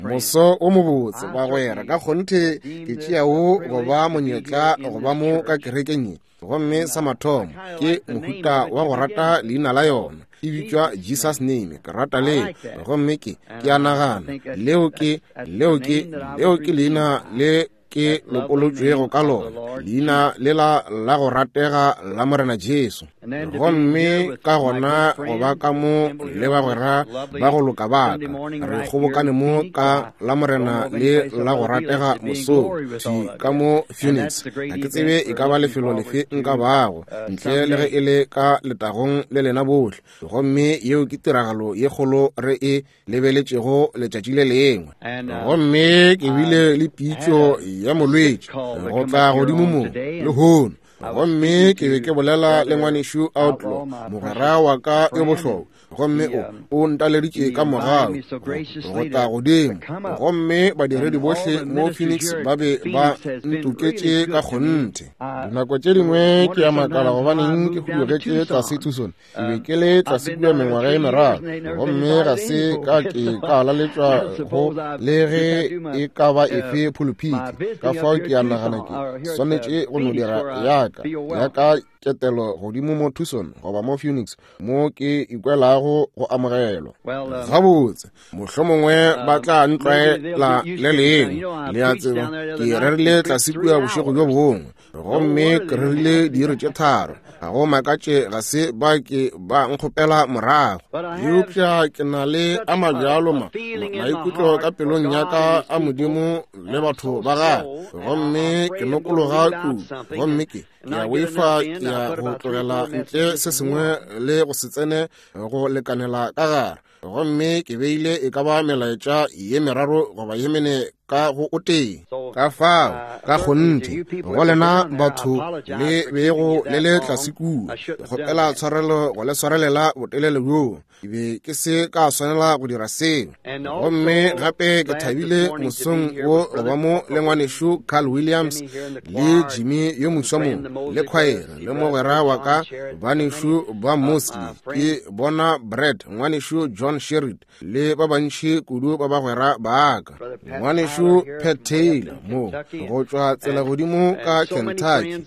Moso o mobotse, bagwera. Ka kgonthe ke tšea wo go ba monyetla go ba mo ka kerekeng ye. Gomme sa mathomo, ke mohuta wa go rata leina la yona. E bitšwa Jesus Name. Ke rata leo. Gomme ke, ke a nagana, leo ke, leo ke, leo ke leina le ke lopolotšwego ka lona, leina lela la go ratega la Morena Jesu. Gomme ka gona go ba ka mo le bagwera ba go loka ba ka, re kgobokane mo ka la Morena le la go ratega mosong, thwi ka mo Phoenix. Ga ke tsebe e ka ba lefelo lefe nka bago, ntle le ge e le ka letagong le lena bohle. Gomme yeo ke tiragalo ye kgolo re e lebeletšego letšatši le lengwe. Gomme ke bile le pitšo ya molwetši go tla godimo mo lehono. Gomme ke be ke bolela le ngwanešu Outlaw, mogwera wa ka yo bohlokwa, gomme o, o ntaleditše ka mogau go tla godimo. Gomme badiredi bohle mo Phoenix ba be ba ntoketše ka kgonthe. Dinako tše dingwe ke a makala gobaneng ke hudugetše tlase Tucson. Ke be ke le tlase kua mengwaga e meraro, gomme ga se ka ke ka laletšwa go le ge e ka ba efe phuluphiti. Ka fao ke a nagana ke swanetše go no dira ya ka, ya ka ketelo godimo mo Tucson goba mo Phoenix, mo ke ikwelago go amogelwa. Gabotse, mohlomongwe ba tla ntlwaela le lengwe. Le a tseba, ke rerile tlase kua bošego bjo bongwe, gomme ke rerile diiri tše tharo. Ga go makatše ga se ba ke ba nkgopela morago. Eupša ke na le a mabjalo ma, maikutlo ka pelong ya ka a Modimo le batho ba gagwe, gomme ke nokologa kudu, gomme ke, ke a boifa ke ya go tlogela ntle se sengwe le go se tsene go lekanela ka gare. Gomme ke beile e ka ba melaetša ye meraro goba ye mene ka go o tee. Ka fao, ka kgonthe, go lena batho le bego le le tlase kua, ke kgopela tshwarelo go le swarelela botelele bjoo. Ke be ke se ka swanela go dira seo. Gomme gape ke thabile mosong wo go ba mo le ngwanešu Carl Williams le Jimmy yo moswa mo, le khwaere, le mogwera wa ka banešu ba Mosley, ke bona Brad, ngwanešu John Sherrid, le ba bantši kudu ba bagwera ba ka, ngwanešu Pat Taylor mo go tšwa tsela godimo ka Kentucky,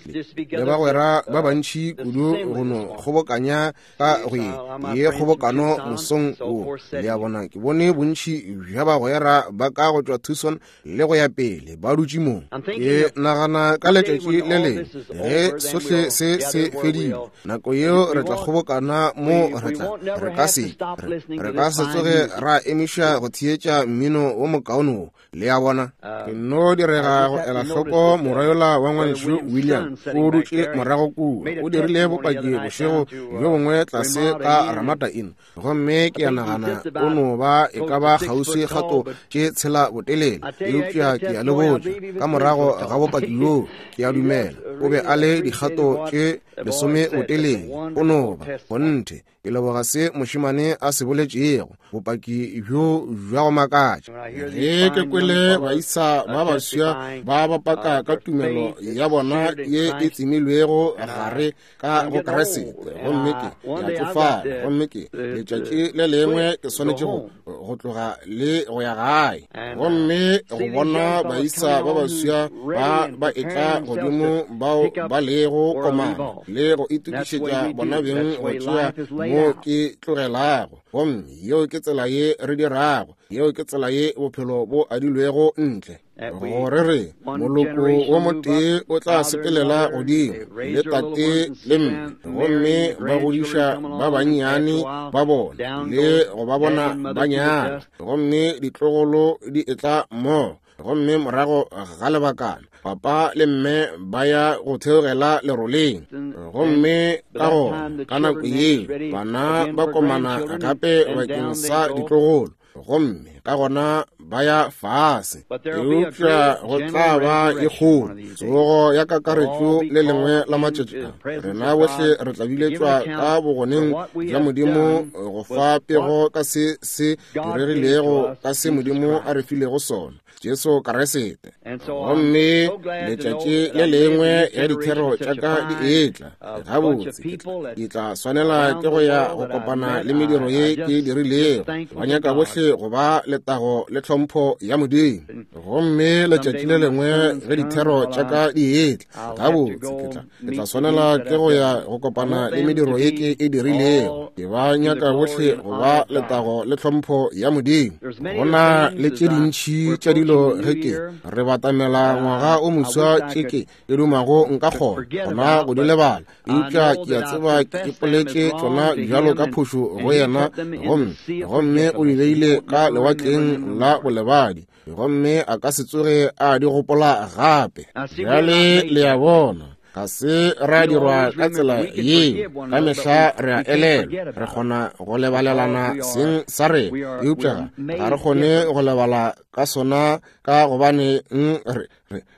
le bagwera ba bantši kudu go no kgobokanya ka go ye ye kgobokano mosong wo. Le a bona, ke bone bontši bja bagwera ba ka go tšwa Tucson le go ya pele ba dutše mo. Ke nagana ka letšatši le lengwe ge sohle se se fedile, nako yeo re tla kgobokana mo, re tla, re ka se, re, re ka se tsoge ra emiša go theetša mmino wo mokaone wo. Le a bona? Ke nno direga go ela hloko morwa yola wa ngwanešu William, o dutše morago kua, o dirile bopaki bošego bjo bongwe tlase ka Ramada Inn. Gomme ke a nagana o no ba e ka ba kgauswi kgato tše tshela botelele, eupša ke a le botša, ka morago ga bopaki bjoo, ke a dumela o be a le dikgato tše lesome botelele. O no ba kgonthe. Ke leboga se mošemane a se boletšego, bopaki bjo bja go makatša. Ge ke kwele baisa ba baswa ba ba paka ka tumelo ya bona ye e tsemilwego gare ka go Kriste, gomme ke ke a tšofala, gomme ke letšatši le lengwe ke swanetše go go tloga le go ya gae, gomme go bona baisa ba baswa ba ba etla godimo bao ba lego komana le go itokišetša bona beng go tšea mo ke tlogelago. Gomme yeo ke tsela ye re dirago, yeo ke tsela ye bophelo bo adilwego ntle. Gore re moloko wo motee o tla sepelela godimo le tate le mme, gomme ba godiša ba bannyane ba bona le go ba bona ba nyala, gomme ditlogolo di etla mmogo, gomme morago ga lebakana papa le mme ba ya go theogela leroleng, gomme ka gona ka nako yeo bana ba komana gape bakeng sa ditlogolo, gomme ka gona ba ya fase. Eupša go tla ba e kgolo tsogo ya kakaretšo le lengwe la matšatši a. Rena bohle re tla biletšwa ka bogoneng bja Modimo go fa pego ka se se diregilego, ka se Modimo a re filego sona, Jesu Kriste. Gomme letšatši le lengwe ya dithero tša ka di etla, gabotse ke tla swanela ke go ya go kopana le mediro ye ke e dirilego. Ba nyaka bohle go ba letago le tlhompho ya Modimo. Gomme letšatši le lengwe ge dithero tša ka di etla, gabotse ke tla swanela ke go ya go kopana le mediro ye ke e dirilego. Ke ba nyaka bohle go ba letago le tlhompho ya Modimo. Go na le tše dintši tša dilo ge ke re batamela ngwaga o moswa tše ke e dumago nka kgona gona go di lebala, eupša ke a tseba ke ipoletše tšona bjalo ka phošo go yena, gomme o di beile ka lewatleng la bolebadi, gomme a ka se tsoge a di gopola gape. Bjale le a bona, ga se ra dirwa ka tsela yeo. Ka mehla re a elelwa, re kgona go lebalelana seng sa rena, eupša ga re kgone go lebala ka sona, ka gobane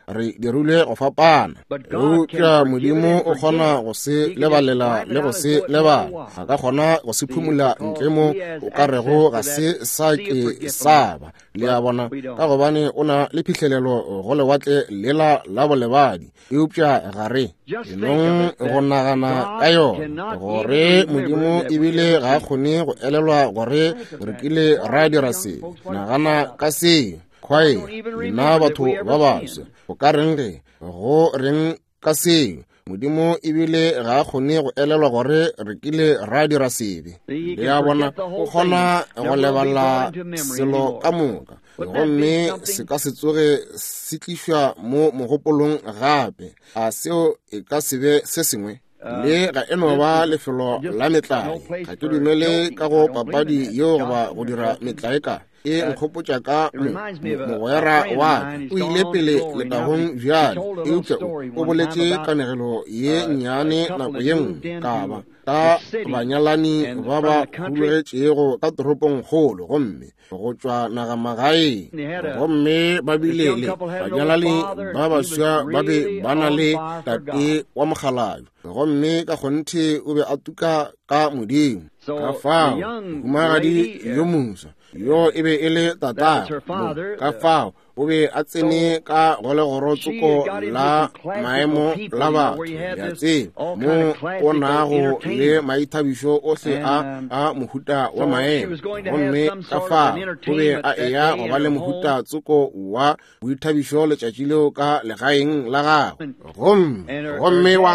re dirilwe go fapana. Eupša Modimo o kgona go se lebalela le go se lebala. A ka kgona go se phumula ntle mo o ka rego ga se sa ke sa ba. Le a bona, ka gobane o na le phihlelelo go lewatle lela la bolebadi. Eupša ga re enong go nagana ka yona, gore Modimo ebile ga a kgone go elelwa gore re kile ra dira se. Nagana ka seo. Khwae, nna batho ba baswa, go ka reng ge go reng ka seo? Modimo ebile ga a kgone go elelwa gore re kile ra dira sebe. Le a bona, o kgona go lebala selo ka moka, gomme se ka se tsoge se tlišwa mo mogopolong gape. A seo e ka se be se sengwe? Le ga e no ba lefelo la metlae. Ga ke dumele ka go papadi yeo goba go dira metlae ka e nkgopotša ka mogwera wa ka. O ile pele letagong bjale, eupša o boletše kanegelo ye nnyane nako ye nngwe ka ba ka banyalani ba ba hulogetšego ka toropongkgolo gomme go tšwa nagamagaeng, gomme ba bile le banyalani ba baswa ba be ba na le tate wa mokgalabje, gomme ka kgonthe o be a tuka ka Modimo. Ka fao mohumagadi yo moswa yo e be e le tatagwe, ka fao o be a tsene ka go legorotsoko la maemo la batho, ya tseba, mo o nago le maithabišo ohle a mohuta wa maemo. Gomme ka fao o be a eya go ba le mohuta tsoko wa boithabišo letšatši leo ka legaeng la gagwe. Gomme wa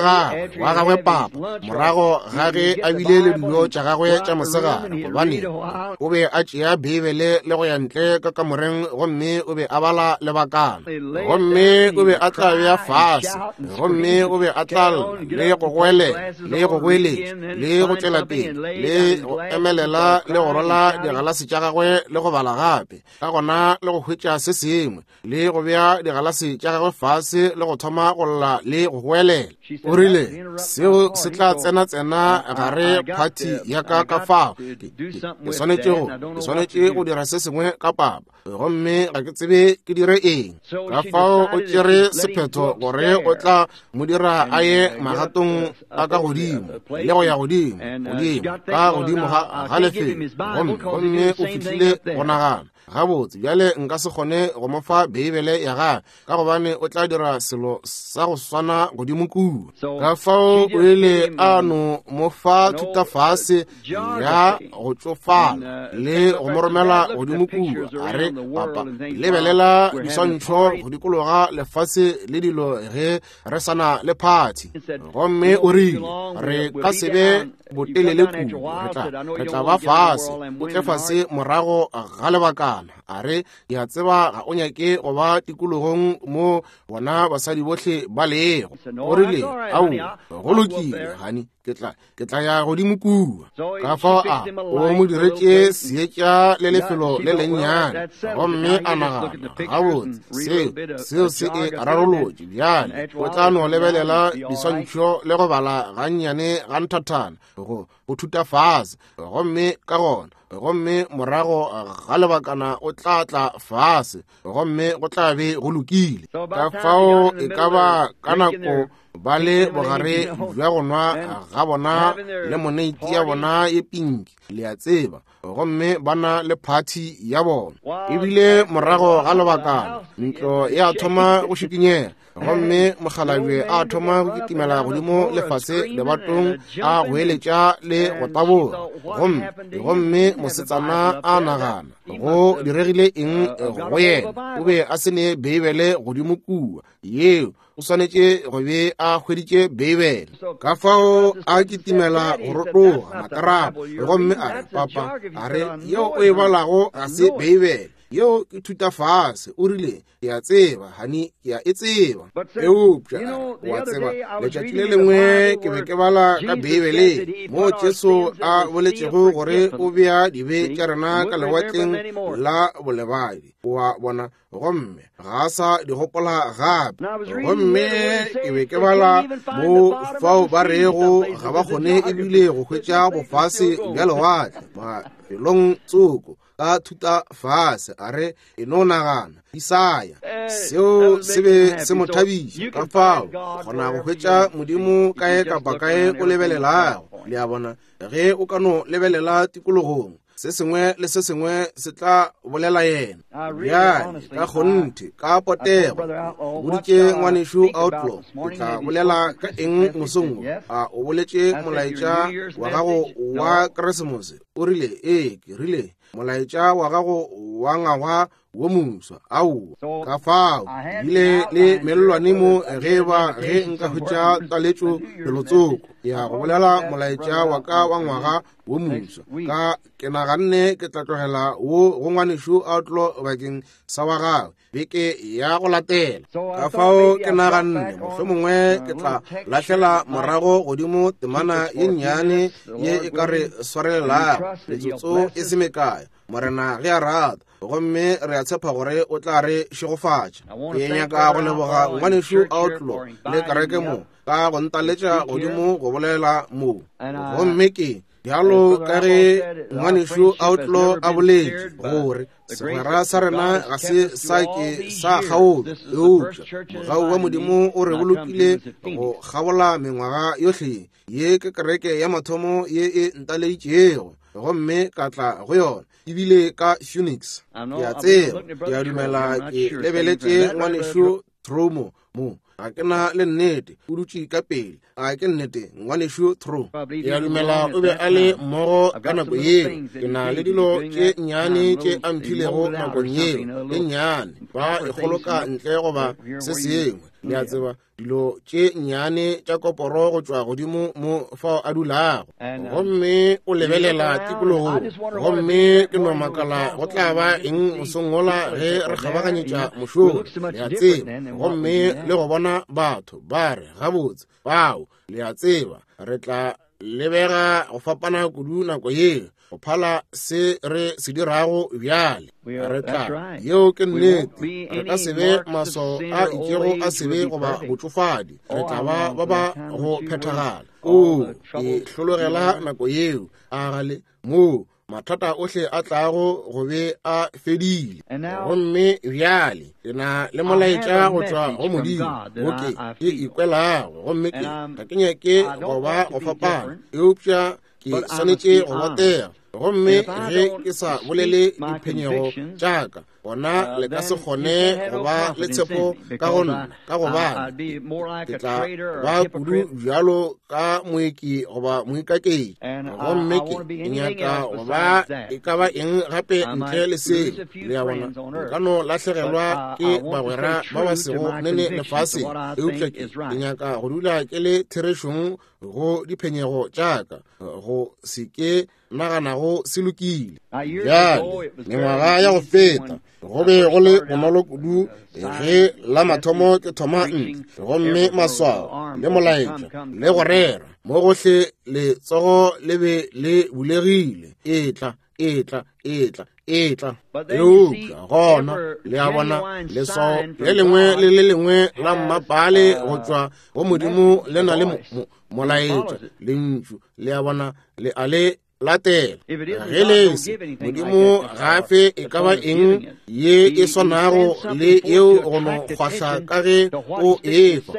gagwe papa, morago ga ge a bile le dilo tša gagwe tša mosegare, gobane o be a tšea Beibele le go ya ntle ka kamoreng, gomme o be a bala lebakana, gomme o be a tla bea fase, gomme o be a tla lla le go goelela le go goeletša le go tšwela pele le go emelela le go rola digalase tša gagwe le go bala gape, ka gona le go hwetša se sengwe le go bea digalase tša gagwe fase le go thoma go lla le go goelela. O rile, seo se tla tsena-tsena gare phathi ya ka ka fao. Ke swanetše go dira se sengwe ka papa, gomme ga ke tsebe ke dire eng. Ka fao o tšere sephetho gore o tla mo dira a ye magatong a ka godimo le go ya godimo godimo ka godimo ga lefelo, gomme o fihlile go nagana, gabotse bjale nka se kgone go mo fa Beibele ya gagwe, ka gobane o tla dira selo sa go swana godimo kua. Ka fao o ile a no mo fa thutafase ya go tšofala le go mo romela godimo kua. A re, papa, lebelela diswantšho go dikologa lefase le dilo ge re sa na le phathi. Gomme o rile, re ka se be botelele kudu, re tla ba fase, o tle fase morago ga lebakana. A re, ke a tseba ga o nyake go ba tikologong mo bona basadi bohle ba lego. O rile, aowa, go lokile, honey. Ke tla ya godimo kua. Ka fao a o mo diretše seetša le lefelo le lennyane, gomme a nagana, gabotse, seo se e rarolotše. Bjale o tla no lebelela diswantšho le go bala gannyane ga nthathana go thuta fase, gomme ka gona, gomme morago ga lebakana o tla tla fase, gomme go tla be go lokile. Ka fao e ka ba ka nako ba le bogare bja go nwa ga bona le moneiti ya bona ye pinki, le a tseba, gomme ba na le phathi ya bona. Ebile morago ga lebakana ntlo ya thoma go šikinyega, gomme mokgalabje a thoma go kitimela godimo lefase lebatong, a goeletša le go taboga. Gomme mosetsana a nagana, go diregile eng go yena? O be a se ne Beibele godimo kua yeo, o swanetše go be a hweditše Beibele. Ka fao a kitimela go rotoga makarabo, gomme a re, papa, a re, yeo o e balago ga se Beibele, yeo ke thuta fase. O rile, ke a tseba, hani, ke a e tseba. Eupša wa tseba, letšatši le lengwe ke be ke bala ka Beibeleng moo Jesu a boletšego gore o bea dibe tša rena ka lewatleng la bolebadi, wa bona, gomme ga a sa di gopola gape. Gomme ke be ke bala mo fao ba rego ga ba kgone ebile go hwetša bofase bja lewatle mafelong tsoko ka thuta fase. A re, e no nagana, Isaya, seo se be se mo thabiša. Ka fao kgona go hwetša Modimo kae kapa kae o lebelelago. Le a bona, ge o ka no lebelela tikologong, se sengwe le se sengwe se tla bolela yena. Bjale ka kgonthe, ka potego, boditše ngwanešu Outlaw, ke tla bolela ka eng mosong wo? A o boletše molaetša wa gago wa Keresemose? O rile, ee. Ke rile, molaetša wa gago wa ngwaga wo moswa? Aowa. Ka fao bile le mellwane mo, ge ba ge nka hwetša taletšo felotsoko ya go bolela molaetša wa ka wa ngwaga wo moswa, ka ke naganne ke tla tlogela wo go ngwanešu Outlaw bakeng sa wa gagwe beke ya go latela. Ka fao ke naganne mohlomongwe ke tla lahlela morago godimo temana ye nnyane ye e ka re swarelelago metsotso e se mekae, Morena ge a rata, gomme re a tshepa gore o tla re šegofatša. Ke nyaka go leboga ngwanešu Outlaw le kereke mo ka go ntaletša godimo go bolela mo. Gomme ke bjalo ka ge ngwanešu Outlaw a boletše gore segwera sa rena ga se sa ke sa kgaolwa, eupša mogau wa Modimo o re bolokile go kgabola mengwaga yohle. Ye ke kereke ya mathomo ye e ntaleditšego, gomme ka tla go yona ebile ka Phoenix. Ke a tseba, ke a dumela ke lebeletše ngwanešu Tromo mo, ga ke na le nnete, o dutše ka pele. A ke nnete, ngwanešu Tro? Ke a dumela o be a le mmogo ka nako yeo. Ke na le dilo tše nnyane tše a mphilego nakong yeo, e nnyane, ba e kgoloka ntle goba se sengwe, le a tseba, dilo tše nnyane tša koporo go tšwa godimo mo fao a dulago. Gomme o lebelela tikologong, gomme ke no makala go tla ba eng mosong wola ge re kgabaganyetša mošomo, le a tseba, gomme le go bona batho ba re, gabotse, bao, le a tseba, re tla lebega go fapana kudu nako yeo go phala se re se dirago bjale. Re tla, yeo ke nnete, re ka se be maswao a itšego a sebe goba botšofadi, re tla ba ba ba go phethagala. O, ke hlologela nako yeo, a gale moo mathata ohle a tlago go be a fedile. Gomme bjale ke na le molaetša go tšwa go Modimo wo ke ke ikwelago, gomme ke ga ke nyake go ba go fapana, eupša ke swanetše go botega. Gomme ge ke sa bolele diphenyego tša ka, gona le ka se kgone go ba le tshepo ka go nna, ka gobane ke tla ba kudu bjalo ka moeki goba moikaketši. Gomme ke nyaka go ba e ka ba eng gape ntle le seo. Le a bona, nka no lahlegelwa ke bagwera ba ba sego nene lefaseng, eupša ke nyaka go dula ke le therešong go diphenyego tša ka, go se ke naganago se lokile. Bjale, mengwaga ya go feta, go be go le bonolo kudu ge la mathomo ke thoma ntle, gomme maswao le molaetša le go rera mo gohle, letsogo le be le bulegile, etla, etla, etla, etla. Eupša gona, le a bona, leswao le lengwe le le lengwe la mmapale go tšwa go Modimo le na le molaetša, lentšu, le a bona, le a le latela. Ge le se, Modimo ga a fe e ka ba eng ye e swanago le yeo go no kgwahla ka ge o efa.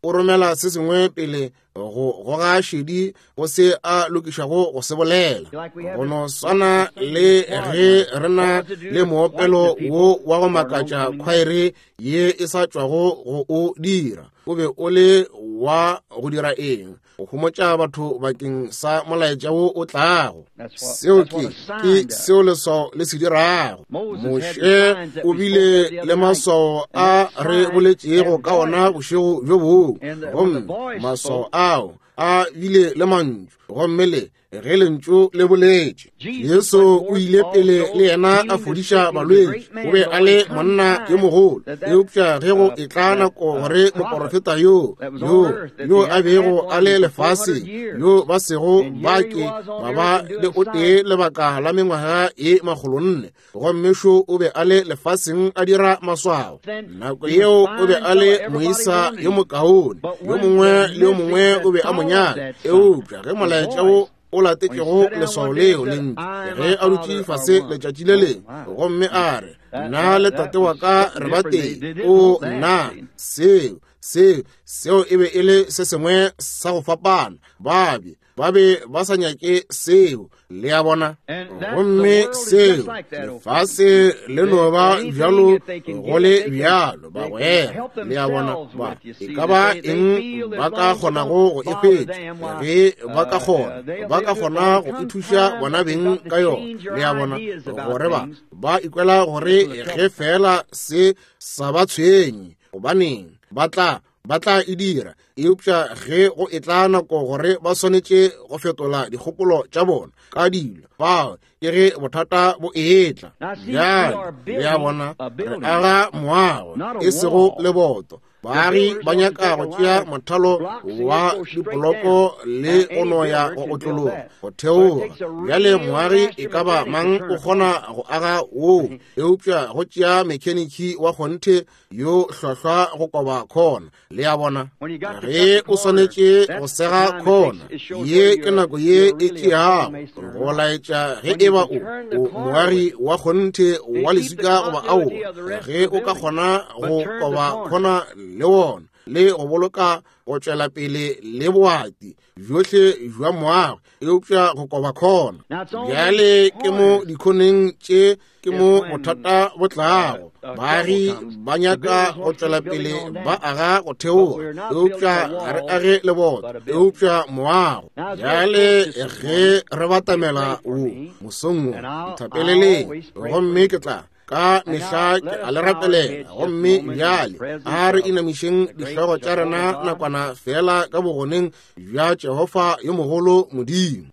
O romela se sengwe pele go goga šedi go se a lokišago go se bolela. Go no swana le ge re na le moopelo wo wa go makatša khwaere ye e sa tšwago go o dira. O be o le wa go dira eng? Go homotša batho bakeng sa molaetša wo o tlago. Seo ke seo leswao le se dirago. Moshe o bile le maswao a re boletšego ka ona bošego bjo bongwe, gomme maswao ao a bile le mantšu, gomme le ge lentšu le boletše. Jesu o ile pele le yena a fodiša balwetši, o be a le monna yo mogolo, eupša ge go etla nako gore moporofeta yo yo yo a bego a le lefaseng, yo ba sego ba ke ba ba le o tee lebaka la mengwaga ye 400, gomme šo o be a le lefaseng a dira maswao. Nako yeo o be a le moisa yo mokaone, yo mongwe le yo mongwe o be a mo nyaka, eupša ge molaetša wo o latetšego leswao leo lentšu, ge a dutše fase letšatši le lengwe gomme a re, nna le tate wa ka re ba tee, o nna seo seo seo e be e le se sengwe sa go fapana. Ba be ba sa nyake seo, le a bona. Gomme seo lefase le no ba bjalo go le bjalo, bagwera, le a bona. Ba e ka ba eng ba ka kgonago go e hwetša, ge ba ka kgona, ba ka kgona go ithuša bona beng ka yona, le a bona, gore ba ikwela gore ge fela se sa ba tshwenye, gobaneng ba tla e dira. Eupša ge go etla nako gore ba swanetše go fetola dikgopolo tša bona ka dilo, fao ke ge bothata bo etla. Bjale, le a bona, re aga moago, e sego leboto. Baagi ba nyaka go tšea mothalo wa dipoloko le go no ya go otlologa go theoga. Bjale moagi e ka ba mang o kgona go aga woo, eupša go tšea mekheniki wa kgonthe yo hlwahlwa go koba khona, le a bona. Ge o swanetše go sega khona, ye ke nako ye e tšeago go laetša ge e ba o moagi wa kgonthe wa leswika goba aowa. Ge o ka kgona go koba khona le wona le go boloka go tšwela pele le boati bjohle bja moago, eupša go koba khona. Bjale ke mo dikhoneng tše ke mo bothata bo tlago. Baagi ba nyaka go tšwela pele ba aga go theoga, eupša ga re age leboto, eupša moago. Bjale ge re batamela wo mosong wo, nthapeleleng, gomme ke tla ka mehla ke a le rapelela. Gomme bjale a re inamišeng dihlogo tša rena nakwana fela ka bogoneng bja Jehofa yo mogolo Modimo.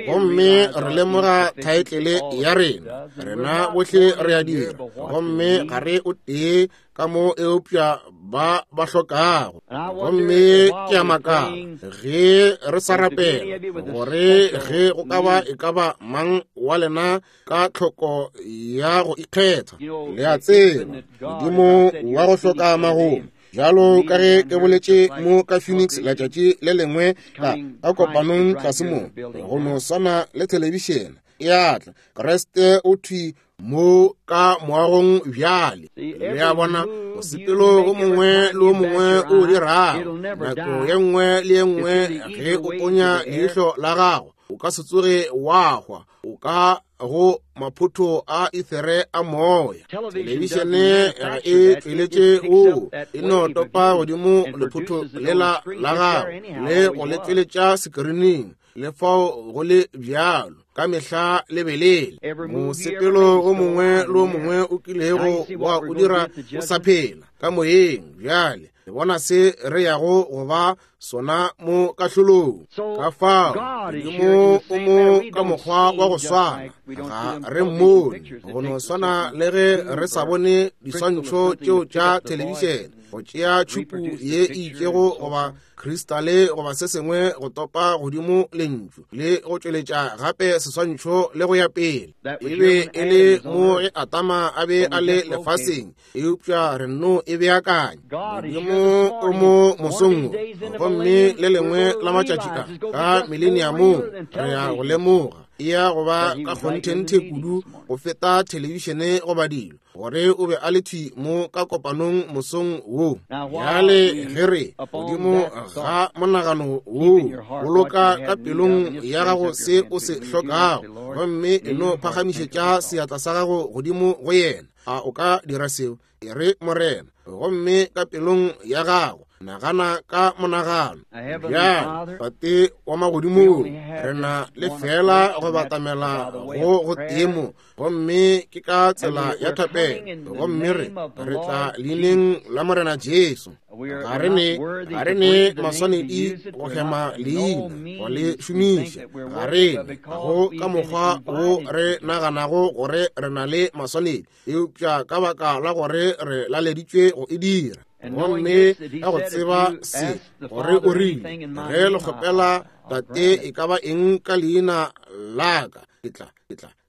Gomme re lemoga thaetlele ya rena, rena bohle re a dira, gomme ga re o tee ka mo eupša ba ba hlokago. Gomme ke a makala ge re sa rapela gore ge go ka ba e ka ba mang wa lena ka tlhoko ya go ikgetha. Le a tseba, Modimo wa go hloka magomo, bjalo ka ge ke boletše mo ka Phoenix letšatši le lengwe ka kopanong tlase mo, go no swana le thelebišene e a tla, Kriste o thwi mo ka moagong bjale. Le a bona, mosepelo o mongwe le o mongwe o dirago, nako ye nngwe le ye nngwe ge o ponya leihlo la gago, o ka se tsoge wa hwa, o ka go maphotho a ethere a moya. Thelebišene ga e tšweletše wo, e no topa godimo lephotho lela la gago le go le tšweletša sekirining. Le fao go le bjalo, ka mehla lebelele. Mosepelo o mongwe le o mongwe o kilego wa o dira o sa phela ka moyeng. Bjale le bona se re yago go ba sona mo kahlolong. Ka fao Modimo o mo ka mokgwa wa go swana, ga re mmone go no swana le ge re sa bone diswantšho tšeo tša thelebišene, go tšea tšhupu ye e itšego goba kristale goba se sengwe go topa godimo lentšu le go tšweletša gape seswantšho le go ya pele. E be e le mo ge Adama a be a le lefaseng, eupša re nno e beakanya. Modimo o mo mosong wo, gomme le lengwe la matšatši a ka mileniamong re ya go lemoga e ya go ba ka kgonthenthe kudu go feta thelebišene goba dilo, gore o be a le thwi mo ka kopanong mosong wo. Bjale ge re godimo ga monagano wo, boloka ka pelong ya gago se o se hlokago, gomme e no phagamišetša seatla sa gago godimo go yena. A o ka dira seo? E re, Morena, gomme ka pelong ya gago nagana ka monagano. Bjale, Tate wa magodimong, re na le fela go batamela go go temo, gomme ke ka tsela ya thapelo, gomme re tla leineng la Morena Jesu. Ga re ne maswanedi go hema leina go le šomiša, ga re ne go ka mokgwa wo re naganago gore re na le maswanedi, eupša ka baka la gore re laleditšwe go e dira. Gomme ka go tseba se, gore o rile, ge le kgopela Tate e ka ba eng ka leina la ka, ke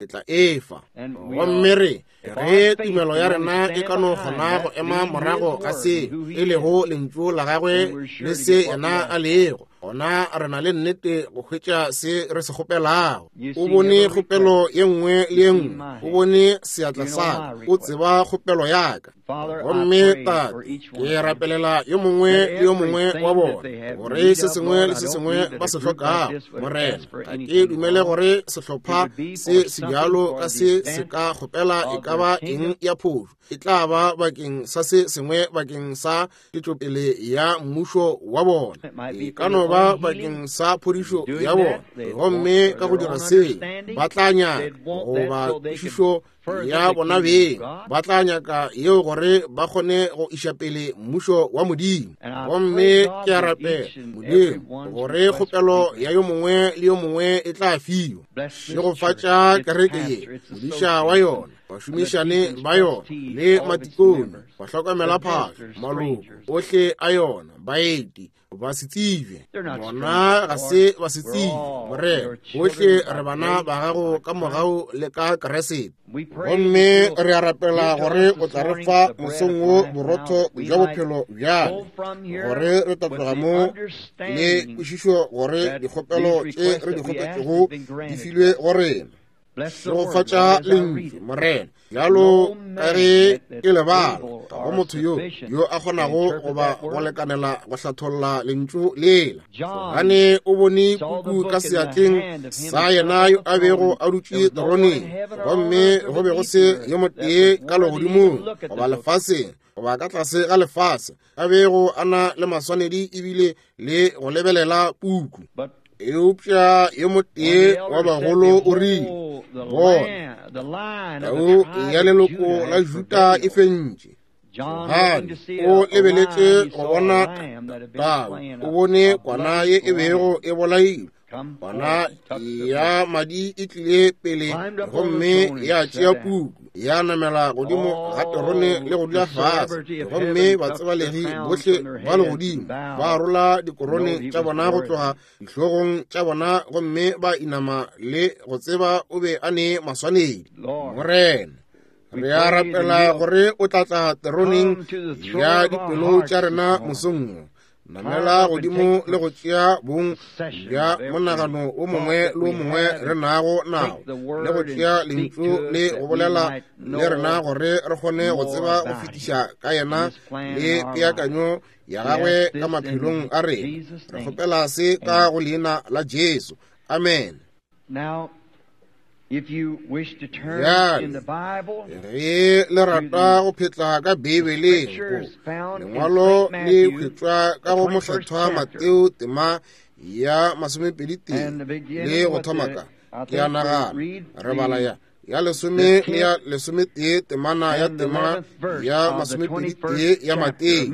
tla efa. Gomme re ge tumelo ya rena e ka no kgona go ema morago ga se e lego lentšu la gagwe le se yena a lego, gona re na le nnete go hwetša se re se kgopelago. O bone kgopelo ye nngwe le ye nngwe, o bone seatla sa ka, o tseba kgopelo ya ka. Gomme Tate, ke rapelela yo mongwe le yo mongwe wa bona gore se sengwe le se sengwe ba se hlokago. Morena, ga ke dumele gore sehlopha se se bjalo ka se se ka kgopela e ka ba eng ya phošo. E tla ba bakeng sa se sengwe bakeng sa tšwetšopele ya mmušo wa bona, e ka no ba bakeng sa phodišo ya bona. Gomme ka go dira se, ba tla nyaka goba kwešišo ya bona beng, ba tla nyaka yeo gore ba kgone go iša pele mmušo wa Modimo. Gomme ke a rapela, Modimo, gore kgopelo ya yo mongwe le yo mongwe e tla fiwa. Šegofatša kereke ye, modiša wa yona, bašomišane ba yona, le matikone, bahlokomela phahlo, maloko ohle a yona, baeti, ba se tsebje. Bona ga se ba se tsebje, Morena. Bohle re bana ba gago ka mogau le ka Kriste. Gomme re a rapela gore o tla re fa mosong wo borotho bja bophelo bjale, gore re tla tloga mo le kwešišo gore dikgopelo tše re di kgopetšego di filwe go rena. Šegofatša lentšu, Morena, bjalo ka ge ke lebala, ga go motho yo yo a kgonago goba go lekanela go hlatholla lentšu lela. Gobane o bone puku ka seatleng sa yena yo a bego a dutše teroneng, gomme go be go se yo motee ka legodimong goba lefaseng goba ka tlase ga lefase a bego a na le maswanedi ebile le go lebelela puku. Eupša yo motee wa bagolo o rile, bona, tau ya leloko la Juda e fentše. Johane o lebeletše go bona tau, o bone kwana ye e bego e bolailwe, kwana ya madi e tlile pele gomme ya tšea puku, ya namela godimo ga terone le go dula fase. Gomme batsebalegi bohle ba legodimo ba rola dikorone tša bona go tloga dihlogong tša bona gomme ba inama le go tseba o be a ne maswanedi. Morena, re a rapela gore o tla tla teroneng ya dipelo tša rena mosong wo. Namela godimo le go tšea bong bja monagano o mongwe le o mongwe re nago nao, le go tšea lentšu le go bolela le rena gore re kgone go tseba go fetiša ka yena le peakanyo ya gagwe ka maphelong a rena. Re kgopela se ka go leina la Jesu. Amen. Bjale, ge le rata go phetla ka Beibeleng, lengwalo le hwetšwa ka go Mokgethwa Mateo tema ya 21 le go thoma ka, ke a nagana, re bala ya 10 le ya 11 temana ya tema ya 21 ya Mateo.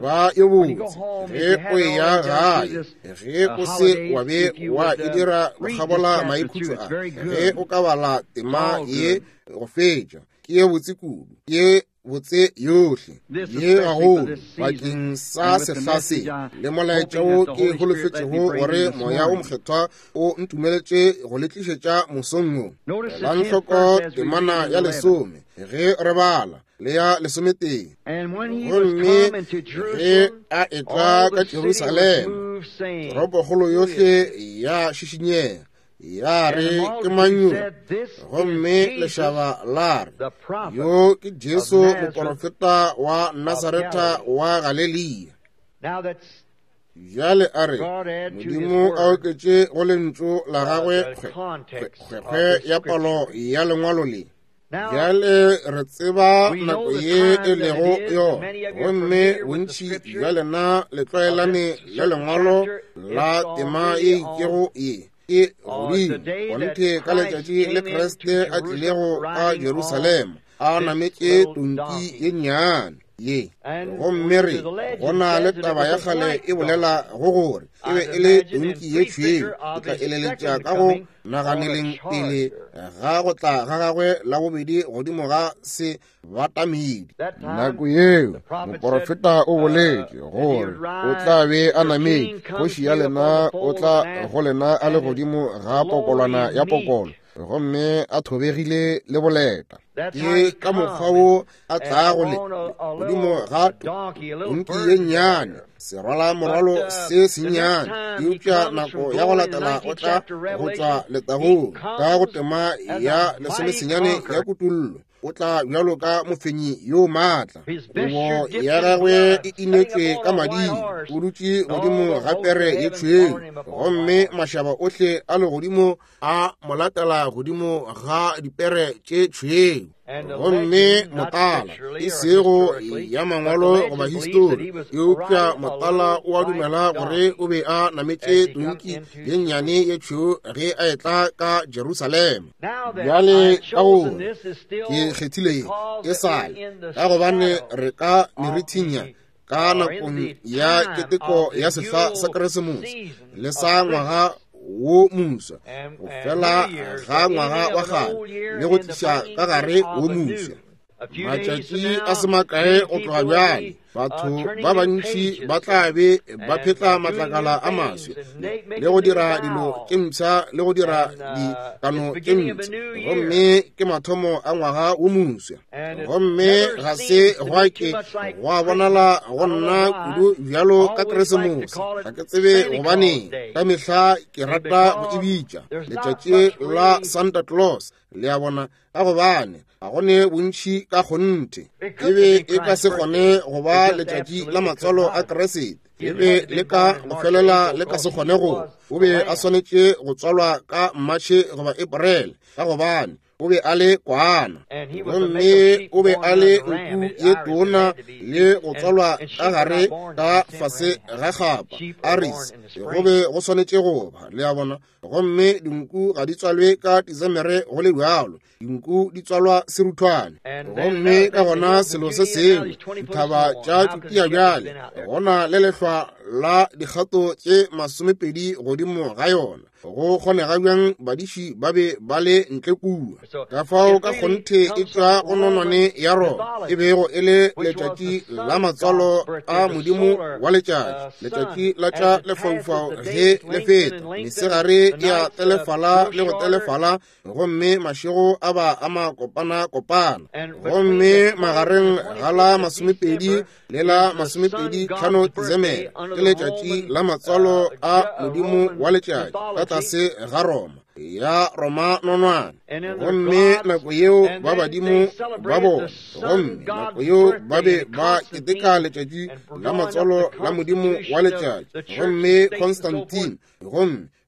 Ba yo botse ge o eya gae, ge o se wa be wa e dira go kgabola maikhutšo a, ge o ka bala tema ye go fetša, ke ye botse kudu, ke ye botse yohle ye gagolo bakeng sa sehla se le molaetša wo ke holofetšego gore Moya o Mokgethwa o ntumeletše go le tlišetša mosong wo. Elang hloko temana ya 10 ge re bala le ya 11. Gomme ge a etla ka Jerusalema, toropokgolo yohle ya šišinyega, ya re ke mang yo? Gomme lešaba la re, yo ke Jesu moporofeta wa Nasaretha wa Galelia. Bjale a re, Modimo a oketše go lentšu la gagwe kgwekgwe ya palo ya lengwalo le. Bjale re tseba nako ye e lego yona, gomme bontši bja lena le tlwaelane le lengwalo la tema ye itšego ye ke godimo kgonthe ka letšatši le Kriste a tlilego ka Jerusalema a nametše tonki ye nnyane ye. Gomme re gona le taba ya kgale e bolela go gore e be e le tonki ye tšhweu. Ke tla eleletša ka go naganeleng pele ga go tla ga gagwe la bobedi godimo ga se batamedi. Nako yeo moporofeta o boletše gore o tla be a nametše, kgoši ya lena o tla go lena a le godimo ga pokolwana ya pokolo, gomme a thobegile le boleta. Ke ka mokgwa wo a tlago le godimo ga tonki ye nnyane, serwala morwalo se sennyane. Eupša nako ya go latela o tla go tšwa letagong ka go tema ya 19 ya Kutullo, o tla bjalo ka mofenyi yo maatla. Kobo ya gagwe e inetšwe ka mading, o dutše godimo ga pere ye tšhweu, gomme mašaba ohle a legodimo a mo latela godimo ga dipere tše tšhweu. Gomme motala, e sego ya mangwalo goba histori, eupša motala o a dumela gore o be a nametše tonki ye nnyane ye tšhweu ge a etla ka Jerusalema. Bjale ka gore ke kgethile ye e sale, ka gobane re ka merithing ya ka nakong ya keteko ya sehla sa Keresemose le sa ngwaga wo moswa, go fela ga ngwaga wa kgale le go tliša ka gare wo moswa. Matšatši a se makae go tloga bjale, batho ba bantši ba tla be ba phetla matlakala a maswe le go dira dilo tše mpsha le go dira dikano tše mpsha, gomme ke mathomo a ngwaga wo moswa. Gomme ga se gwa ke gwa bonala go nna kudu bjalo ka Keresemose. Ga ke tsebe gobaneng, ka mehla ke rata go e bitša letšatši la Santa Claus, le a bona, ka gobane ga go ne bontši ka kgonthe. E be e ka se kgone go ba letšatši la matswalo a Kriste, e be le ka go felela le ka se kgone go. O be a swanetše go tswalwa ka Matšhe goba Eprele, ka gobane o be a le kwana, gomme o be a le nku ye tona le go tswalwa ka gare ka fase ga kgapa Aris, go be go swanetše go ba, le a bona. Gomme dinku ga di tswalwe ka Disemere go le bjalo, dinku di tswalwa seruthwane. Gomme ka gona selo se sengwe, dithaba tša Tšutia bjale gona le lehlwa la dikgato tše 20 godimo ga yona. Go kgonega bjang badiši ba be ba le ntle kua? Ka fao ka kgonthe e tšwa go nonwane ya Roma, e bego e le letšatši la matswalo a modimo wa letšatši, letšatši la tša lefaufau ge le feta, mesegare e a telefala le go telefala, gomme mašego a ba a makopana-kopana. Gomme magareng ga la 20 le la 25 Disemere ke letšatši la matswalo a modimo wa letšatši ka tlase ga Roma ya Roma nonwane. Gomme nako yeo ba badimo ba bona, gomme nako yeo ba be ba keteka letšatši la matswalo la modimo wa letšatši, gomme Constantine,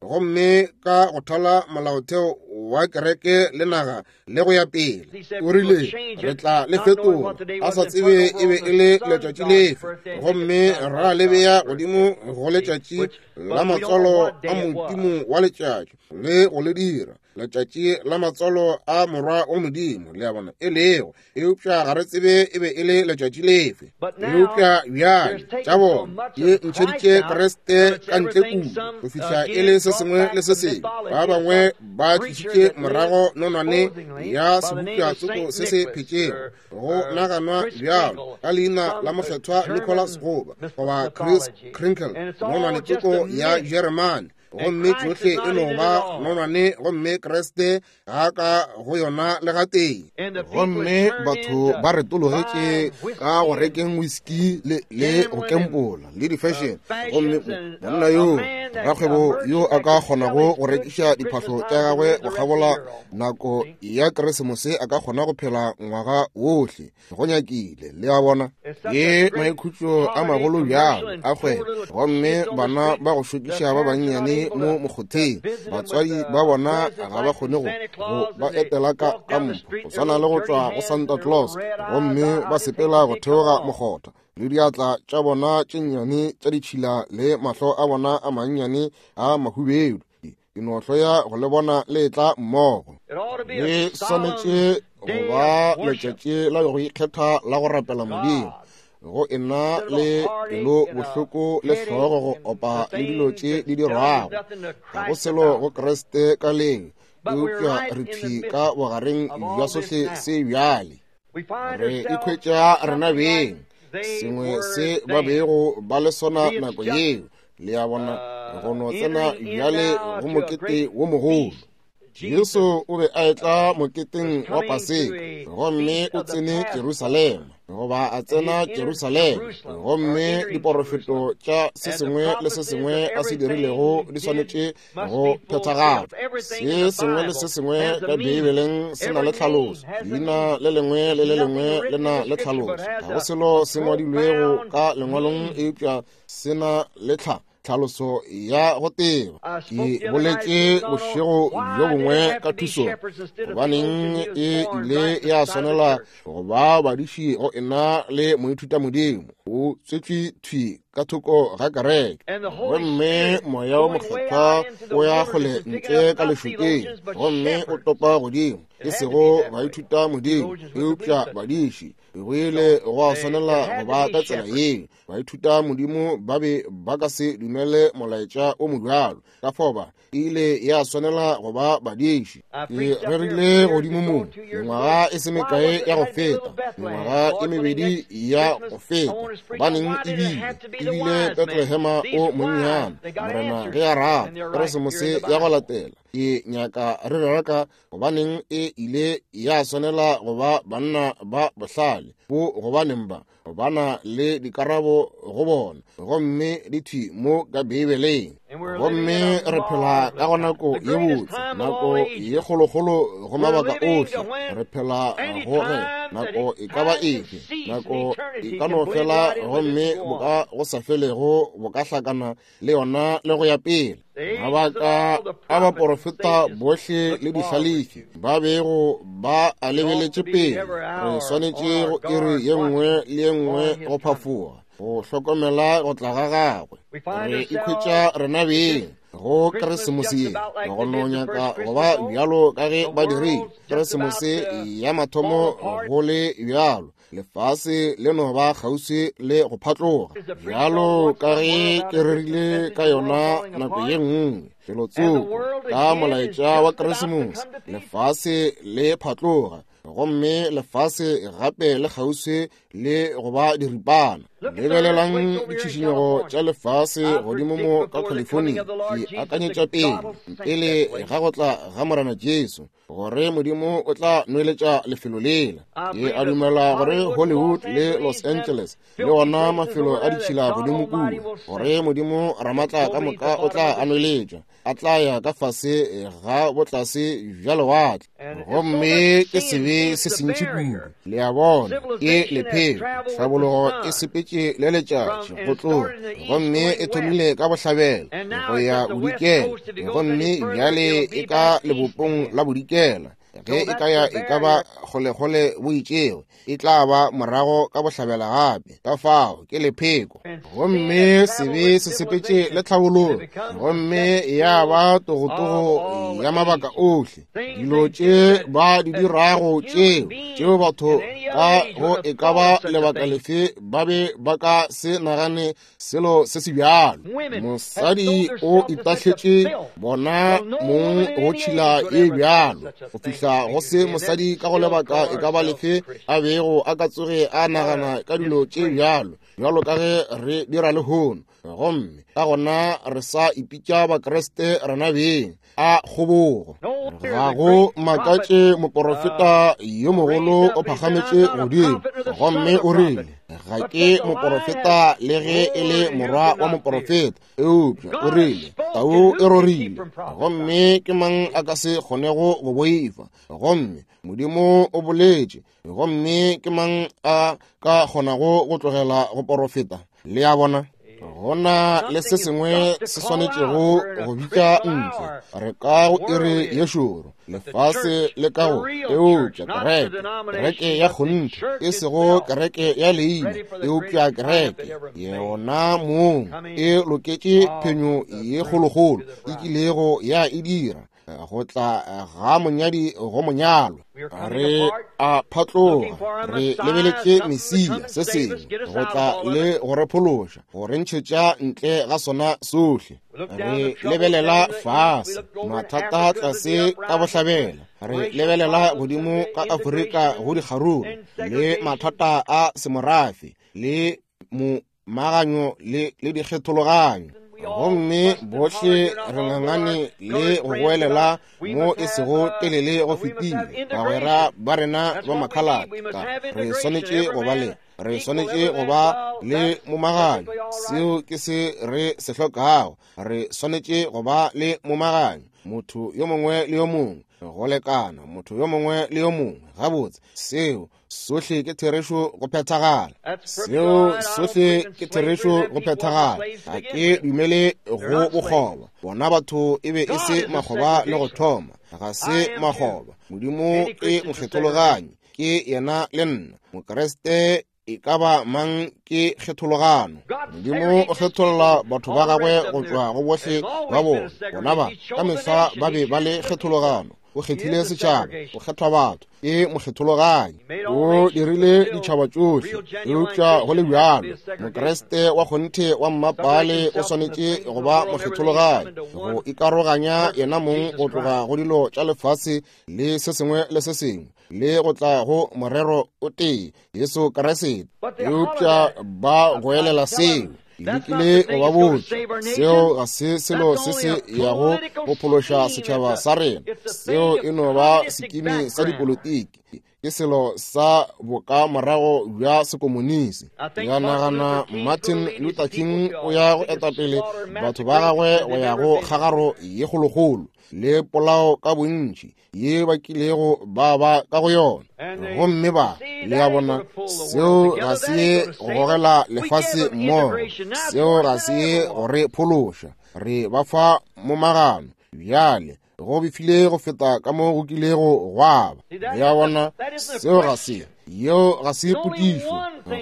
gomme ka go thala molaotheo wa kereke le naga le go ya pele. O rile, re tla le fetola, a sa tsebe e be e le letšatši lefe, gomme ra le bea godimo go letšatši la matswalo a modimo wa letšatši, le go le dira letšatši la matswalo a morwa wa Modimo, le a bona, e lego, eupša ga re tsebe e be e le letšatši lefe. Eupša bjale tša bona di ntšheditše Kriste ka ntle kudu go fihla e le se sengwe le se sengwe. Ba bangwe ba tlišitše morago nonwane ya sebopša tsoko se se phetšego, go naganwa bjalo ka leina la mokgethwa Nicholas goba Chris Kringle, nonwane tsoko ya Jeremane, gomme tšohle e no ba nonwane, gomme Kriste ga ka go yona le gatee. Gomme batho ba retologetše ka go rekeng whisky le go kempola le di-fashion, gomme monna yo rakgwebo yo a ka kgonago go rekiša diphahlo tša gagwe go kgabola nako ya Keresemose a ka kgona go phela ngwaga wohle go nyakile, le a bona. Ke maikhutšo a magolo bjalo a kgwebo, gomme bana ba go šokiša ba bannyane mo mokgotheng, batswadi ba bona ga ba kgone go ba etela ka mpho, go swana le go tšwa go Santa Claus, gomme ba sepela go theoga mokgotha le diatla tša bona tše nnyane tša ditšhila le mahlo a bona a mannyane a mahubedu. Ke no hloya go le bona le etla mmogo. Le swanetše go ba letšatši la go ikgetha la go rapela Modimo, go ena le pelo bohloko le hlogo go opa le dilo tše di dirwago. Ga go selo go Kriste ka leng, eupša re thwi ka bogareng bja sohle se bjale. Re ikhwetša rena beng sengwe se ba bego ba le sona nako yeo, le a bona, go no tsena bjale go mokete wo mogolo. Jesu o be a etla moketeng wa Paseka, gomme o tsene Jerusalema, goba a tsena Jerusalema, gomme diporofeto tša se sengwe le se sengwe a se dirilego di swanetše go phethagala. Se sengwe le se sengwe ka Beibeleng se na le tlhaloso, leina le lengwe le le lengwe le na le tlhaloso. Ga go selo se ngwadilwego ka lengwalong eupša se na le tlhaloso ya go teba. Ke boletše bošego bjo bongwe ka thuso, gobaneng e ile ya swanela go ba badiši go ena le moithuta modimo. O tswetšwe thwi ka thoko ga kereke, gomme moya wo mokgethwa o ya kgole ntle ka lešokeng, gomme o topa godimo, e sego baithuta modimo eupša badiši. Go ile gwa swanela go ba ka tsela yeo. Baithuta modimo ba be ba ka se dumele molaetša o mobjalo, ka fao ba ile ya swanela go ba badiši. Ke rerile godimo mo mengwaga e se mekae ya go feta, mengwaga e mebedi ya go feta, gobaneng ebile Bethlehema o monnyane, Morena ge a rata, Keresemose ya go latela ke nyaka re rera ka gobaneng e ile ya swanela go ba banna ba bohlale bo, gobaneng ba bana le dikarabo go bona, gomme di thwi mo ka Beibeleng. Gomme re phela ka go nako ye botse, nako ye kgolokgolo go mabaka ohle. Re phela go ge nako e ka ba efe, nako e ka no fela, gomme boka go sa felego bo ka hlakana le yona le go ya pele. Mabaka a baporofeta bohle le dihlalefi ba bego ba a lebeletše pele, re swanetše go iri ye nngwe le ye nngwe go phafoga, go hlokomela go tla ga gagwe. Re ikhwetša rena beng go Keresemose ye, go no nyaka go ba bjalo ka ge ba dirile Keresemose ya mathomo go le bjalo. Lefase le no ba kgauswi le go phatloga, bjalo ka ge ke rerile ka yona nako ye nngwe felotsoko ka molaetša wa Keresemose. Lefase le phatloga, gomme lefase gape le kgauswi le go ba diripana. Lebelelang ditšhišinyego tša lefase godimo mo ka California. Ke akanyetša pele pele ga go tla ga Morena Jesu gore Modimo o tla nweletša lefelo lela. Ke a dumela gore Hollywood le Los Angeles le ona mafelo a ditšhila godimo kua, gore Modimo Ramatla ka moka o tla a nweletša, a tla ya ka fase ga botlase bja lewatle. Gomme ke sebe se sentši kudu, le a bona, ke lephelo. Tlhabologo e sepetše sepetše le letšatši go tloga, gomme e thomile ka bohlabela go ya bodikela, gomme bjale e ka lebopong la bodikela. Ge e ka ya e ka ba kgolekgole bo itšego, e tla ba morago ka bohlabela gape. Ka fao ke lepheko, gomme sebe se sepetše le tlhabololo, gomme ya ba togotogo ya mabaka ohle. Dilo tše ba di dirago tšeo batho ka go e ka ba lebaka lefe ba be ba ka se nagane selo se se bjalo. Mosadi o itahletše bona mong go tšhila e bjalo, go fihla go se mosadi ka go lebaka e ka ba lefe a bego a ka tsoge a nagana ka dilo tše bjalo, bjalo ka ge re dira lehono. Gomme ka gona re sa ipitša Bakriste rena beng. A kgobogo! Ga go makatše moporofeta yo mogolo o phagametše godimo gomme o rile, ga ke moporofeta le ge e le morwa wa moporofeta, eupša o rile tau e rorile, gomme ke mang a ka se kgonego go boifa? Gomme Modimo o boletše, gomme ke mang a ka kgonago go tlogela go porofeta? Le a bona, gona le se sengwe se swanetšego go bitša ntle. Re ka go iri ye šoro, lefase le ka go, eupša kereke, kereke ya kgonthe, e sego kereke ya leina, eupša kereke yona mong e loketše phenyo ye kgolokgolo e kilego ya e dira, go tla ga monyadi go monyalwa. Re a phatloga, re lebeletše Mesia, se sengwe go tla le go re phološa, go re ntšhetša ntle ga sona sohle. Re lebelela fase mathata tlase ka bohlabela, re lebelela godimo ka Afrika go dikgaruru le mathata a semorafe le momaganyo le dikgethologanyo, gomme bohle re ngangane le go goelela mo e sego telele go fetile. Bagwera ba rena ba makhalaka, re swanetše go ba le, re swanetše go ba le momaganyo. Seo ke se re se hlokago. Re swanetše go ba le momaganyo, motho yo mongwe le yo mongwe go lekana, motho yo mongwe le yo mongwe gabotse. Seo sohle ke therešo go phethagala. Seo sohle ke therešo go phethagala. Ga ke dumele go bokgoba. Bona batho e be e se makgoba le go thoma, ga se makgoba. Modimo ke mokgethologanyi, ke yena le nna. Mokriste e ka ba mang ke kgethologano. Modimo o kgetholla batho ba gagwe go tšwa go bohle ba bona. Bona ba ka mehla ba be ba le kgethologano. O kgethile setšhaba, o kgethwa batho, ke mokgethologanyi. O dirile ditšhaba tšohle, eupša go le bjalo Mokriste wa kgonthe wa mmapale o swanetše go ba mokgethologanyi, go ikaroganya yena mong go tloga go dilo tša lefase le se sengwe le se sengwe, le go tla go morero o tee, Jesu Kriste. Eupša ba goelela seo. Ke lekile go ba botša, seo ga se selo se se yago go phološa setšhaba sa rena. Seo e no ba sekimi sa dipolitiki, ke selo sa bokamorago bja sekomunisi. Ya nagana Martin Luther King o ya go etapele batho ba gagwe go ya go kgagaro ye kgolokgolo le polao ka bontši ye ba kilego ba ba ka go yona. Gomme ba, le a bona, seo ga se ye go gogela lefase mmogo, seo ga se ye go re phološa. Re ba fa momagano bjale, go befile go feta ka mo go kilego gwa ba. Le a bona, seo ga se, yeo ga se potšišo.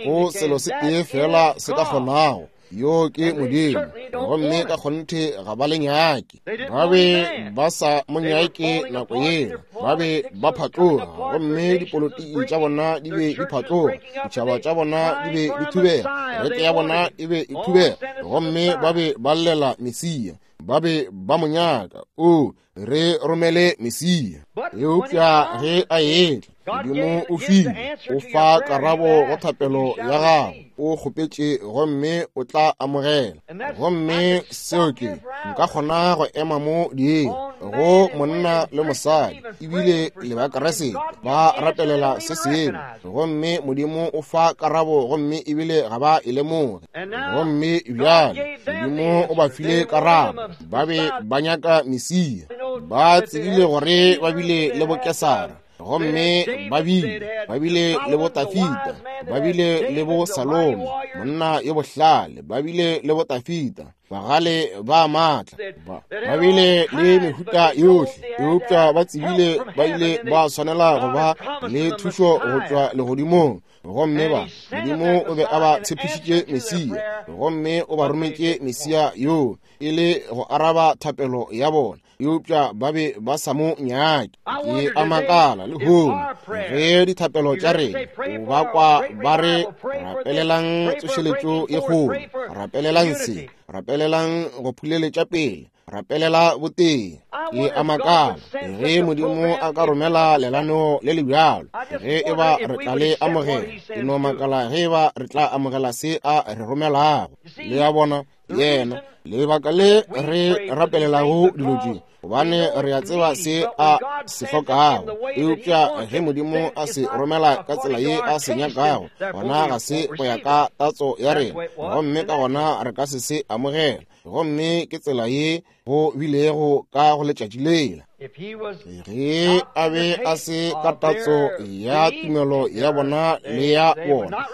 Go selo se tee fela se ka kgonago, yo ke Modimo, gomme ka kgonthe ga ba le nyake. Ba be ba sa mo nyake nako yela, ba be ba phatloga, gomme dipolotiki tša bona di be di phatloga, ditšhaba tša bona di be di thubega, kereke ya bona e be e thubega, gomme ba be ba llela Mesia, ba be ba mo nyaka. O re romele Mesia. Eupša ge a etla, Modimo o file, o fa karabo go thapelo ya gago. O kgopetše gomme o tla amogela. Gomme seo ke, nka kgona go ema mo dieng go monna le mosadi, ebile le Bakriste ba rapelela se sengwe, gomme Modimo o fa karabo, gomme ebile ga ba e lemoge. Gomme bjale Modimo o ba file karabo. Ba be ba nyaka Mesia. Ba tsebile gore ba bile le bokesara, gomme ba bile le botafita. Ba bile le bo Salomo, monna yo bohlale, ba bile le bo Tafita, bagale ba maatla, ba bile le mehuta yohle, eupša ba tsebile ba ile ba swanela go ba le thušo go tšwa legodimong. Gomme ba Modimo o be a ba tshepišitše Mesia, gomme o ba rometše Mesia yoo e le go araba thapelo ya bona, eupša ba be ba sa mo nyake. Ke a makala lehono ge dithapelo tša rena o ba kwa ba re rapelelang tsošeletšo ye kgolo, rapelelang se, rapelelang go phuleletša pele, rapelela botee. Ke a makala ge Modimo a ka romela lenaneo le le bjalo, ge e ba re tla le amogela. Ke no makala ge e ba re tla amogela se a re romelago. Le a bona, yena lebaka le re rapelelago dilo tše, gobane re a tseba se a se hlokago, eupša ge Modimo a se romela ka tsela ye a se nyakago, gona ga se go ya ka tatso ya rena, gomme ka gona re ka se se amogela. Gomme ke tsela ye go bilego ka go letšatši lela. Ge a be a se ka tatso ya tumelo ya bona le ya bona,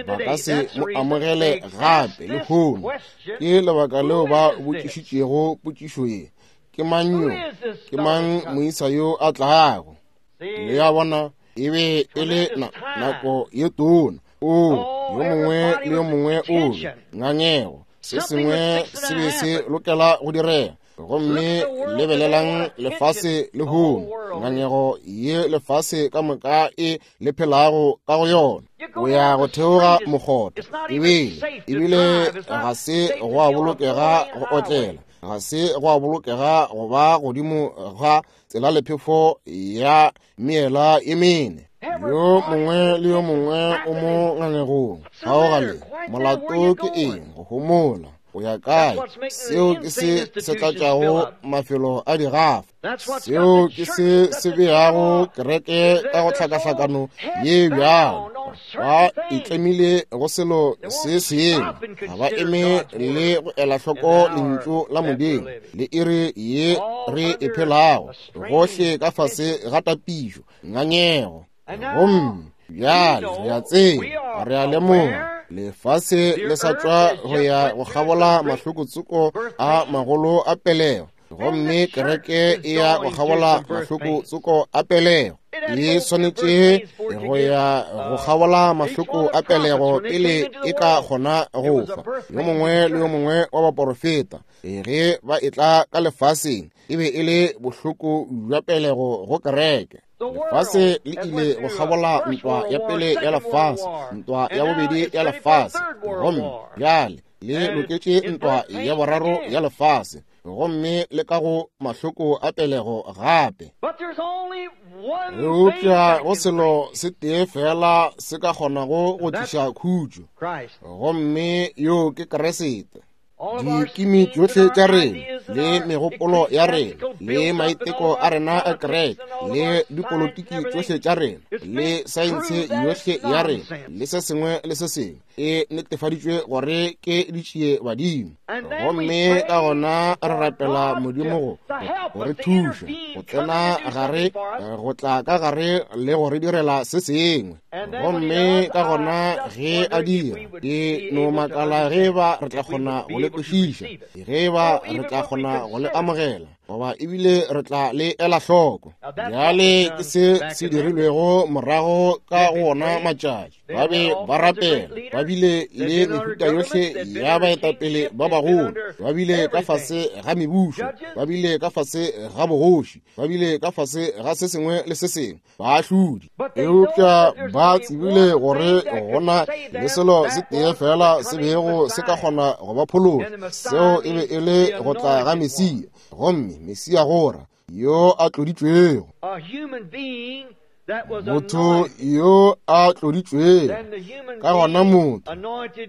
ba ka se mo amogele gape lehono. Ke lebaka leo ba botšišitšego potšišo ye, ke mang yo? Ke mang moisa yo a tlago? Le a bona, e be e le nako ye tona. O yo mongwe le yo mongwe o be ngangego, se sengwe se be se lokela go direga. Gomme lebelelang lefase lehono, ngangego ye lefase ka moka e le phelago ka go yona. O ya go theoga mokgotha, ebile ga se go a bolokega go otlela, ga se go a bolokega go ba godimo ga tsela lephefo ya meela e mene. Yo mongwe le yo mongwe o mo ngangegong. Kgaogale, molato ke eng? Go homola. O ya kae? Seo ke se se tlatšago mafelo a digafa. Seo ke se se beago kereke ka go hlakahlakano ye bjalo. Ba itlemile go selo se sengwe, ga ba eme le go ela hloko lentšu la Modimo le iri ye re e phelago, gohle ka fase ga tapišo, ngangego. Gomme bjale re a tseba, re a lemoga lefase le sa tšwa go ya go kgabola mahlokotsoko a magolo a pelego, gomme kereke e ya go kgabola mahlokotsoko a pelego. E swanetše go ya go kgabola mahloko a pelego pele e ka kgona go fa. Yo mongwe le yo mongwe wa baporofeta ge ba etla ka lefaseng e be e le bohloko bja pelego go kereke. Lefase le ile go kgabola ntwa ya pele ya lefase, ntwa ya bobedi ya lefase, gomme bjale le loketše ntwa ya boraro ya lefase, gomme le ka go mahloko a pelego gape. Eupša go selo se tee fela se ka kgonago go tliša khutšo, gomme yo ke Kriste. Dikimi tšohle tša rena le megopolo ya rena le maiteko a rena a kereke le dipolotiki tšohle tša rena le saense yohle ya rena le se sengwe le se sengwe e netefaditšwe gore ke ditšie badimo. Gomme ka gona re rapela Modimo go re thuša go tsena gare, go tla ka gare le go re direla se sengwe. Gomme ka gona ge a dira, ke no makala ge ba re tla kgona go le kwešiša, ge ba re tla kgona go le amogela, goba ebile re tla le ela hloko. Bjale ke se se dirilwego morago ka go ona matšatši. Ba be ba rapela, ba bile le mehuta yohle ya baetapele ba bagolo, ba bile ka fase ga mebušo, ba bile ka fase ga bogoši, ba bile ka fase ga se sengwe le se sengwe, baahlodi. Eupša ba tsebile gore gona le selo se tee fela se bego se ka kgona go ba phološa, seo e be e le go tla ga Mesia, gomme Mesia gora yo a tloditšwego. Motho yo a tloditšwego, ka gona motho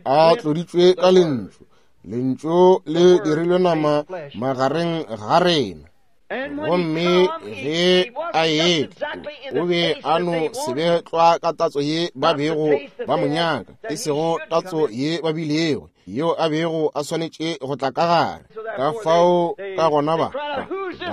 a tloditšwe ka lentšu, lentšu le dirilwe nama magareng ga rena. Gomme ge a etla, o be a no se be tlwa ka tatso ye ba bego ba mo nyaka, e sego tatso ye ba bilego yeo a bego a swanetše go tla ka gare. Ka fao ka gona ba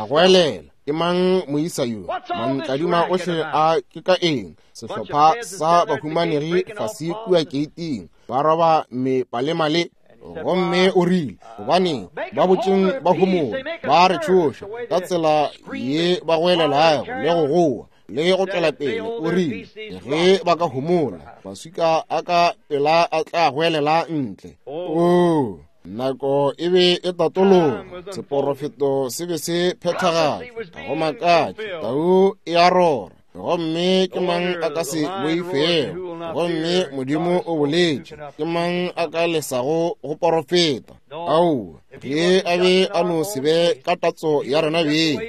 goelela, Ke mang moisa yo? Mantladima ohle a ke ka eng? Sehlopha sa bahumanegi fase kua keiting, ba roba mepalemale. Gomme o rile, gobaneng ba botšeng ba homola, ba re tšhoša ka tsela ye ba goelelago le go goa le go tšwela pele. O rile, ge ba ka homola, maswika a ka pela a tla goelela ntle. Oo, nako e be e tatologa, seporofeto se be se phethagala. Ga go makatše, tau e a rora, gomme ke mang a ka se boifego? Gomme Modimo o boletše, ke mang a ka lesago go porofeta? Aowa, ge a be a no se be ka tatso ya rena beng,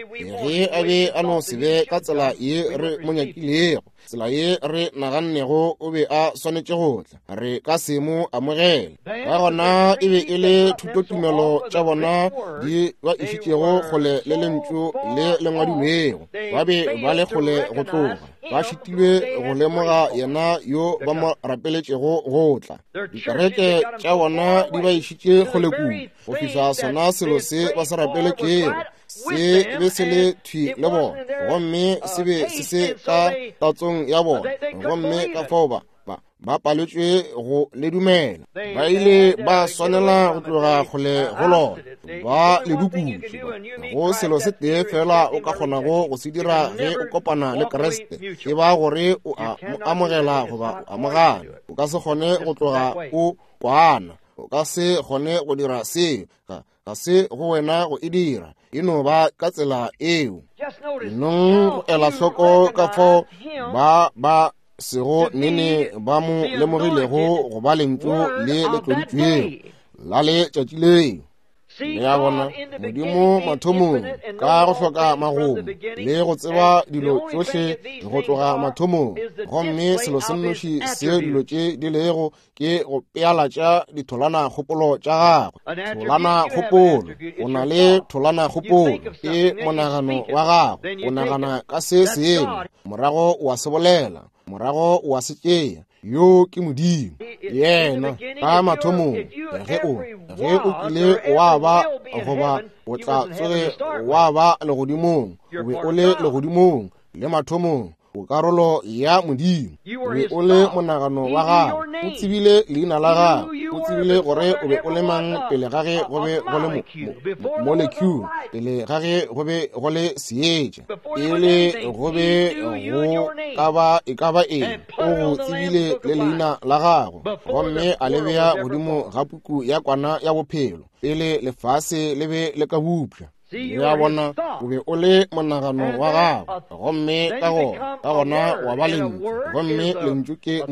ge a be a no se be ka tsela ye re mo nyakilego, tsela ye re nagannego o be a swanetše go tla, re ka se mo amogele. Ka gona e be e le thutotumelo tša bona di ba išitšego kgole le lentšu le le ngwadilwego. Ba be ba le kgole go tloga, ba šitilwe go lemoga yena yo ba mo rapeletšego go tla. Dikereke tša bona di ba išitše kgole kudu go fihla sona selo se ba se rapeletšego se be se le thwi le bona, gomme se be se se ka tatsong ya bona, gomme ka fao ba paletšwe go le dumela. Ba ile ba swanela go tloga kgole go lona, ba le dukutše. Go selo se tee fela o ka kgonago go se dira ge o kopana le Kriste, e ba gore o a mo amogela goba o amogana. O ka se kgone go tloga o kwana, o ka se kgone go dira seo. Ga se go wena go e dira, e no ba ka tsela eo. Nong go ela hloko ka fao ba sego nene ba mo lemogilego go ba lentšu le le tloditšwego la letšatši leo. Le a bona, Modimo mathomong ka go hloka magomo le go tseba dilo tšohle go tloga mathomong, gomme selo se nnoši se dilo tše di lego ke go pealatša ditholwana kgopolo tša gagwe. Tholwana kgopolo, o na le tholwana kgopolo, ke monagano wa gago. O nagana ka se sengwe, morago o a se bolela, morago o a se tšea. Yo ke Modimo. Yena ka mathomong, ge o kile wa ba goba o tla tsoge wa ba legodimong, o be o le legodimong le mathomong, o karolo ya Modimo. O be o le monagano wa gago, o tsebile leina la gago, o tsebile gore o be o le mang pele ga ge go be go le molecule, pele ga ge go be go le seetša, pele go be go ka ba e ka ba eng, o go tsebile le leina la gago, gomme a le bea godimo ga puku ya kwana ya bophelo pele lefase le be le ka bupša. Le a bona, o be o le monagano wa gago, gomme ka gona wa ba lentšu, gomme lentšu ke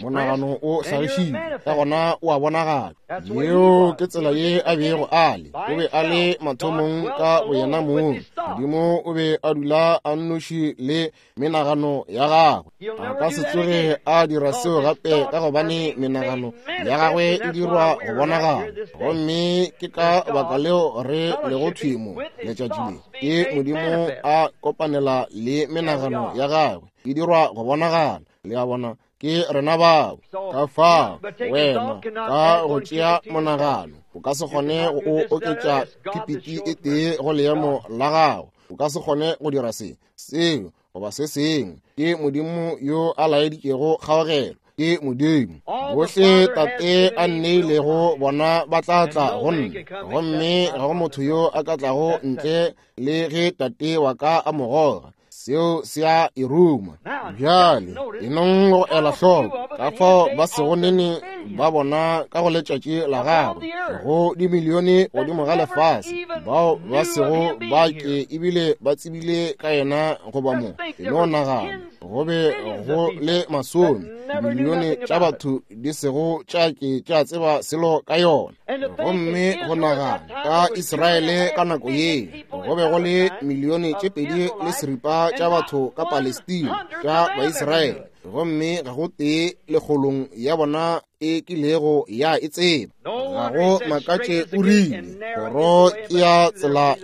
monagano o hlagišitšwe, ka gona o a bonagala. Yeo ke tsela ye a bego a le. O be a le mathomong ka boyena mong. Modimo o be a dula a nnoši le menagano ya gagwe. A ka se tsoge a dira seo gape, ka gobane menagano ya gagwe e dirwa go bonagala. Gomme ke ka baka leo re lego thwi mo letšatši le, ke Modimo a kopanela le menagano ya gagwe, e dirwa go bonagala. Le a bona, ke rena bao. Ka fao wena ka go tšea monagano o ka se kgone go oketša kipiti e tee go leemo la gago. O ka se kgone go dira se, seo goba se sengwe. Ke Modimo yo a laeditšego kgaogelo. Ke Modimo. Bohle Tate a nneilego bona ba tla tla go nna, gomme ga go motho yo a ka tlago ntle le ge Tate wa ka a mo goga. Seo se a e ruma. Bjale enong go ela hloko ka fao ba sego nene ba bona ka go letšatši la gagwe, go dimilione godimo ga lefase bao ba sego ba ke ebile ba tsebile ka yena goba mo. E no nagana, go be go le masome dimilione tša batho di sego tša ke tša tseba selo ka yona. Gomme go nagana ka Israele ka nako ye, go be go le milione tše 2.5 tša batho ka Palestina tša Baisraele, gomme ga go tee lekgolong ya bona e kilego ya e tseba. Ga go makatše o rile, kgoro ke ya tsela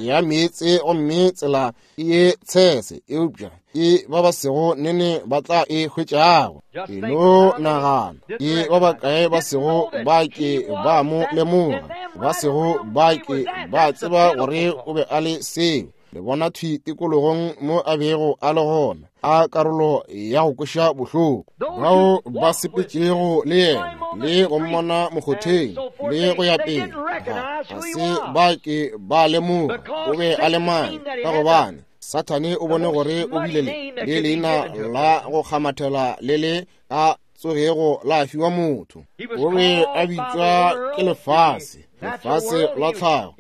ya meetse, gomme tsela ke ye tshese, eupša ke ba ba sego nene ba tla e hwetšago. E no nagana, ke ba bakae ba sego ba ke ba mo lemoga, ba sego ba ke ba tseba gore o be a le seo. Le bona thwi tikologong mo a bego a le gona, a karolo ya go kweša bohloko. Bao ba sepetšego le yena le go mmona mokgotheng le go ya pele, ga se ba ke ba lemoga o be a le mang, ka gobane Sathane o bone gore o bile le leina la go kgamathela le le ka tsogego la fiwa motho. O be a bitšwa ke lefase, lefase la tlhago.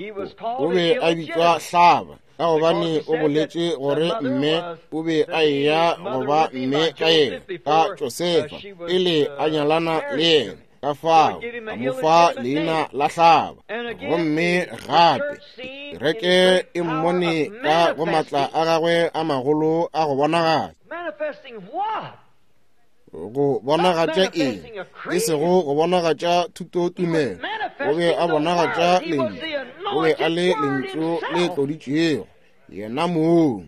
O be a bitšwa hlaba, ka gobane o boletše gore mme o be a eya go ba mme ka yena, ka Josefa, pele a nyalana le yena. Ka fao a mo fa leina la hlaba. Gomme gape kereke e mmone ka go matla a gagwe a magolo a go bonagatša. Go bonagatša eng? E sego go bonagatša thutotumelo. O be a bonagatša lentšu. O be a le lentšu le tloditšwego, yena mong.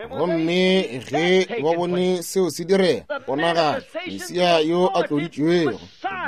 Gomme ge ba bone seo se direga, bonagatša Mesia yo a tloditšwego,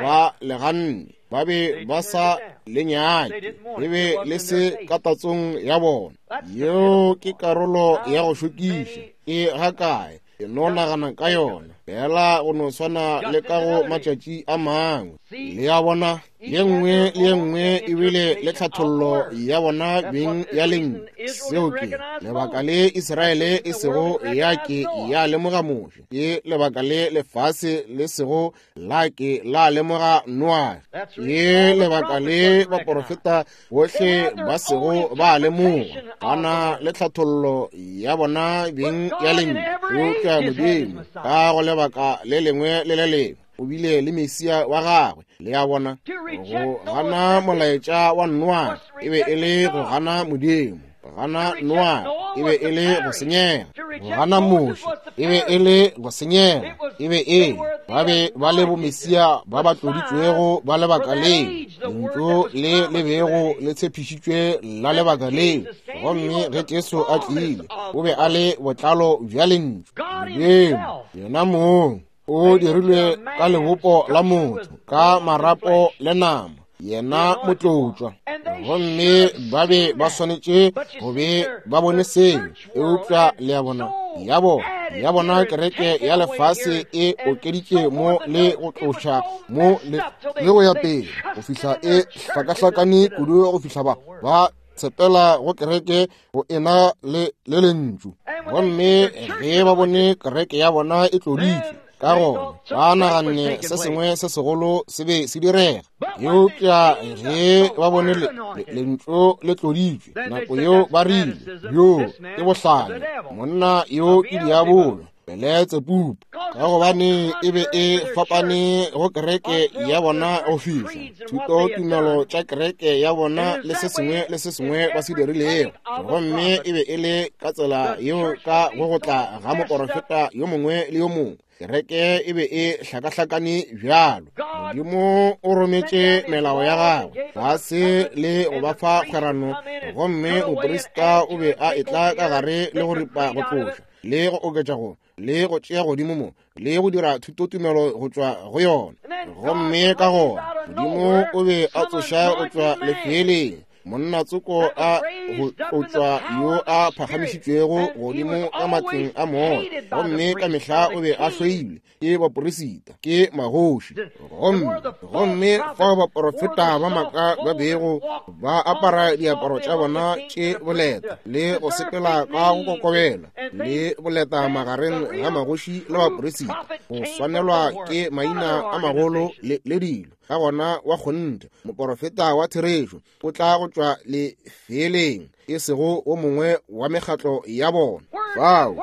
ba le ganne. Ba be ba sa le nyake, le be le se ka tatsong ya bona. Yeo ke karolo ya go šokiša. E gakae? Ke no nagana ka yona fela go no swana le ka go matšatši a mangwe. Le a bona, ye nngwe le ye nngwe e bile le tlhathollo ya bona beng ya lentšu. Seo ke lebaka le Israele e sego ya ke ya lemoga Moshe, ke lebaka le lefase le sego la ke la lemoga Noage, ke lebaka le baporofeta bohle ba sego ba lemoga. Ba na le tlhathollo ya bona beng ya lentšu. Eupša Modimo ka go lebaka le lengwe le le lengwe o bile le Mesia wa gagwe. Le a bona, go gana molaetša wa Noage e be e le go gana Modimo. Go gana Noage e be e le go senyega. Go gana Moshe e be e le go senyega. E be e ba be ba le bomesia ba ba tloditšwego ba lebaka leo, lentšu le le bego le tshepišitšwe la lebaka leo. Gomme ge Jesu a tlile, o be a le botlalo bja lentšu. Modimo yena mong o dirilwe ka lebopo la motho, ka marapo le nama, yena motlotšwa. Gomme ba be ba swanetše go be ba bone seo. Eupša le a bona, ya bona kereke ya lefase e okeditše mo le go tloša mo le go ya pele, go fihla e hlakahlakane kudu, go fihla ba tshepela go kereke go ena le lentšu. Gomme ge ba bone kereke ya bona e tloditšwe, ka gona ba naganne se sengwe se segolo se be se direga. Eupša ge ba bone lentšu le tloditšwe, nako yeo ba rile, yo ke bohlale, monna yo ke diabolo, Beletsebubu, ka gobane e be e fapane go kereke ya bona go fihla thuto tumelo tša kereke ya bona le se sengwe le se sengwe ba se dirilego. Gomme e be e le ka tsela yeo ka go go tla ga moporofeta yo mongwe le yo mongwe, kereke e be e hlakahlakane bjalo. Modimo o rometše melao ya gagwe fase le go ba fa kgwerano, gomme moprista o be a etla ka gare le go ripa go tloša le go oketša go le go tšea godimo mo le go dira thutotumelo go tšwa go yona. Gomme ka gona Modimo o be a tsoša go tšwa lefeeleng monna tsoko a go tšwa yo a phagamišitšwego godimo ka matleng a moya, gomme ka mehla o be a hloilwe ke baporisita, ke magoši. Gomme fao baporofeta ba maaka ba bego ba apara diaparo tša bona tše boleta le go sepela ka go kokobela le boleta magareng ga magoši le baporisita, go swanelwa ke maina a magolo le dilo. Ka gona wa kgonthe moporofeta wa therešo o tla go tšwa lefeeleng, e sego o mongwe wa mekgatlo ya bona. Fao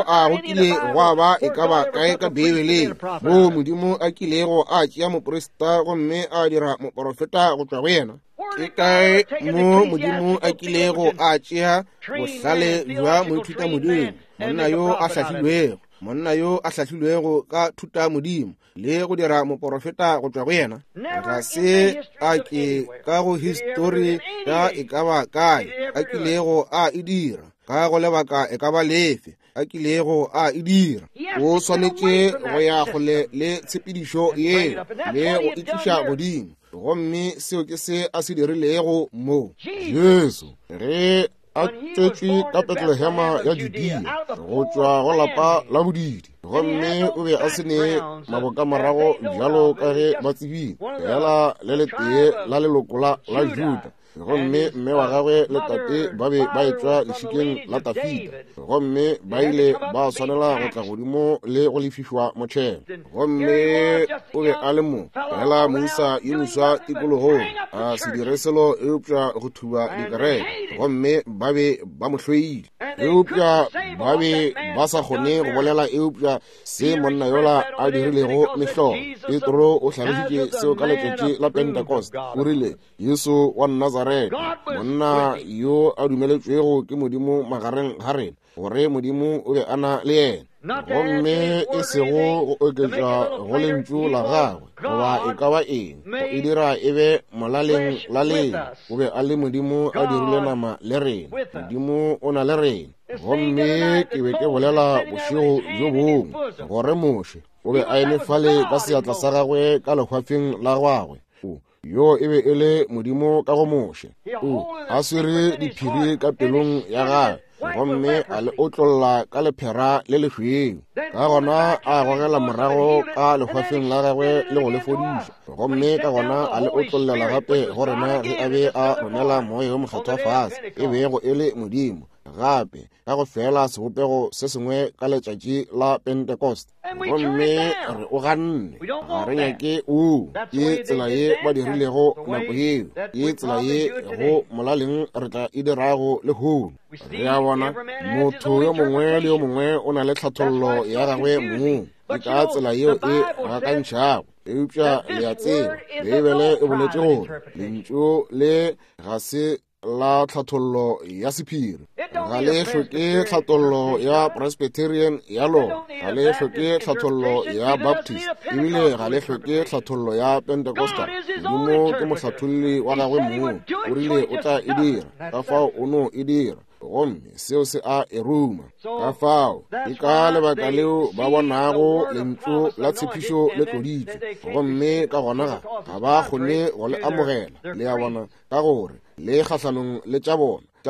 a go kile gwa ba e ka ba kae ka Beibeleng moo Modimo a kilego a tšea moprista gomme a dira moporofeta go tšwa go yena? Ke kae mo Modimo a kilego a tšea bohlale bja moithuta Modimo, monna yo a hlahlilwego, monna yo a hlahlilwego ka thuta Modimo, le go dira moporofeta go tšwa go yena? Ga se a ke ka go histori ya e ka ba kae a kilego a e dira, ka go lebaka e ka ba lefe a kilego a e dira. O swanetše go ya kgole le tshepedišo yeo le go e tliša godimo, gomme seo ke se a se dirilego mo. Jesu ge a tswetšwe ka Betlehema ya Judea, go tšwa go lapa la bodidi, gomme o be a se ne mabokamorago bjalo ka ge ba tsebile, fela le letee la leloko la Juda. Gomme mme wa gagwe le tate ba be ba etšwa lešikeng la Dafida, gomme ba ile ba swanela go tla godimo le go lefišwa motšhelo. Gomme o be a le mo fela moisa yo moswa tikologong, a se dire selo eupša go thuba dikereke, gomme ba be ba mo hloile, eupša ba be ba sa kgone go bolela eupša se monna yola a dirilego mehlolo. Petro o hlalošitše seo ka letšatši la Pentecost, o rile, Jesu wa Nazareta, monna yo a dumeletšwego ke Modimo magareng ga rena, gore Modimo o be a na le yena, gomme e sego go oketša go lentšu la gagwe goba e ka ba eng, go e dira e be molaleng la lena. O be a le Modimo a dirile nama le rena. Modimo o na le rena. Gomme ke be ke bolela bošego bjo bongwe gore Moshe o be a eme fale ka seatla sa gagwe ka lehwafeng la gagwe. Yo e be e le Modimo ka go Moshe. O a swere diphiri ka pelong ya gagwe, gomme a le otlolla ka lephera le lešweu. Ka gona a gogela morago ka lehwafeng la gagwe le go le fodiša, gomme ka gona a le otlollela gape go rena ge a be a romela Moya wo Mokgethwa fase, e bego e le Modimo gape ka go fela sebopego se sengwe ka letšatši la Pentecost. Gomme re o ganne, ga re nyake o. Ke tsela ye ba dirilego nako yeo, ke tsela ye go molaleng re tla e dirago lehono. Re a bona motho yo mongwe le yo mongwe o na le tlhathollo ya gagwe mong, ke ka tsela yeo e gakantšhago. Eupša le a tseba, Beibele e boletše gore lentšu le ga se la tlhathollo ya sephiri, ga le hloke tlhathollo ya Presbyterian ya lona, ga le hloke tlhathollo ya Baptist, ebile ga le hloke tlhathollo ya Pentecostal. Modimo ke mohlatholli wa gagwe mong, o rile o tla e dira, ka fao o no e dira, gomme seo se a e ruma. Ka fao ke ka lebaka leo ba bonago lentšu la tshepišo le tloditšwe, gomme ka gona ga ba kgone go le amogela, le a bona, ka gore le kgahlanong le tša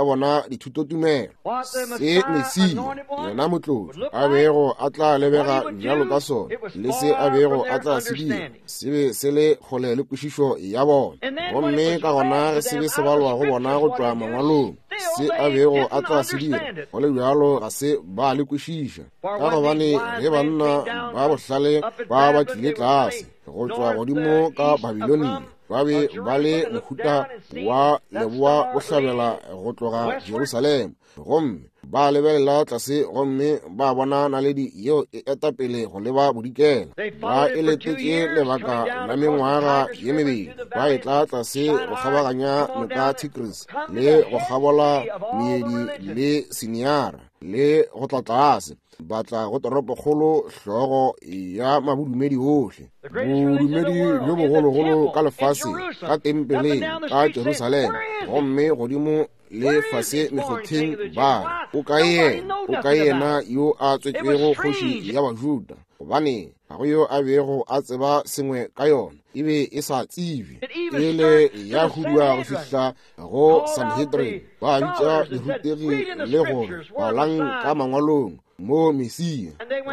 bona dithutotumelo. Se Mesia, yena motlotši, a bego a tla lebega bjalo ka sona, le se a bego a tla se dira, se be se le kgole le kwešišo ya bona. Gomme ka gona ge se be se balwa go bona go tšwa mangwalong, se a bego a tla se dira, go le bjalo ga se ba le kwešiša, ka gobane ge banna ba bohlale ba ba tlile tlase go tšwa godimo ka Babilonia, ba be ba le mohuta wa leboa bohlabela go tloga Jerusalema, gomme ba lebelela tlase gomme ba bona naledi yeo e eta pele go leba bodikela. Ba e letetše lebaka la mengwaga ye mebedi, ba etla tlase go kgabaganya noka Tigris le go kgabola meedi le Siniara le go tla tlase, ba tla go toropokgolo, hlogo ya mabodumedi ohle, bodumedi bjo bogologolo ka lefaseng, ka tempeleng ka Jerusalema, gomme godimo le fase mekgotheng ba o kae yena, o kae yena yo a tswetšwego kgoši ya Bajuda? Gobane ga go yo a bego a tseba sengwe ka yona, e be e sa tsebje, e le ya hudua go fihla go Sanhedrin. Ba bitša dirutegi le gore balang ka mangwalong mo Mesia,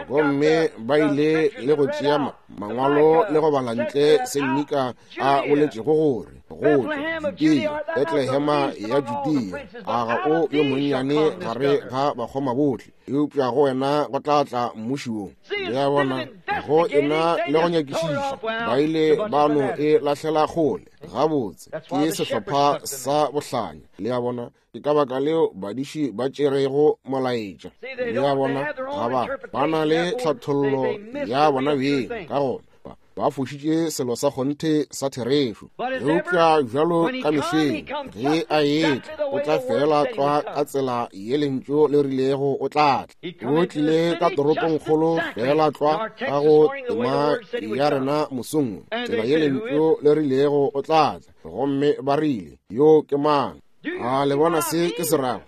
gomme ba ile le go tšea mangwalo le go bala ntle se Mika a boletšego gore go tšwa Judea, Betlehema ya Judea, a ga o yo monnyane gare ga bakgoma bohle, eupša go wena go tla tla mmuši wo. Le a bona, go ena le go nyakišiša, ba ile ba no e lahlela kgole. Gabotse, ke sehlopha sa bohlanya. Le a bona, ke ka baka leo badiši ba tšerego molaetša. Le a bona, ga ba na le tlhathollo ya bona beng, ka gona ba fošitše selo sa kgonthe sa therešo. Eupša bjalo ka mehleng ge a etla, o tla fela tlwa ka tsela ye lentšu le rilego o tla tla. O tlile ka toropongkgolo fela tlwa ka go tema ya rena mosong, tsela ye lentšu le rilego o tla tla. Gomme ba rile, yo ke mang? A le bona se ke se rago?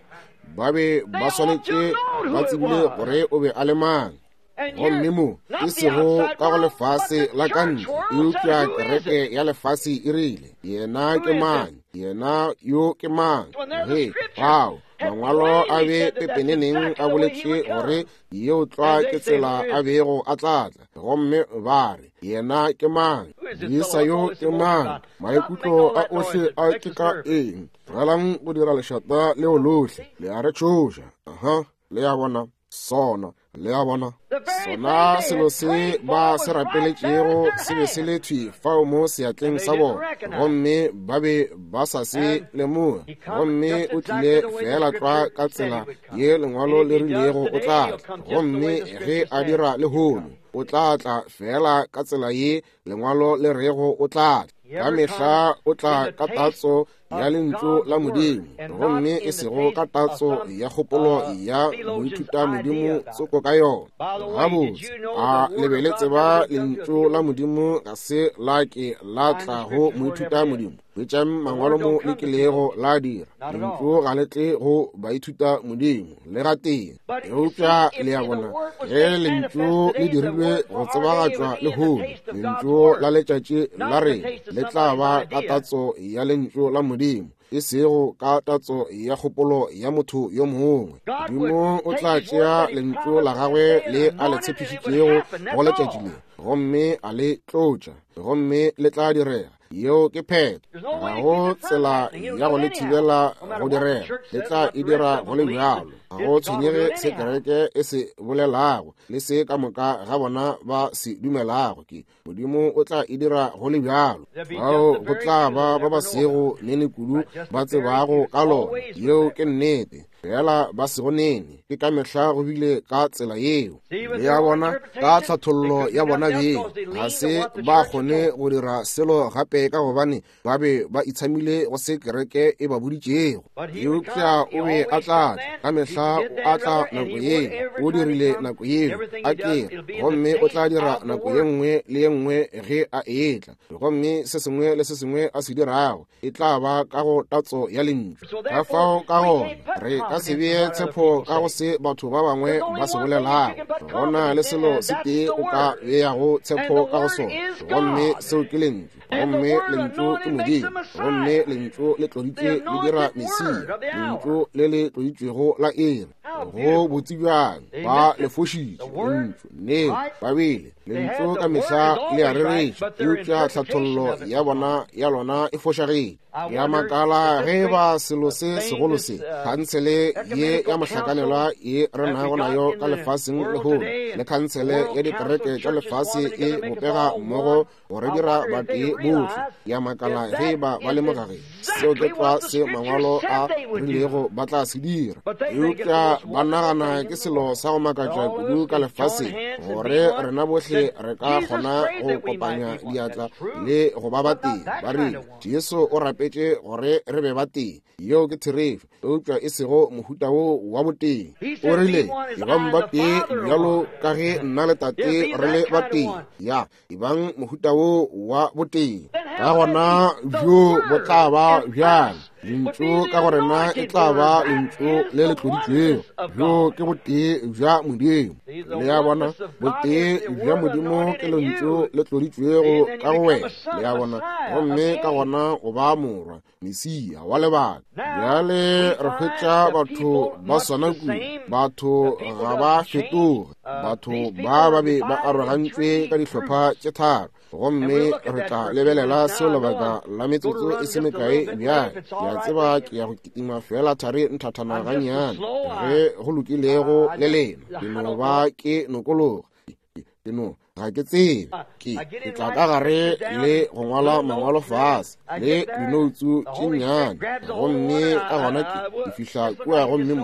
Ba be ba swanetše ba tsebile gore o be a le mang. Gomme mo e sego ka go lefase la ka ntle, eupša kereke ya lefase e rile, yena ke mang? Yena yo ke mang? Ge, bao Mangwalo a be pepeneneng a boletše gore yeo tlwa ke tsela a bego a tla tla. Gomme ba re, Yena ke mang? Moisa yo ke mang? Maikutlo a ohle a ke ka eng? Tlogelang go dira lešata leo lohle. Le a re tšhoša. Aha, le a bona. Sona, le a bona. Sona selo se ba se rapeletšego se be se le thwi fao mo seatleng sa bona, gomme ba be ba sa se lemoge. Gomme o tlile feela tlwa ka tsela ye Lengwalo le rilego o tla tla. Gomme ge a dira lehono, o tla tla feela ka tsela ye Lengwalo le rego o tla tla. Ka mehla o tla ka tatso ya Lentšu la Modimo, gomme e sego ka tatso ya kgopolo ya moithutamodimo tsoko ka yona. Gabotse, a le be le tseba Lentšu la Modimo ga se la ke la tla go moithutamodimo? Hwetšang mangwalo mo le kilego la dira. Lentšu ga le tle go baithutamodimo le gatee. Eupša le a bona, ge Lentšu le dirilwe go tsebagatšwa lehono, Lentšu la letšatši la rena le tla ba ka tatso ya Lentšu la Modimo, e sego ka tatso ya kgopolo ya motho yo mongwe. Modimo o tla tšea Lentšu la gagwe le a le tshepišitšego go letšatši le, gomme a le tlotša, gomme le tla direga. Yeo ke phetho. Ga go tsela ya go le thibela go direga. Le tla e dira go le bjalo. Ga go tshwenyege se kereke e se bolelago le se ka moka ga bona ba se dumelago, ke Modimo o tla e dira go le bjalo. Bao go tla ba ba ba sego nene kudu ba tsebago ka lona. Yeo ke nnete. Fela ba sego nene. Ke ka mehla go bile ka tsela yeo. Le a bona, ka tlhathollo ya bona beng, ga se ba kgone go dira selo gape ka gobane ba be ba itshamile go se kereke e ba boditšego. Eupša o be a tla tla, ka mehla o a tla nako yeo, o dirile nako yeo, a kere, gomme o tla dira nako ye nngwe le ye nngwe ge a etla. Gomme se sengwe le se sengwe a se dirago e tla ba ka go tatso ya Lentšu. Ka fao ka gona re ka se bee tshepo ka go se batho ba bangwe ba se bolelago. Go na le selo se tee o ka beago tshepo ka go sona, gomme seo ke Lentšu. Gomme Lentšu ke Modimo, gomme Lentšu le tloditšwe le dira Mesia, Lentšu le le tloditšwego la iri. Go botse bjang, ba le fošitše Lentšu, nnete, ba bile Lentšu ka mehla le a rereša, eupša tlhathollo ya bona ya lona e fošagetše. Ke a makala ge e ba selo se segolo se, khansele ye ya mohlakanelwa ye re nago nayo ka lefaseng lehono, le khansele ya dikereke tša lefase e bopega mmogo go re dira batee bohle. Ke a makala ge e ba ba lemoga ge seo ke tlwa se Mangwalo a rilego ba tla se dira. Eupša ba nagana ke selo sa go makatša kudu ka lefaseng gore rena bohle re ka kgona go kopanya diatla le go ba batee. Ba rile Jesu o rapetše gore re be batee. Yeo ke therešo, eupša e sego mohuta wo wa botee. O rile, Ebang batee bjalo ka ge nna le Tate re le batee. Ya, ebang mohuta wo wa botee. Ka gona bjo bo tla ba bjang? Lentšu ka go rena e tla ba Lentšu le le tloditšwego. Bjo ke botee bja Modimo. Le a bona, botee bja Modimo ke Lentšu le tloditšwego ka go wena. Le a bona, gomme ka gona o ba morwa. Mesia wa lebaka. Bjale re hwetša batho ba swana kudu. Batho ga ba fetoge. Batho ba ba be ba arogantšwe ka dihlopha tše tharo, gomme re tla lebelela seo lebaka la metsotso e se mekae bjale. Ke a tseba ke ya go kitima feela thari nthathana gannyane, ge go lokilego le lena. Ke no ba ke nokologa. Ke no ga ke tsebe. Ke tla ka gare le go ngwala mangwalo fase le dinoutsu tše nnyane, gomme ka gona ke fihla kua gomme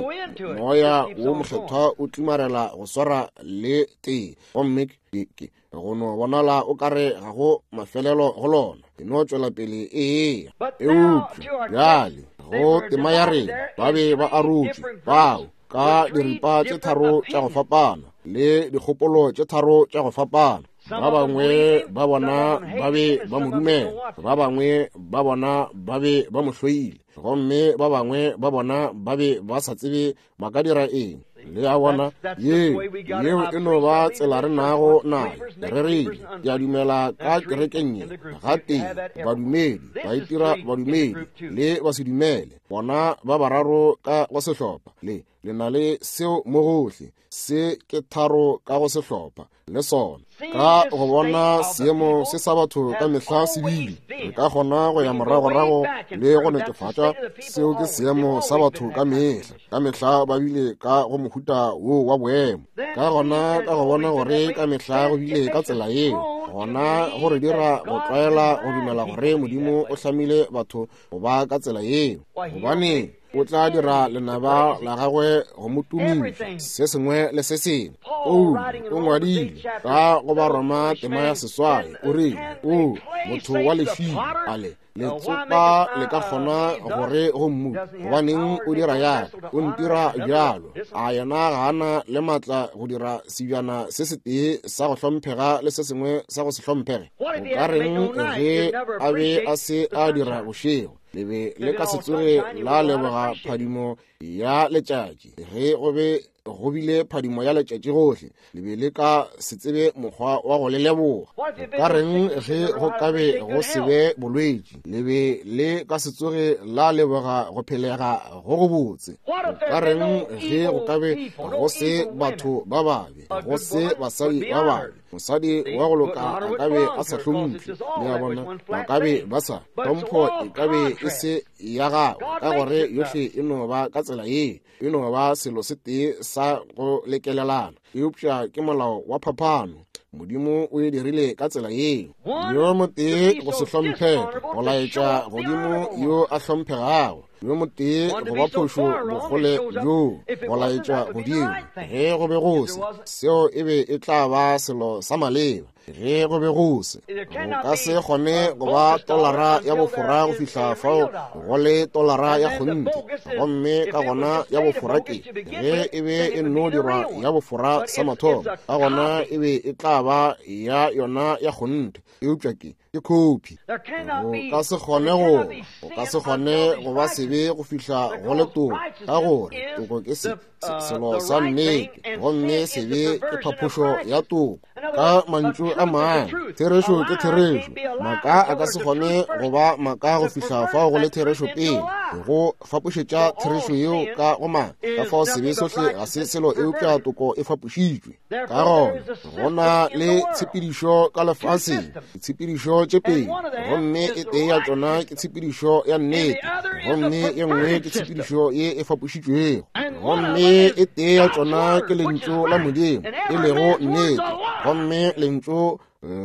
moya wo mokgethwa o tlimarela go swara le tee, gomme ke go no bonala o kare ga go mafelelo go lona, ke no tšwela pele eya. Eupša bjale go tema ya rena ba be ba arotšwe bao ka diripa tše tharo tša go fapana le dikgopolo tše tharo tša go fapana. Ba bangwe ba bona ba be ba mo dumela, ba bangwe ba bona ba be ba mo hloile, gomme ba bangwe ba bona ba be ba sa tsebe ba ka dira eng. Le a bona, yeo, yeo e no ba tsela re nago nayo. Re rile, ke a dumela ka kerekeng ye, gatee, badumedi, ba itira badumedi, le basedumele, bona ba bararo ka go sehlopha. Le, le na le seo mo gohle. Se ke tharo ka go sehlopha, le sona. Ka go bona seemo se sa batho ka mehla se bile, re ka kgona go ya moragorago le go netefatša seo ke seemo sa batho ka mehla. Ka mehla ba bile ka go mohuta wo wa boemo. Ka gona ka go bona gore ka mehla go bile ka tsela yeo, gona go re dira go tlwaela go dumela gore Modimo o hlamile batho go ba ka tsela yeo, gobane o tla dira lenaba la gagwe go mo tumiša se sengwe le se sengwe. Paulo o ngwadile ka go Baroma tema ya 8, o rile, O motho wa lešilo, a le letsopa le ka kgona gore go mmu, gobaneng o dira ya, o ntira bjalo? A yena ga a na le maatla go dira sebjana se setee sa go hlomphega le se sengwe sa go se hlomphege? O ka reng ge a be a se a dira bošego? Le be le ka se tsoge la leboga phadimo ya letšatši. Ge go be go bile phadimo ya letšatši gohle, le be le ka se tsebe mokgwa wa go le leboga. O ka reng ge go ka be go se be bolwetši? Le be le ka se tsoge la leboga go phelega go gobotse. O ka reng ge go ka be go se batho ba babe, go se basadi ba babe? Mosadi wa go loka a ka be a sa hlomphe, le a bona, ba ka be ba sa, hlompho e ka be e se ya gagwe, ka gore yohle e no ba ka tsela ye, e no ba selo se tee sa go lekelelana. Eupša ke molao wa phapano, Modimo o e dirile ka tsela yeo. Yo motee go se hlomphege, go laetša godimo yo a hlomphegago. Yo motee go ba phošo bokgole bjoo, go laetša godimo. Ge go be go se, seo e be e tla ba selo sa maleba. Ge go be go se, go ka se kgone go ba tolara ya bofora go fihla fao go le tolara ya kgonthe. Gomme ka gona ya bofora ke, ge e be e nno dirwa ya bofora sa mathomo, ka gona e be e tla ba ya yona ya kgonthe. Eupša ke, ke khophi. Go ka se kgone go, go ka se kgone go ba sebe go fihla go le toko, ka gore toko ke se, se, selo sa nnete, gomme sebe ke phaphošo ya toko. Ka mantšu a mangwe, therešo ke therešo. Maaka a ka se kgone go ba maaka go fihla fao go le therešo pele, go fapošetša therešo yeo ka go maaka. Ka fao sebe sohle ga se selo eupša toko e fapošitšwe. Ka gona go na le tshepedišo ka lefaseng, ditshepedišo tše pedi, gomme e tee ya tšona ke tshepedišo ya nnete, gomme ye nngwe ke tshepedišo ye e fapošitšwego. Gomme e tee ya tšona ke lentšu la Modimo, e lego nnete, gomme lentšu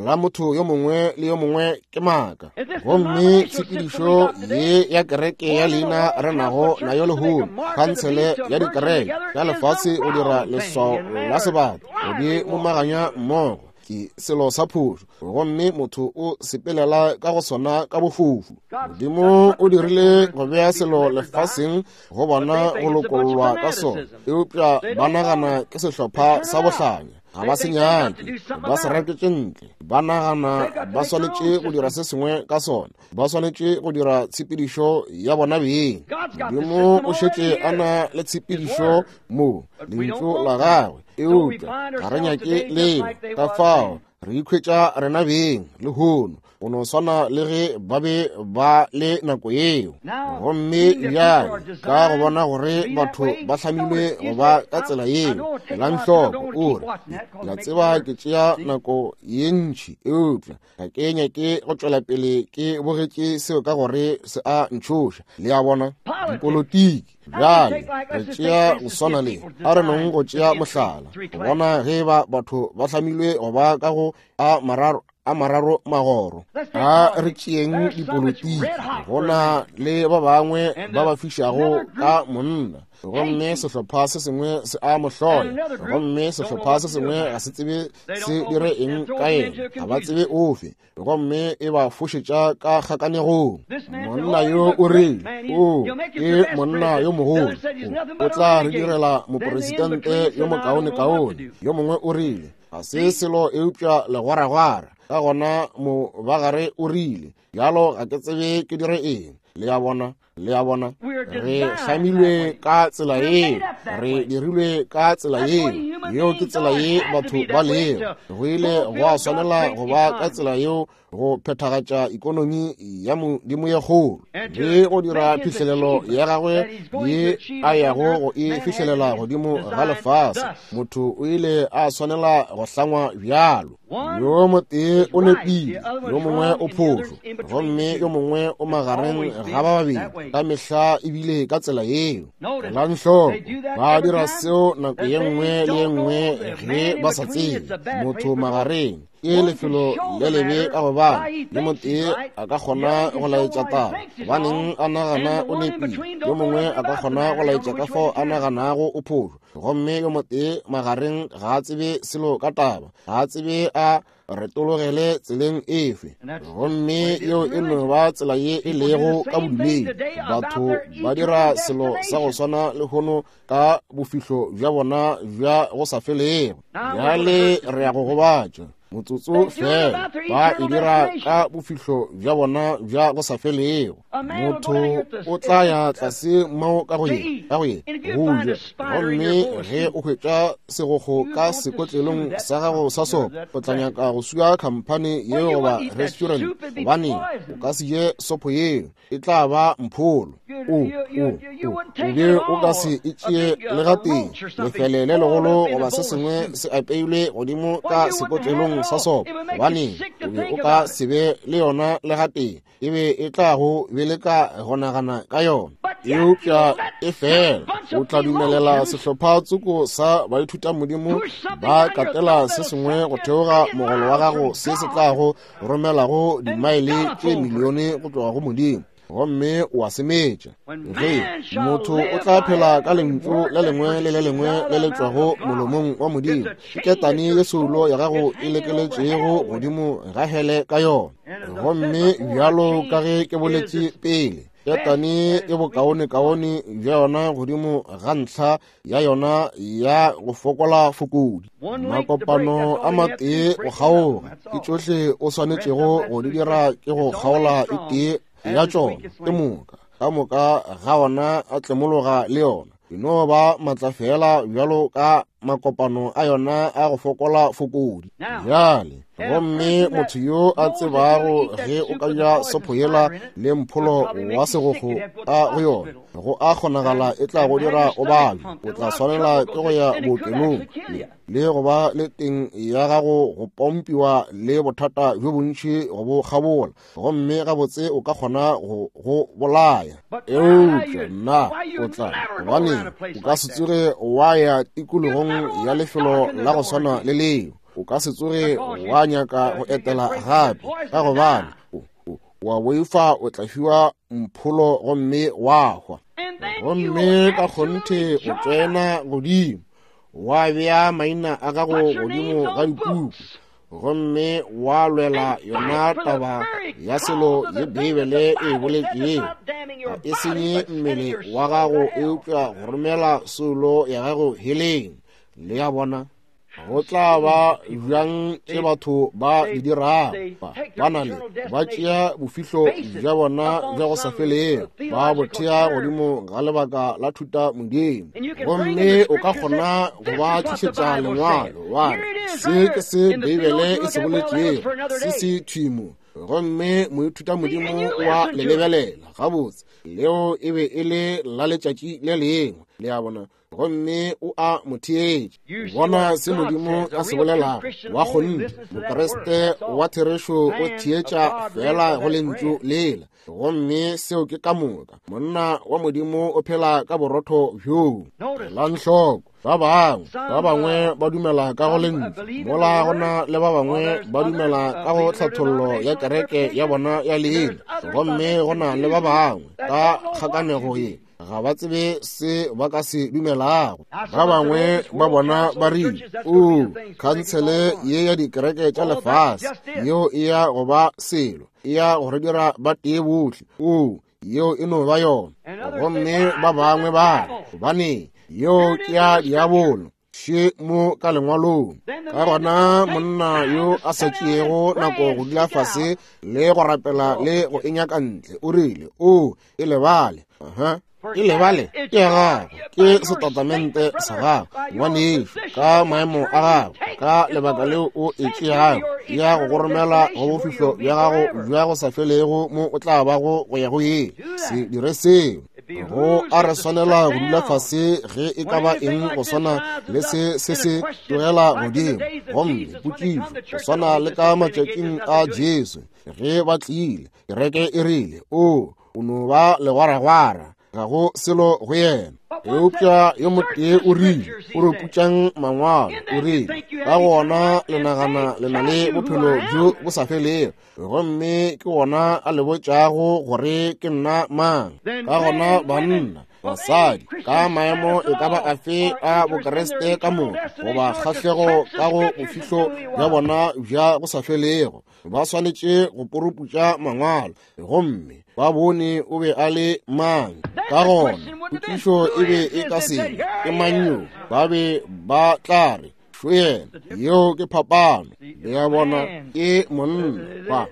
la motho yo mongwe le yo mongwe ke maaka. Gomme tshepedišo ye ya kereke ya leina re nago nayo lehono, khansele ya dikereke ya lefase go dira leswao la sebata go di momaganya mmogo, ke selo sa phošo, gomme motho o sepelela ka go sona ka bofofu. Modimo o dirile go bea selo lefaseng go bona go lokollwa ka sona, eupša ba nagana ke sehlopha sa bohlanya. Ga ba se nyake, ba se raketše ntle. Ba nagana ba swanetše go dira se sengwe ka sona, ba swanetše go dira tshepedišo ya bona beng. Modimo o šetše a na le tshepedišo mo, lentšu la gagwe, eupša ga re nyake leo. Ka fao re ikhwetša rena beng lehono go no swana le ge ba be ba le nako yeo. Gomme bjale ka go bona gore batho ba hlamilwe go ba ka tsela yeo, elang hloko, o re, ke a tseba ke tšea nako ye ntši, eupša ga ke nyake go tšwela pele ke bogetše seo ka gore se a ntšhoša. Le a bona, dipolotiki. Bjale re tšea go swana le, a re nong go tšea mohlala, go bona ge ba batho ba hlamilwe go ba ka go a mararo, a mararo magoro. A re tšeeng dipolotiki. Go na le ba bangwe ba ba fišago ka monna, gomme sehlopha se sengwe se a mo hloya, gomme sehlopha se sengwe ga se tsebe se dire eng ka yena, ga ba tsebe ofe, gomme e ba fošetša ka kgakanegong. Monna yo o rile, o ke monna yo mogolo, o tla re direla moporesidente yo mokaonekaone. Yo mongwe o rile, ga se selo eupša legwaragwara. Ka gona mobagare o rile, bjalo ga ke tsebe ke dire eng. Le a bona? Le a bona? Re hlamilwe ka tsela yeo, re dirilwe ka tsela yeo. Yeo ke tsela ye batho ba lego. Go ile gwa swanela go ba ka tsela yeo go phethagatša ikonomi ya Modimo ye kgolo le go dira phihlelelo ya gagwe ye a yago go e fihlelela godimo ga lefase. Motho o ile a swanela go hlangwa bjalo. Yo motee o nepile, yo mongwe o phošo, gomme yo mongwe o magareng ga ba babedi. Ka mehla ebile ka tsela yeo. Elang hloko, ba dira seo nako ye nngwe le ye nngwe ge ba sa tsebe. Motho magareng ke lefelo le lebe ka gobane yo motee a ka kgona go laetša taba gobaneng a nagana o nepile, yo mongwe a ka kgona go laetša ka fao a naganago o phošo, gomme yo motee magareng ga a tsebe selo ka taba, ga a tsebe a retologele tseleng efe. Gomme yeo e no ba tsela ye e lego ka bodumedi. Batho ba dira selo sa go swana lehono ka bofihlo bja bona bja go sa felego. Bjale re ya go gobatša motsotso fela. Ba e dira ka bofihlo bja bona bja go sa felego. Motho o tla ya tlase mo ka go ye ka go ye go ja, gomme ge o hwetša segokgo ka sekotlelong sa gago sa sopo, o tla nyaka go sua khamphane yeo goba restaurant, gobane o ka se je sopo yeo, e tla ba mpholo. O, o, o, o be o ka se e tšee le gatee, lefele le legolo goba se sengwe se apeilwe godimo ka sekotlelong sa sopo, gobane o be o ka se be le yona le gatee. E be e tla go beleka go nagana ka yona. Eupša e fela o tla dumelela sehlopha tsoko sa baithutamodimo ba katela se sengwe go theoga mogolo wa gago se se tlago romelago dimaele tše milione go tloga go Modimo, gomme o a se metša. Ge motho o tla phela ka lentšu le lengwe le le lengwe le le tšwago molomong wa Modimo, ke ketane ye soulo ya gago e lekeletšego godimo ga hele ka yona. Gomme bjalo ka ge ke boletše pele, ketane e bokaonekaone bja yona godimo ga ntlha ya yona ya go fokola fokodi. Makopano a matee go kgaoga, ke tšohle o swanetšego go di dira ke go kgaola e tee ya tšona, ke moka ka moka ga ona a tlemologa le yona. E no ba matla fela bjalo ka makopano a yona a go fokola fokodi. Bjale, gomme motho yo a tsebago ge o ka ja sopho yela le mpholo wa segokgo ka go yona, go a kgonagala e tla go dira o babje. O tla swanela ke go ya bookelong le go ba le teng ya gago go pompiwa le bothata bjo bontši go bo kgabola, gomme gabotse o ka kgona go go bolaya. Eupša nna o tla, gobaneng o ka se tsoge wa ya tikologong ya lefelo la go swana le leo. O ka se tsoge wa nyaka go etela gape, ka gobane wa boifa o tla fiwa mpholo gomme wa hwa. Gomme ka kgonthe o tsena godimo wa bea maina a gago godimo ga dipuku, gomme wa lwela yona taba ya selo ye Beibele e boletšego. Ga e senye mmele wa gago, eupša go romela soulo ya gago heleng. Le a bona? Go tla ba bjang tše batho ba di dirago? Ba na le, ba tšea bofihlo bja bona bja go sa felego, ba bo thea godimo ga lebaka la thuta modimo. Gomme o ka kgona go ba tlišetša lengwalo, wa re, se ke se Beibele e se boletšego, se se thwimo. Gomme moithuta modimo wa le lebelela gabotse, leo e be e le la letšatši le lengwe. Le a bona? Gomme o a mo theetša. Bona se Modimo a se bolelago. Wa kgonthe, Mokriste wa therešo o theetša fela go lentšu lela, gomme seo ke ka moka. Monna wa Modimo o phela ka borotho bjoo. Elang hloko, ba bangwe, ba bangwe ba dumela ka go lentšu, mola go na le ba bangwe ba dumela ka go tlhathollo ya kereke ya bona ya leina, gomme go na le ba bangwe ka kgakanego ye ga ba tsebe se ba ka se dumelago. Ba bangwe ba bona ba rile, O, khansele ye ya dikereke tša lefase, yeo e ya go ba selo, e ya go re dira ba tee bohle. O, yeo e no ba yona. Gomme ba bangwe ba re, gobane yeo ke ya diabolo. Še mo ka lengwalong. Ka gona monna yo a sa tšeego nako go dula fase le go rapela le go e nyaka ntle, o rile, O e lebale. Aha. E lebale ke ya gago, ke setatamente sa gago, ngwanešu, ka maemo a gago, ka lebaka leo o e tšeago, ya go go romela go bofihlo bja gago bja go sa felego mo o tla bago go ya go yeo. Se dire seo. Go a re swanela go dula fase ge e ka ba eng go swana le se se se tlogela godimo. Gomme potšišo, go swana le ka matšatšing a Jesu, ge ba tlile, kereke e rile, O, o no ba legwaragwara, ga go selo go yena. Eupša yo motee o rile, o re putšang mangwalo, o rile, ka gona le nagana le na le bophelo bjo bo sa felego, gomme ke wona a le botšago gore ke nna mang. Ka gona banna, basadi, ka maemo e ka ba afe a Bokriste ka moka, goba kgahlego ka go bofihlo bja bona bja go sa felego, ba swanetše go poroputša mangwalo gomme ba bone o be a le mang. Ka gona potšišo e be e ka se ke mang yo, ba be ba tla re šo yena. Yeo ke phapano. Le ya bona, ke monna.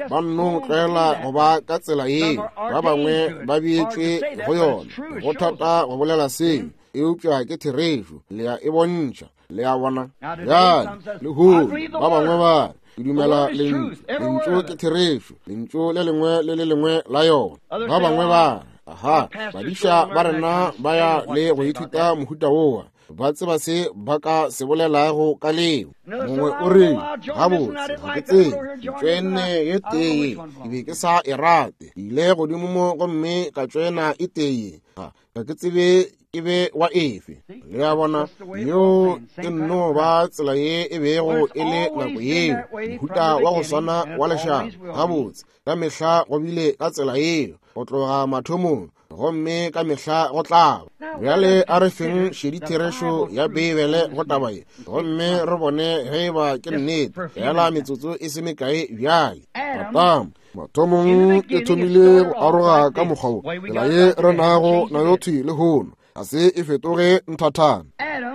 Ba nno tlwaela go ba ka tsela yeo, ba bangwe ba beetšwe go yona. Go thata go bolela seo, eupša ke therešo. Le ya e bontšha. Le a bona? Bjale, lehono ba bangwe ba re, ke dumela lentšu. Lentšu ke therešo, lentšu le lengwe le le lengwe la yona. Ba bangwe ba re, aha, badiša ba rena ba ya le go ithuta mohuta wowa, ba tseba se ba ka se bolelago ka leo. Mongwe o re, gabotse, ga ke tsebe, ke tšoenne ye tee, ke be ke sa e rate. Ke ile godimo mo gomme ka tšoena e tee, ga ke tsebe ke be wa efe. Le a bona, yeo e nno ba tsela ye e bego e le nako yeo, mohuta wa go swana wa lešaba. Gabotse, ka mehla go bile ka tsela yeo go tloga mathomong, gomme ka mehla go tla ba. Bjale a re feng šedi therešo ya Beibele go taba ye, gomme re bone ge e ba ke nnete. Fela metsotso e se mekae bjale. Adama mathomong e thomile go aroga ka mokgwa wo, tsela ye re nago nayo thwi lehono ga se e fetoge nthathana.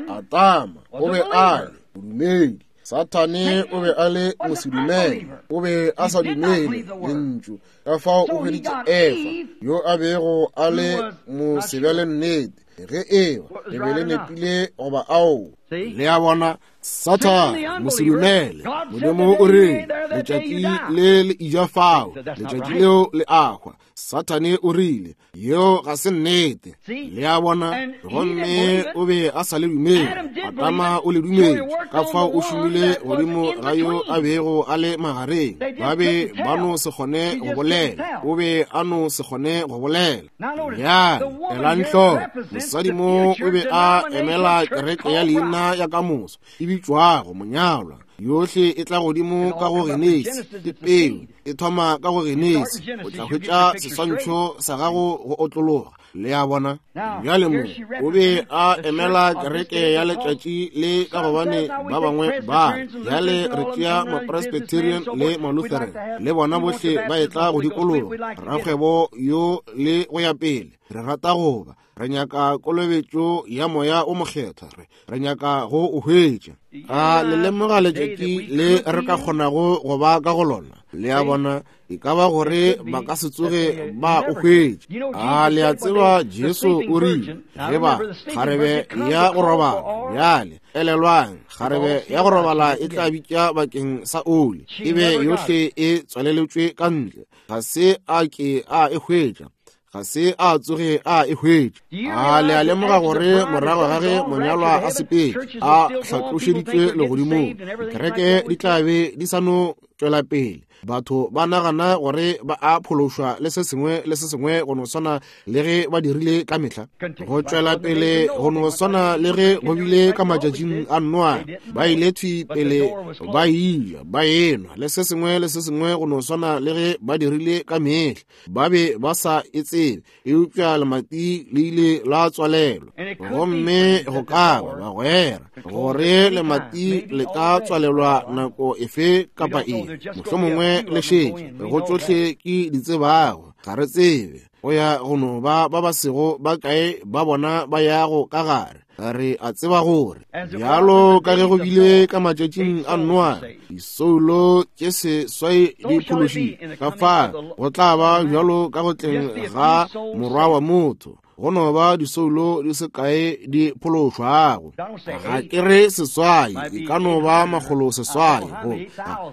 Adama o be a le modumedi, Sathane o be a le mosedumele, o be a sa dumele lentšu. Ka fao o hweditše Efa yo a bego a le mosebjale nnete, ge eba le be le nepile goba ao. Le a bona, Sathane mosedumele, Modimo o rile letšatši le le ija fao, letšatši leo le a hwa. Sathane o rile yeo ga se nnete. Le a bona, gomme o be a sa le dumele. Adama o le dumetše, ka fao o šomile godimo ga yo a bego a le magareng. Ba be ba no se kgone go bolela, o be a no se kgone go bolela. Bjale elang hloko, mosadi mo o be a emela kereke ya leina ya kamoso e bitšwago monyalwa. Yohle e tla godimo ka go Genesi, ke peu e thoma ka go Genesi. O tla hwetša seswantšho sa gago go otlologa. Le a bona? Bjale mo o be a emela kereke ya letšatši le, ka gobane ba bangwe ba bjale re tšea Mapresbyterian le Malutheran le bona bohle ba etla go dikologa rakgwebo yo le go ya pele. Re rata go ba, re nyaka kolobetšo ya Moya o Mokgethwa, re nyaka go o hwetša. A le lemoga letšatši le re ka kgonago go ba ka go lona? Le a bona, e ka ba gore ba ka se tsoge ba o hwetša. A le a tseba Jesu o rile, ge ba kgarebe ya go robala, bjale elelwang, kgarebe ya go robala e tla bitša bakeng sa oli, e be yohle e tswaleletšwe ka ntle, ga se a ke a e hwetša, ga se a tsoge a e hwetša. A le a lemoga gore morago ga ge monyalwa a sepetše a hlatlošeditšwe legodimong, dikereke di tla be di sa no tšwela pele, batho ba nagana gore ba a phološwa le se sengwe le se sengwe go no swana le ge ba dirile ka mehla, go tšwela pele go no swana le ge go bile ka matšatšing a Noa. Ba ile thwi pele ba eja, ba enwa le se sengwe le se sengwe go no swana le ge ba dirile ka mehla. Ba be ba sa e tsebe, eupša lemati le ile la tswalelwa. Gomme go ka ba bagwera gore lemati le ka tswalelwa nako efe kapa efe, mohlomongwe le šetše go tšohle ke di tsebago. Ga re tsebe. Go ya go no ba ba ba sego ba kae ba bona ba yago ka gare. Re a tseba gore bjalo ka ge go bile ka matšatšing a Noa, disoulo tše seswai di phološitšwe. Ka fa go tla ba bjalo ka go tleng ga Morwa wa motho, go no ba disoulo di se kae di phološwago. Ga ke re seswai, e ka no ba 600, go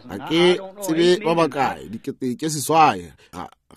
ga ke tsebe ba bakae, 6,000,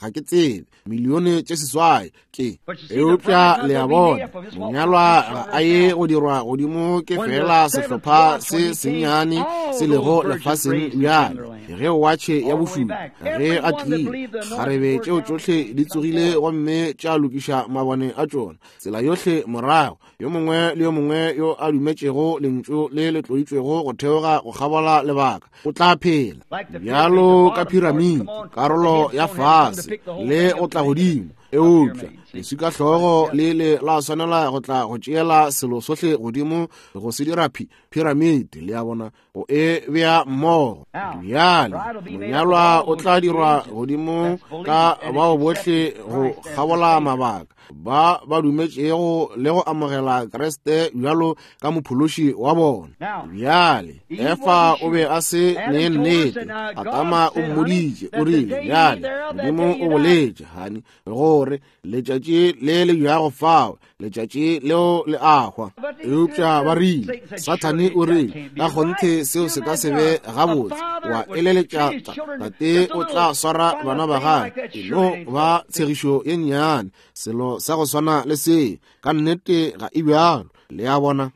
ga ke tsebe, 6,000,000 ke. Eupša le a bona, monyalwa ga a ye go dirwa godimo ke fela sehlopha se sennyane se lego lefaseng bjale. Ge watšhe ya bošupa ge a tlile, kgarebe tšeo tšohle di tsogile gomme tša lokiša mabone a tšona tsela yohle morago. Yo mongwe le yo mongwe yo a dumetšego lentšu le le tloditšwego go theoga go kgabola lebaka o tla phela. Bjalo ka piramidi, karolo ya fase le go tla godimo, eupša leswika hlogo le le la swanela go tla go tšeela selo sohle godimo go se dira piramidi, le a bona, go e bea mmogo. Bjale monyalwa o tla dirwa godimo ka bao bohle go kgabola mabaka ba ba dumetšego le go amogela Kriste bjalo ka mophološi wa bona. Bjale Efa o be a se ne nnete. Adama o mmoditše, o rile, bjale Modimo o boletše, hani, gore letšatši le le jago fao, letšatši leo le a hwa. Eupša ba rile, Sathane o rile, ka kgonthe seo se ka se be gabotse. Wa eleletša tate o tla swara bana ba gagwe, e no ba tshegišo ye nnyane, selo sa go swana le se. Ka nnete ga e bjalo, le a bona.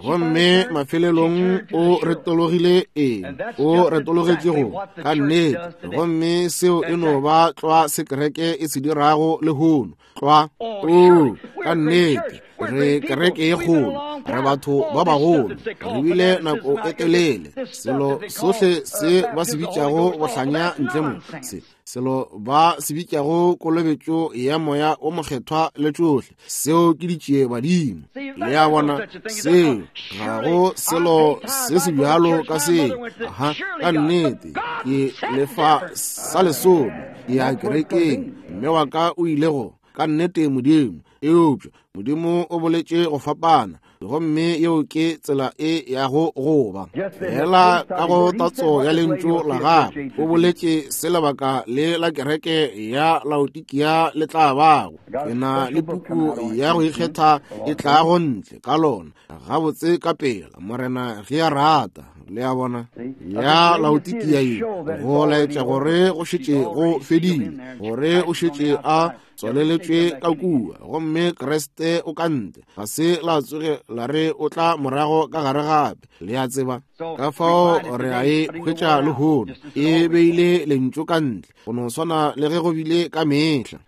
Gomme mafelelong o retologile eng? O retologetše go ka nnete. Gomme seo e no ba tlwa se kereke e se dirago lehono. Tlwa. O, ka nnete, re kereke ye kgolo, re batho ba bagolo, re bile nako e telele. Selo sohle se ba se bitšago bohlanya ntle mo, se selo ba se bitšago kolobetšo ya moya o mokgethwa le tšohle, seo ke ditšie badimo. Le a bona, seo ga go selo se se bjalo ka seo. Aha, ka nnete, ke lefa sa lesome, ke ya kerekeng, mme wa ka o ile go, ka nnete Modimo. Eupša Modimo o boletše go fapana, gomme yeo ke tsela e yago go ba. Fela ka go tatso ya lentšu la gagwe, o boletše se lebaka le la kereke ya Laodikia le tla bago. Ke na le puku ya go ikgetha e tlago ntle ka lona gabotse ka pela, Morena ge a rata. Le a bona, ya Laodikia ye, go laetša gore go šetše go fedile, gore o šetše a tswaleletšwe ka kua, gomme Kriste o ka ntle. Ga se la tsoge la re o tla morago ka gare gape. Le a tseba, ka fao re a e hwetša lehono, e beile lentšu ka ntle, go no swana le ge go bile ka mehla.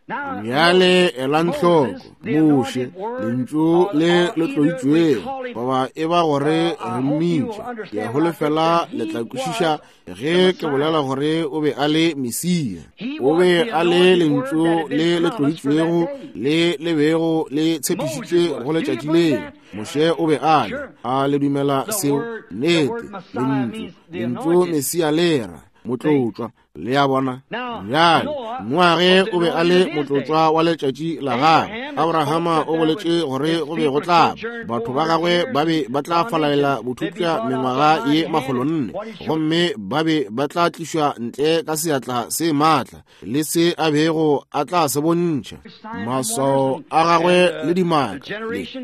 Bjale elang hloko, Moshe, lentšu le le tloditšwego, goba e ba gore re mmitše, ke a holofela le tla kwešiša ge ke bolela gore o be a le Mesia. O be a le lentšu le le tloditšwego le le bego le tshepišitšwe go letšatši leo. Moshe o be a le. A le dumela seo? Nnete, lentšu, lentšu Mesia le ra motlotšwa. Le a bona? Bjale, Noage o be a le motlotšwa wa letšatši la gagwe. Abrahama o boletše gore go be go tla batho ba gagwe ba be ba tla falalela bothupša mengwaga ye 400, gomme ba be ba tla tlišwa ntle ka seatla se maatla le se a bego a tla se bontšha, maswao a gagwe le dimaka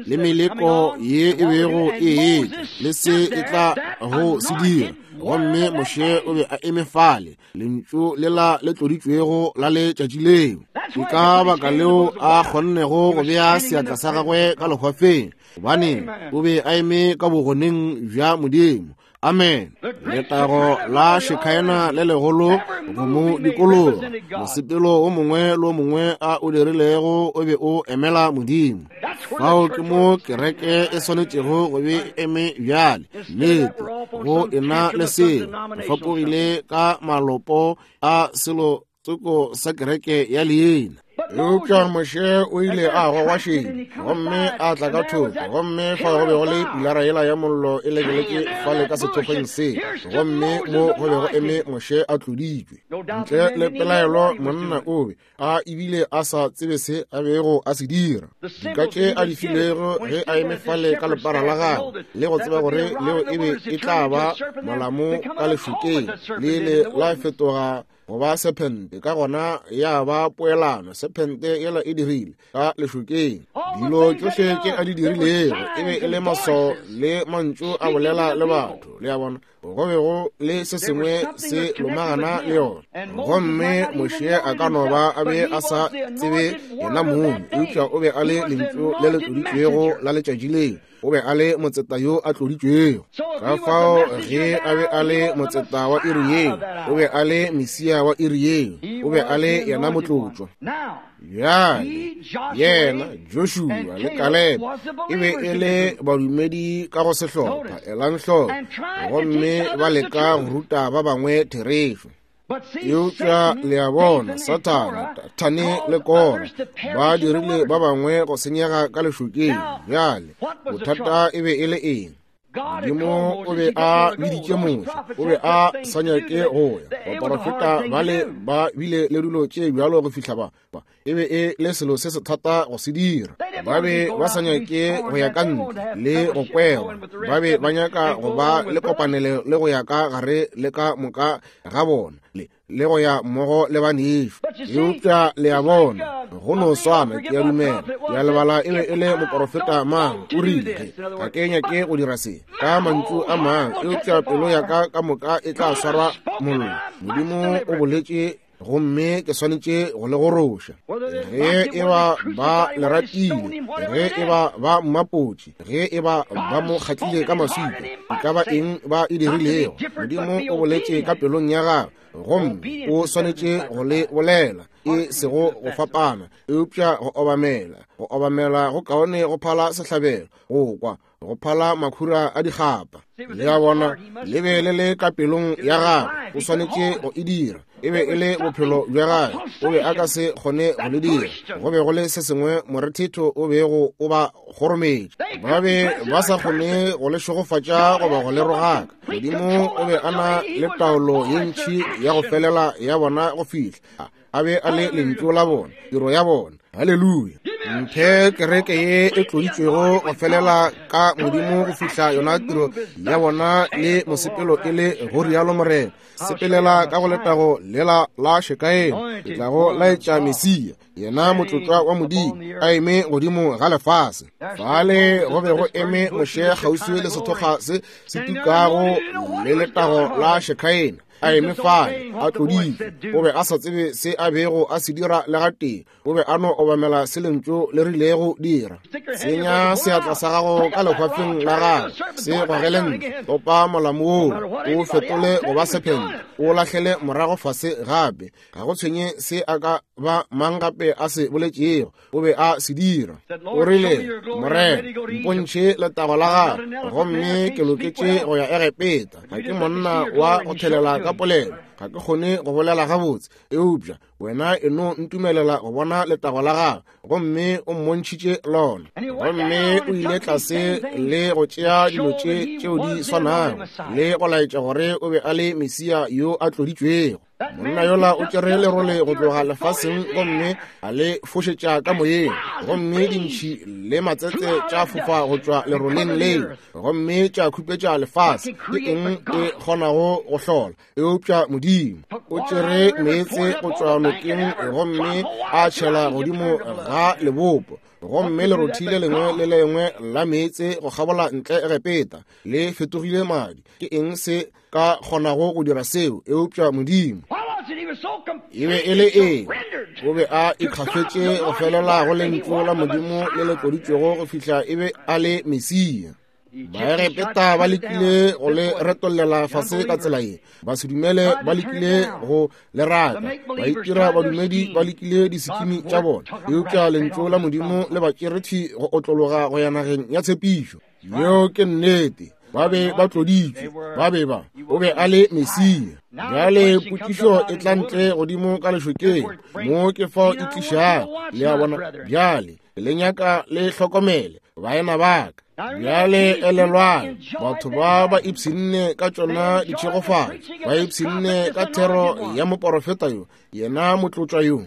le meleko ye e bego e etla le se e tla go se dira. Gomme Moshe o be a eme fale, lentšu lela le tloditšwego la letšatši leo. Ke ka baka leo a kgonnego go bea seatla sa gagwe ka lehwafeng, gobane o be a eme ka bogoneng bja Modimo. Amen. Letago la Shekhaena le legolo go mo dikologa. Mosepelo o mongwe le o mongwe a o dirilego o be o emela Modimo. Fao ke mo kereke e swanetšego go be eme bjale. Nnete, go ena le seo, re fapogile ka malopo a selo tsoko sa kereke ya leina. Eupša Moshe o ile a gogwa šedi gomme a tla ka thoko, gomme fa go be go le pilara yela ya mollo e lekeletše fale ka sethokgweng se, gomme mo go be go eme Moshe a tloditšwe. Ntle le pelaelo monna o be a ebile a sa tsebe se a bego a se dira. Dika tše a di filego ge a eme fale ka lepara la gagwe, le go tseba gore leo e be e tla ba molamo ka lešokeng, le ile la fetoga go ba sephente, ka gona ya ba poelano. Sephente yela e dirile ka lešokeng. Dilo tšohle tše a di dirilego e be e le maswao le mantšu a bolela le batho. Le a bona, go be go le se sengwe se lomagana le yona. Gomme Moshe a ka no ba a be a sa tsebe yena mong, eupša o be a le lentšu le le tloditšwego la letšatši leo. O be a le motseta yo a tloditšwego. Ka fao ge a be a le motseta wa iri yeo, o be a le Mesia wa iri yeo, o be a le yena motlotšwa. Bjale yena Joshua le Kaleb e be e le badumedi ka go sehlopha, elang hloko, gomme ba leka go ruta ba bangwe therešo. Eupša le a bona, Sathane, Dathane le Kora ba dirile ba bangwe go senyega ka lešokeng. Bjale bothata e be e le eng? Modimo o be a biditše Moshe, o be a sa nyake go ya. Baporofeta bale ba bile le dilo tše bjalo go fihla ba e be e le selo se se thata go se dira. Ba be ba sa nyake go ya ka ntle le go kwerwa, ba be ba nyaka go ba le kopanelo le go ya ka gare le ka moka ga bona le go ya mmogo le banešu. Eupša le a bona, go no swana, ke a dumela, ke a lebala e be e le moporofeta mang, o rile, ga ke nyake go dira se ka mantšu a mang, eupša pelo ya ka ka moka e tla swarwa mollo. Modimo o boletše gomme ke swanetše go le goroša. Ge e ba ba le ratile, ge e ba ba mmapotše, ge e ba ba mo kgatlile ka maswika, e ka ba eng ba e dirilego, Modimo o boletše ka pelong ya gagwe, gomme o swanetše go le bolela, e sego go fapana, eupša go obamela. Go obamela go kaone go phala sehlabelo, go kwa go phala makhura a dikgapa. Le a bona, le be le le ka pelong ya gagwe, o swanetše go e dira. E be e le bophelo bja gagwe, o be a ka se kgone go le dira. Go be go le se sengwe morethetho o bego o ba kgorometše. Ba be ba sa kgone go le šegofatša goba go le rogaka. Modimo o be a na le taolo ye ntši ya go felela ya bona go fihla a be a le lentšu la bona, tiro ya bona. Haleluya! Mphe kereke ye e tloditšwego go felela ka Modimo go fihla yona tiro ya bona le mosepelo e le go rialo Morena. Sepelela ka go letago lela la Shekaena, ke tla go laetša Mesia, yena motlotlwa wa Modimo, a eme godimo ga lefase. Fale go be go eme Moshe kgauswi le sethokga se se tukago le letago la Shekaena, a eme fale a tloditšwe. O be a sa tsebe se a bego a se dira le gatee, o be a no obamela se lentšu le rilego dira. Tsenya seatla sa gago ka lehwafeng la gago, se gogele ntle, topa molamo woo, o fetole go ba sephente, o lahlele morago fase gape. Ga go tshwenye se a ka ba mang gape a se boletšego, o be a se dira. O rile, Morena, mpontšhe letago la gago, gomme ke loketše go ya Egepeta. Ga ke monna wa go thelela ka polelo, ga ke kgone go bolela gabotse, eupša wena e no ntumelela go bona letago la gago. Gomme o mmontšhitše lona. Gomme o ile tlase le go tšea dilo tše tšeo di swanago le go laetša gore o be a le Mesia yo a tloditšwego. Monna yola o tšere lerole go tloga lefaseng gomme a le fošetša ka moyeng, gomme dintšhi le matsetse tša fofa go tšwa leroleng leo gomme tša khupetša lefase. Ke eng e kgonago go hlola eupša Modimo? O tšere meetse go tšwa nokeng gomme a tšhela godimo ga lebopo, gomme lerothi le lengwe le lengwe la meetse go kgabola ntle Egepeta le fetogile madi. Ke eng se ka kgonago go dira seo eupša Modimo? E be e le eng? O be a ikgafetše go felela go lentšu la Modimo le le tloditšwego go fihla e be a le Mesia. Baegepeta ba lekile go le retollela fase ka tsela ye, ba se dumele ba lekile go le raka, ba itira badumedi ba lekile disikimi tša bona, eupša lentšu la Modimo le ba tšere thwi go otlologa go ya nageng ya tshepišo. Yeo ke nnete. Ba be ba tloditšwe, ba be ba, o be a le Mesia. Bjale potšišo e tla ntle godimo ka lešokeng, mo ke fao e tlišago, le a bona. Bjale le nyaka le hlokomele, baena ba ka. Bjale elelwang, batho ba ba ipshinne ka tšona ditšhegofatšo, ba ipshinne ka thero ya moporofeta yo, yena motlotšwa yo.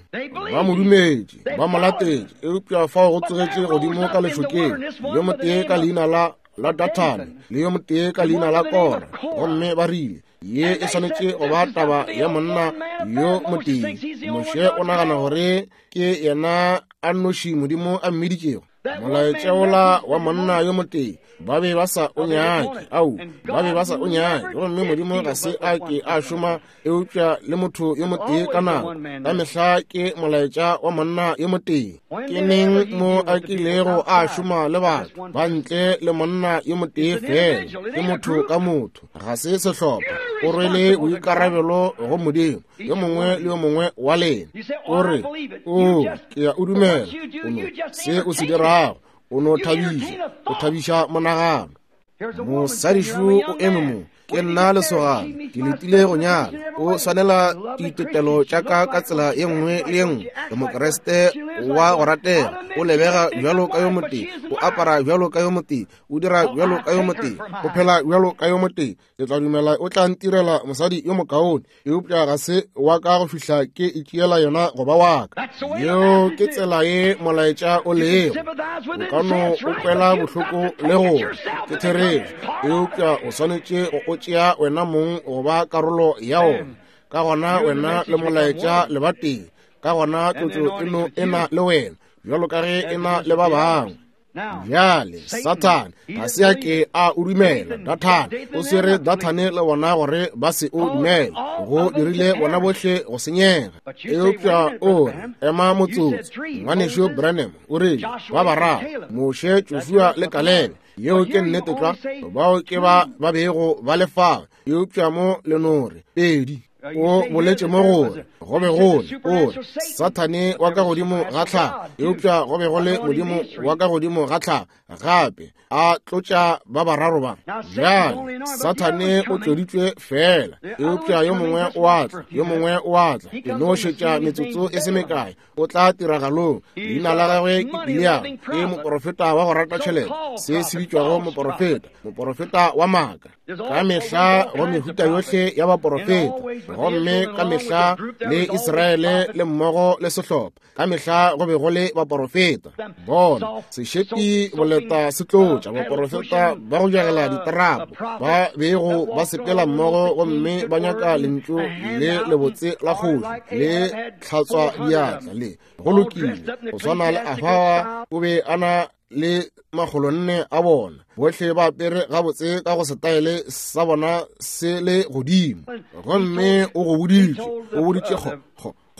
Ba mo dumetše, ba mo latetše, eupša fao go tsogetše godimo ka lešokeng yo motee ka leina la la Dathane le yo motee ka leina la Kora, gomme ba rile, ye e swanetše go ba taba ya monna yo motee. Moshe o nagana gore ke yena a nnoši Modimo a mmiditšego. Molaetša wola wa monna yo motee, ba be ba sa o nyake. Au, ba be ba sa o nyake. Gomme Modimo ga se a ke a šoma eupša le motho yo motee ka nako. Ka mehla ke molaetša wa monna yo motee. Ke neng mo a kilego a šoma le batho ba ntle le monna yo motee fela? Ke motho ka motho, ga se sehlopha. O rwele boikarabelo go Modimo, yo mongwe le yo mongwe wa lena. O re, O, ke ya o dumela. O no, se o se dirago, o no thabiša, o thabiša monagano. Mosadišu o eme mo, ke nna lesogana, ke letile go nyala. O swanela ditetelo tša ka ka tsela ye nngwe le ye nngwe. Ke Mokriste wa go ratega, o lebega bjalo ka yo motee, o apara bjalo ka yo motee, o dira bjalo ka yo motee, o phela bjalo ka yo motee. Ke tla dumela o tla ntirela mosadi yo mokaone, eupša ga se wa ka go fihla ke itšeela yona go ba wa ka. Yeo ke tsela ye molaetša o lego. O ka no o kwela bohloko le go ke therešo, eupša o swanetše go o tšea wena mong go ba karolo ya ona. Ka gona wena le molaetša le ba tee. Ka gona tlotšo e no e na le wena bjalo ka ge e na le ba bangwe. Bjale Sathane ga se a ke a o dumela. Dathane o swere Dathane le bona gore ba se o dumele, go dirile bona bohle go senyega. Eupša o re, ema motsotso, ngwanešu Branham o rile ba bararo, Moshe, Joshua le Kalebe. Yeo ke nnete tlwa, bao ke ba ba bego ba le fao. Eupša mo le no re pedi. O boletše mo gore go be go le, o re, Sathane wa ka godimo ga tlhago, eupša go be go le Modimo wa ka godimo ga tlhago gape, a tlotša ba bararo ba. Bjale Sathane o tloditšwe fela, eupša yo mongwe o a tla, yo mongwe o a tla. E no šetša metsotso e se mekae, o tla tiragalong. Leina la gagwe ke Bileamo, ke moporofeta wa go rata tšhelete, se se bitšwago moporofeta, moporofeta wa maaka. Ka mehla go mehuta yohle ya baporofeta, gomme ka mehla le Israele le mmogo le sehlopha, ka mehla go be go le baporofeta. Bona sešepi boleta se tlotša baporofeta ba go jagela diterapo, ba bego ba sepela mmogo gomme ba nyaka lentšu le lebotse la kgoši le tlhatswa diatla le go lokile. Go swana le Ahaba, o be a na le 400 a bona, bohle ba apere gabotse ka go setaele sa bona se le godimo. Gomme o go boditše, o boditše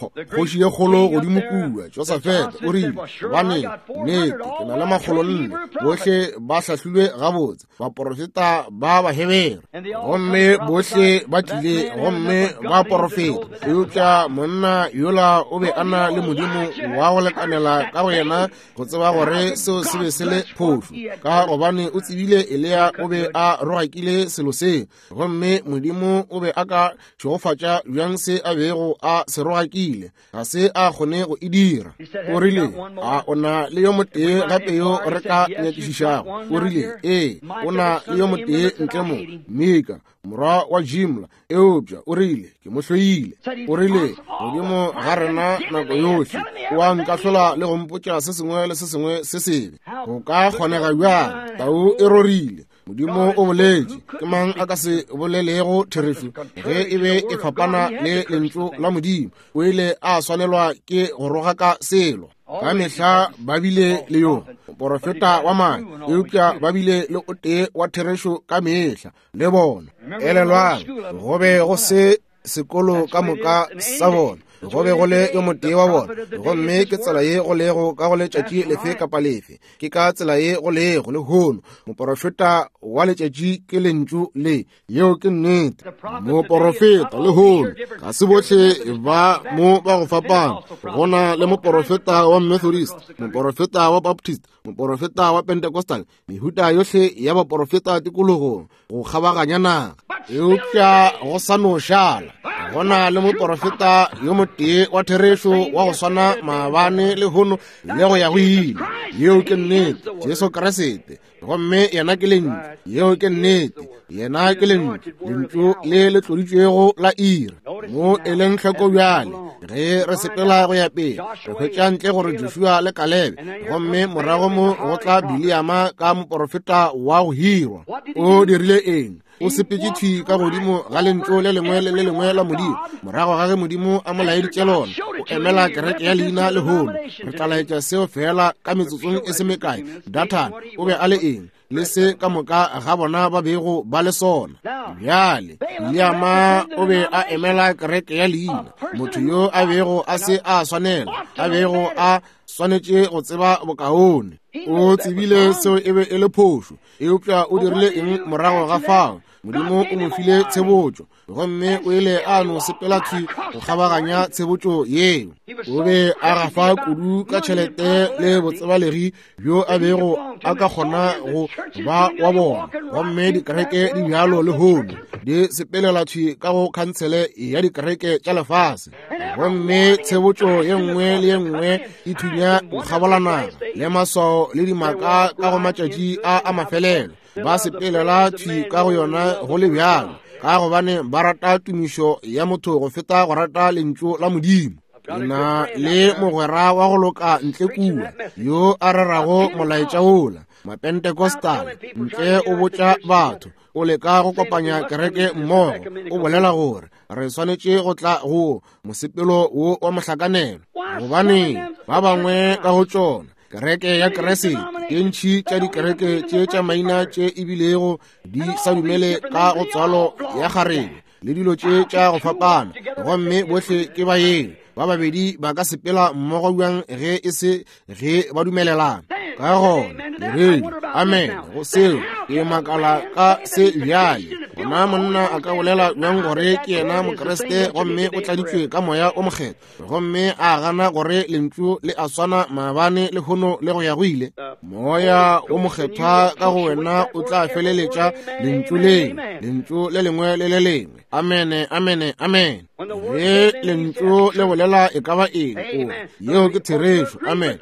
kgoši ye kgolo godimo kua, Josafete, o rile, gobaneng, nnete, ke na le 400, bohle ba hlahlilwe gabotse, baporofeta ba Bahebere. Gomme bohle ba tlile gomme ba porofeta, eupša monna yola o be a na le Modimo wa go lekanela ka go yena go tseba gore seo se be se le phošo, ka gobane o tsebile Eliya o be a rogakile selo seo, gomme Modimo o be a ka šegofatša bjang se a bego a se rogakile? Ga se a kgone go e dira. O rile, a o na le yo motee gape yo re ka nyakišišago? O rile, ee, o na le yo motee ntle mo, Mika, morwa wa Jimla, eupša o rile, ke mo hloile. O rile, godimo ga rena nako yohle o a nkahlola le go mpotša se sengwe le se sengwe se sebe. Go ka kgonega bjang? Tau e rorile. Modimo o boletše. Ke mang a ka se bolelego therešo ge e be e fapana le lentšu la Modimo? O ile a swanelwa ke go rogaka selo. Ka mehla ba bile le yo moporofeta wa maaka, eupša ba bile le o tee wa therešo ka mehla le bona. Elelwang, go be go se sekolo ka moka sa bona. Go be go le yo motee wa bona. Gomme ke tsela ye go lego ka go letšatši lefe kapa lefe. Ke ka tsela ye go lego lehono. Moporofeta wa letšatši ke Lentšu le. Yeo ke nnete. Moporofeta lehono ga se bohle ba mo ba go fapana. Go na le moporofeta wa Methodist, moporofeta wa Baptist, moporofeta wa Pentecostal, mehuta yohle ya baporofeta tikologong go kgabaganya naga. Eupša go sa no šala go na le moporofeta yo motee wa therešo wa go swana maabane lehono le go ya go ile. Yeo ke nnete, Jesu Kriste. Gomme yena ke Lentšu. Yeo ke nnete, yena ke Lentšu, Lentšu le le tloditšwego la ira. Mo e leng hloko bjale ge re sepela go ya pele, re hwetša ntle gore Joshua le Kalebe, gomme morago mo go tla Biliama ka moporofeta wa go hirwa. O dirile eng? O sepetše thwi ka godimo ga Lentšu le lengwe le le lengwe la Modimo, morago ga ge Modimo a mo laeditše lona. O emela kereke ya leina lehono. Re tla laetša seo feela ka metsotsong e se mekae. Dathan o be a le eng? Le se ka moka ga bona ba bego ba le sona. Bjale Biliama o be a emela kereke ya leina, motho yo a bego a se a swanela, a bego a swanetše go tseba bokaone. O tsebile seo e be e le phošo, eupša o dirile eng morago ga fao? Modimo o mo file tshebotšo, gomme o ile a no sepela thwi go kgabaganya tshebotšo yeo. O be a gafa kudu ka tšhelete le botsebalegi bjo a bego a ka kgona go ba wa bona. Gomme dikereke di bjalo lehono, di sepelela thwi ka go khansele ya dikereke tša lefase. Gomme tshebotšo ye nngwe le ye nngwe e thunya go kgabola naga, le maswao le dimaka ka go matšatši a a mafelelo. Ba sepelela thwi ka go yona go le bjalo, ka gobane ba rata tumišo ya motho go feta go rata Lentšu la Modimo. Ke na le mogwera wa go loka ntle kua yo a rerago molaetša wola, Mapentecostal, ntle o botša batho, o leka go kopanya kereke mmogo, o bolela gore re swanetše go tla go mosepelo wo wa mohlakanelo. Gobaneng ba bangwe ka go tšona kereke ya Kriste, tše ntši tša dikereke tše tša maina tše ebilego di sa dumele ka go tswalo ya kgarebe le dilo tše tša go fapana, gomme bohle ke baeng. Ba babedi ba ka sepela mmogo bjang ge e se ge ba dumelelana? Ka gona diredi amen go seo. Ke makala ka se bjale. Gona monna a ka bolela bjang gore ke yena Mokriste gomme o tladitšwe ka Moya o Mokgethwa, gomme a gana gore Lentšu le a swana maabane lehono le go ya go ile? Moya o Mokgethwa ka go wena o tla feleletša Lentšu le, Lentšu le lengwe le le lengwe. Amene, amene, amene. Ge Lentšu le bolela e ka ba eng, o yeo ke therešo. Amen.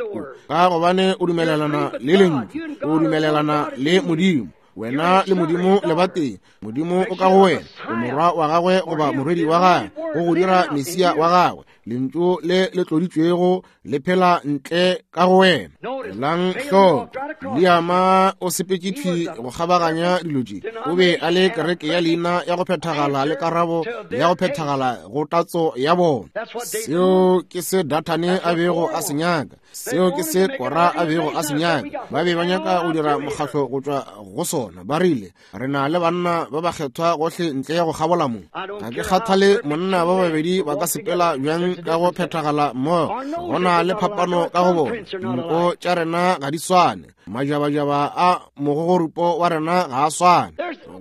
Ka gobane o dumelelana le Lentšu, o dumelelana le Modimo. Wena le Modimo le batee. Modimo o ka go wena, o morwa wa gagwe goba morwedi wa gagwe, go go dira Mesia wa gagwe. Lentšu le le tloditšwego le phela ntle ka go wena. Elang hloko, Biliama o sepetše thwi go kgabaganya dilo tše. O be a le kereke ya leina ya go phethagala le karabo ya go phethagala go tatso ya bona. Seo ke se Dathane a bego a se nyaka. Seo ke se Kora a bego a se nyaka. Ba be ba nyaka go dira mokgahlo go tšwa go sona. Ba rile, re na le banna ba bakgethwa gohle ntle ya go kgabola mo. Ga ke kgathale monna ba babedi ba ka sepela bjang ka go phethagala mmogo, go na le phapano ka go bona. Dinko tša rena ga di swane, majabajaba a mogogorupo wa rena ga a swane.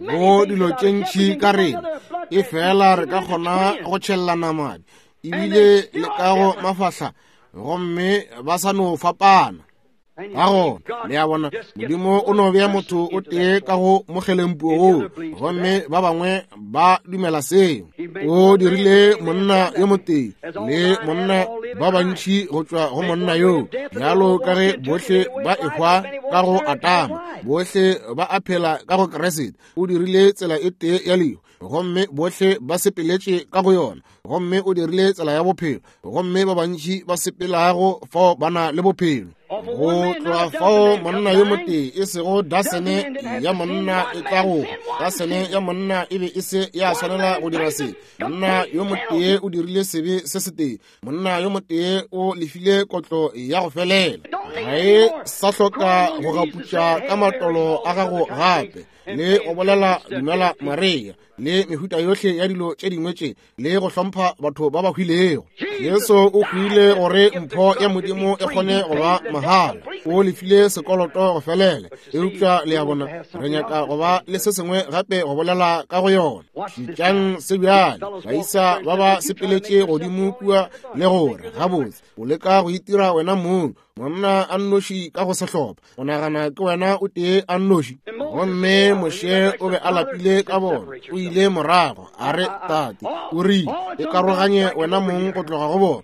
Go dilo tše ntši ka rena, e fela re ka kgona go tšhellana madi ebile le ka go mafahla, gomme ba sa no fapana. Ka gona le a bona, Modimo o no bea motho o tee ka go mogelempuo woo, gomme ba bangwe ba dumela seo. O dirile monna yo motee le monna ba bantši go tšwa go monna yoo, bjalo ka ge bohle ba ehwa ka go Adama, bohle ba a phela ka go Kriste. O dirile tsela e tee ya lehu, gomme bohle ba sepeletše ka go yona, gomme o dirile tsela ya bophelo, gomme ba bantši ba sepelago fao ba na le bophelo. Go tloga fao monna yo motee, e sego dasene ya monna e tla go, dasene ya monna e be e se ya swanela go dira se. Monna yo motee o dirile sebe se setee, monna yo motee o lefile kotlo ya go felela. Ga e sa hloka go gaputša ka matolo a gago gape, le go bolela dumela Maria, le mehuta yohle ya dilo tše dingwe tše, le go hlompha batho ba ba hwilego. Jesu o hwile gore mpho ya Modimo e kgone go ba mahala. O lefile sekoloto go felela. Eupša le a bona, re nyaka go ba le se sengwe gape go bolela ka go yona. Šetšang se bjale, baisa ba ba sepeletše godimo kua le gore, gabotse, o leka go itira wena mong monna a nnoši ka go sehlopha, o nagana ke wena o tee a nnoši. Gomme Moshe o be a lapile ka bona, o ile morago a re, Tate, o rile, e karoganye wena mong go tloga go bona.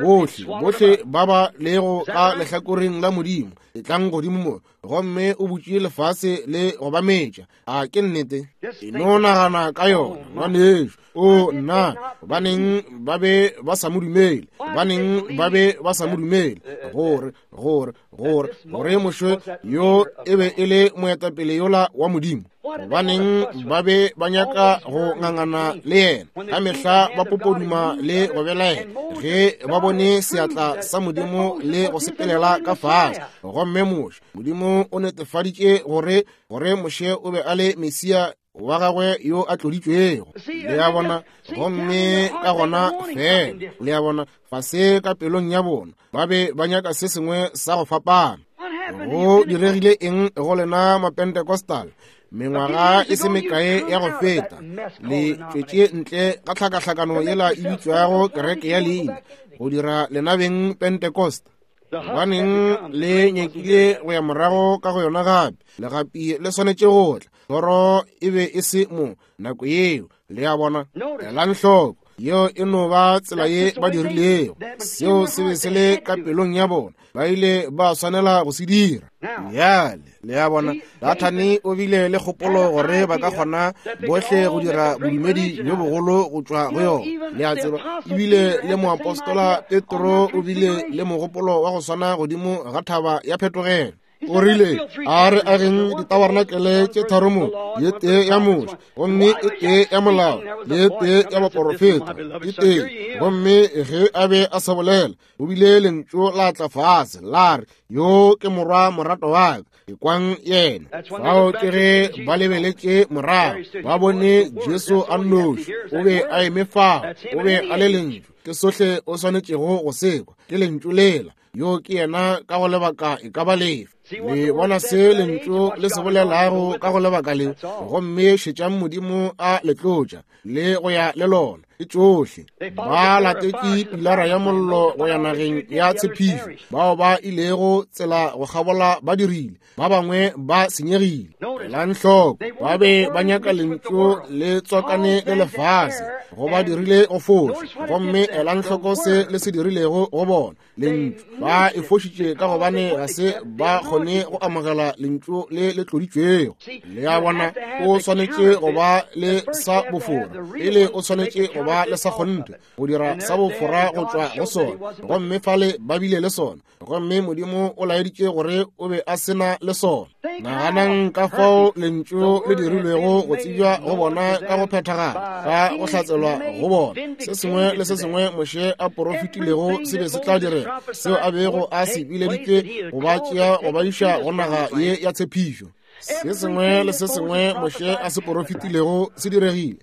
Bohle, bohle ba ba lego ka lehlakoreng la Modimo, etlang godimo mo. Gomme o butše lefase le go ba metša. A ke nnete? E no nagana ka yona, ngwanešu. O nna, gobaneng ba be ba sa mo dumele? Gobaneng ba be ba sa mo dumele? Gore, gore, gore, gore Moshe yo e be e le moetapele yola wa Modimo. Gobaneng ba be ba nyaka go ngangana le yena? Ka mehla ba popoduma le go belaela ge ba bone seatla sa Modimo le go sepelela ka fase. Gomme Moshe, Modimo o netefaditše gore, gore Moshe o be a le Mesia wa gagwe yo a tloditšwego. Le a bona? Gomme ka gona fela, le a bona, fase ka pelong ya bona ba be ba nyaka se sengwe sa go fapana. Go diregile eng go lena Mapentecostal? Mengwaga e se mekae ya go feta, le tšwetše ntle ka tlhakahlakano yela e bitšwago kereke ya leina, go dira lena beng Pentecost. Gobaneng le nyakile go ya morago ka go yona gape? Legapi le swanetše go tla. Thoro e be e se mo nako yeo. Le a bona? Elang hloko, yeo e no ba tsela ye ba dirilego. Seo se be se le ka pelong ya bona. Ba ile ba swanela go se dira. Bjale, le a bona, Dathane o bile le kgopolo gore ba ka kgona bohle go dira bodumedi bjo bogolo go tšwa go yona. Le a tseba, ebile le moapostola Petro o bile le mogopolo wa go swana godimo ga thaba ya phetogelo. O rile, a re ageng ditabarnakele tše tharo mo, ye tee ya Moshe, gomme e tee ya molao, le ye tee ya baporofeta, e tee. Gomme ge a be a sa bolela, o bile lentšu la tla fase la re, yo ke morwa morato wa ka, ekwang yena. Fao ke ge ba lebeletše morago, ba bone Jesu a nnoši, o be a eme fao, o be a le lentšu. Ke sohle o swanetšego go se kwa, ke lentšu lela. Yo ke yena ka go lebaka e ka ba lefe. Le bona se lentšu le se bolelago ka go lebaka le, gomme šetšang Modimo a le tlotša le go ya le lona. Ke tšohle. Ba latetše pilara ya mollo go ya nageng ya tshepišo. Bao ba ilego tsela go kgabola ba dirile, ba bangwe ba senyegile. Elang hloko, ba be ba nyaka lentšu le tswakane le lefase, go ba dirile go foša. Gomme elang hloko se le se dirilego go bona, lentšu. Ba e fošitše ka gobane ga se ba kgone go amogela lentšu le le tloditšwego. Le a bona, o swanetše go ba le sa bofora pele, o swanetše go ba le sa kgonthe go dira sa bofora go tšwa go sona. Gomme fale ba bile le sona, gomme Modimo o laeditše gore o be a se na le sona. Naganang ka fao lentšu le dirilwego go tsebja go bona ka go phethagala, ka go hlatselwa go bona. Se sengwe le se sengwe Moshe a porofetilego se be se tla direga, seo a bego a se bileditše go ba tšea go ba iša go naga ye ya tshepišo. Se sengwe le se sengwe Moshe a se porofetilego se diregile.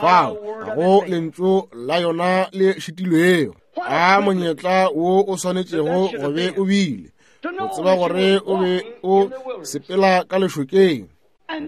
Fao ga go lentšu la yona le šitilwego. A monyetla wo o swanetšego go be o bile, go tseba gore o be o sepela ka lešokeng.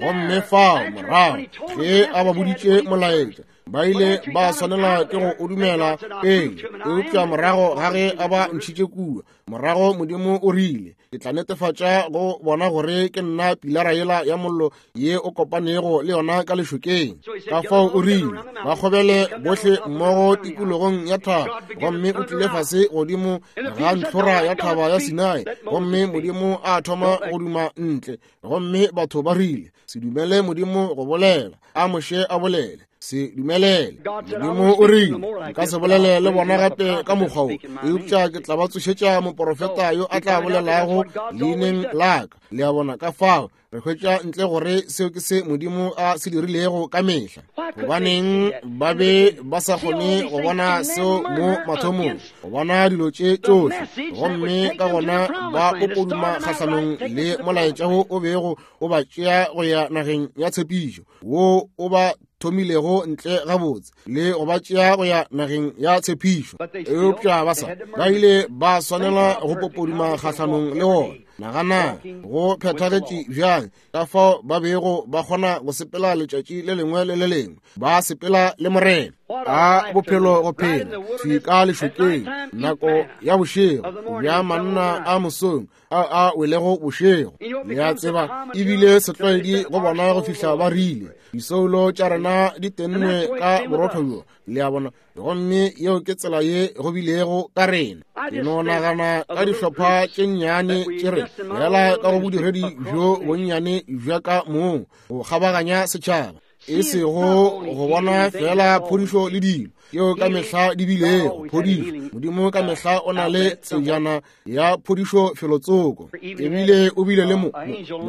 Gomme fao morago ge a ba boditše molaetša, ba ile ba swanela ke go o dumela pele. Eupša morago ga ge a ba ntšhitše kua, morago Modimo o rile, ke tla netefatša go bona gore ke nna pilara yela ya mollo ye o kopanego le yona ka lešokeng. Ka fao o rile, ba kgobele bohle mmogo tikologong ya thaba. Gomme o tlile fase godimo ga ntlhora ya thaba ya Sinai, gomme Modimo a thoma go duma ntle. Gomme batho ba rile, se dumele Modimo go bolela, a Moshe a bolele. Se dumelele. Modimo o rile, Nka se bolele le bona gape ka mokgwa wo, eupša ke tla ba tsošetša moporofeta yo a tla bolelago leineng la ka. Le a bona? Ka fao re hwetša ntle gore seo ke se Modimo a se dirilego ka mehla. Gobaneng ba be ba sa kgone go bona seo mo mathomong, go bona dilo tše tšohle, gomme ka gona ba popoduma kgahlanong le molaetša wo o bego o ba tšea go ya nageng ya tshepišo, wo o ba thomilego ntle gabotse le go ba tšea go ya nageng ya tshepišo. Eupša ba sa ba ile ba swanela go popoduma kgahlanong le wona. Nagana go phethagetše bjang ka fao ba bego ba kgona go sepela letšatši le lengwe le le lengwe, ba sepela le Morena. A bophelo go phela thwi ka lešokeng nako ya bošego bja manna a mosong a a welego bošego. Le a tseba, ebile setlwaedi go bona go fihla ba rile disoulo tša rena di tennwe ka borotho bjo. Le a bona? Gomme yeo ke tsela ye go bilego ka rena. Ke no nagana ka dihlopha tše nnyane tše re fela ka go bodiredi bjo bonnyane bja ka mong go kgabaganya setšhaba, e sego go bona fela phodišo le dilo yeo ka mehla di bilego phodišo. Modimo ka mehla o na le tsejana ya phodišo felotsoko. Ebile o bile le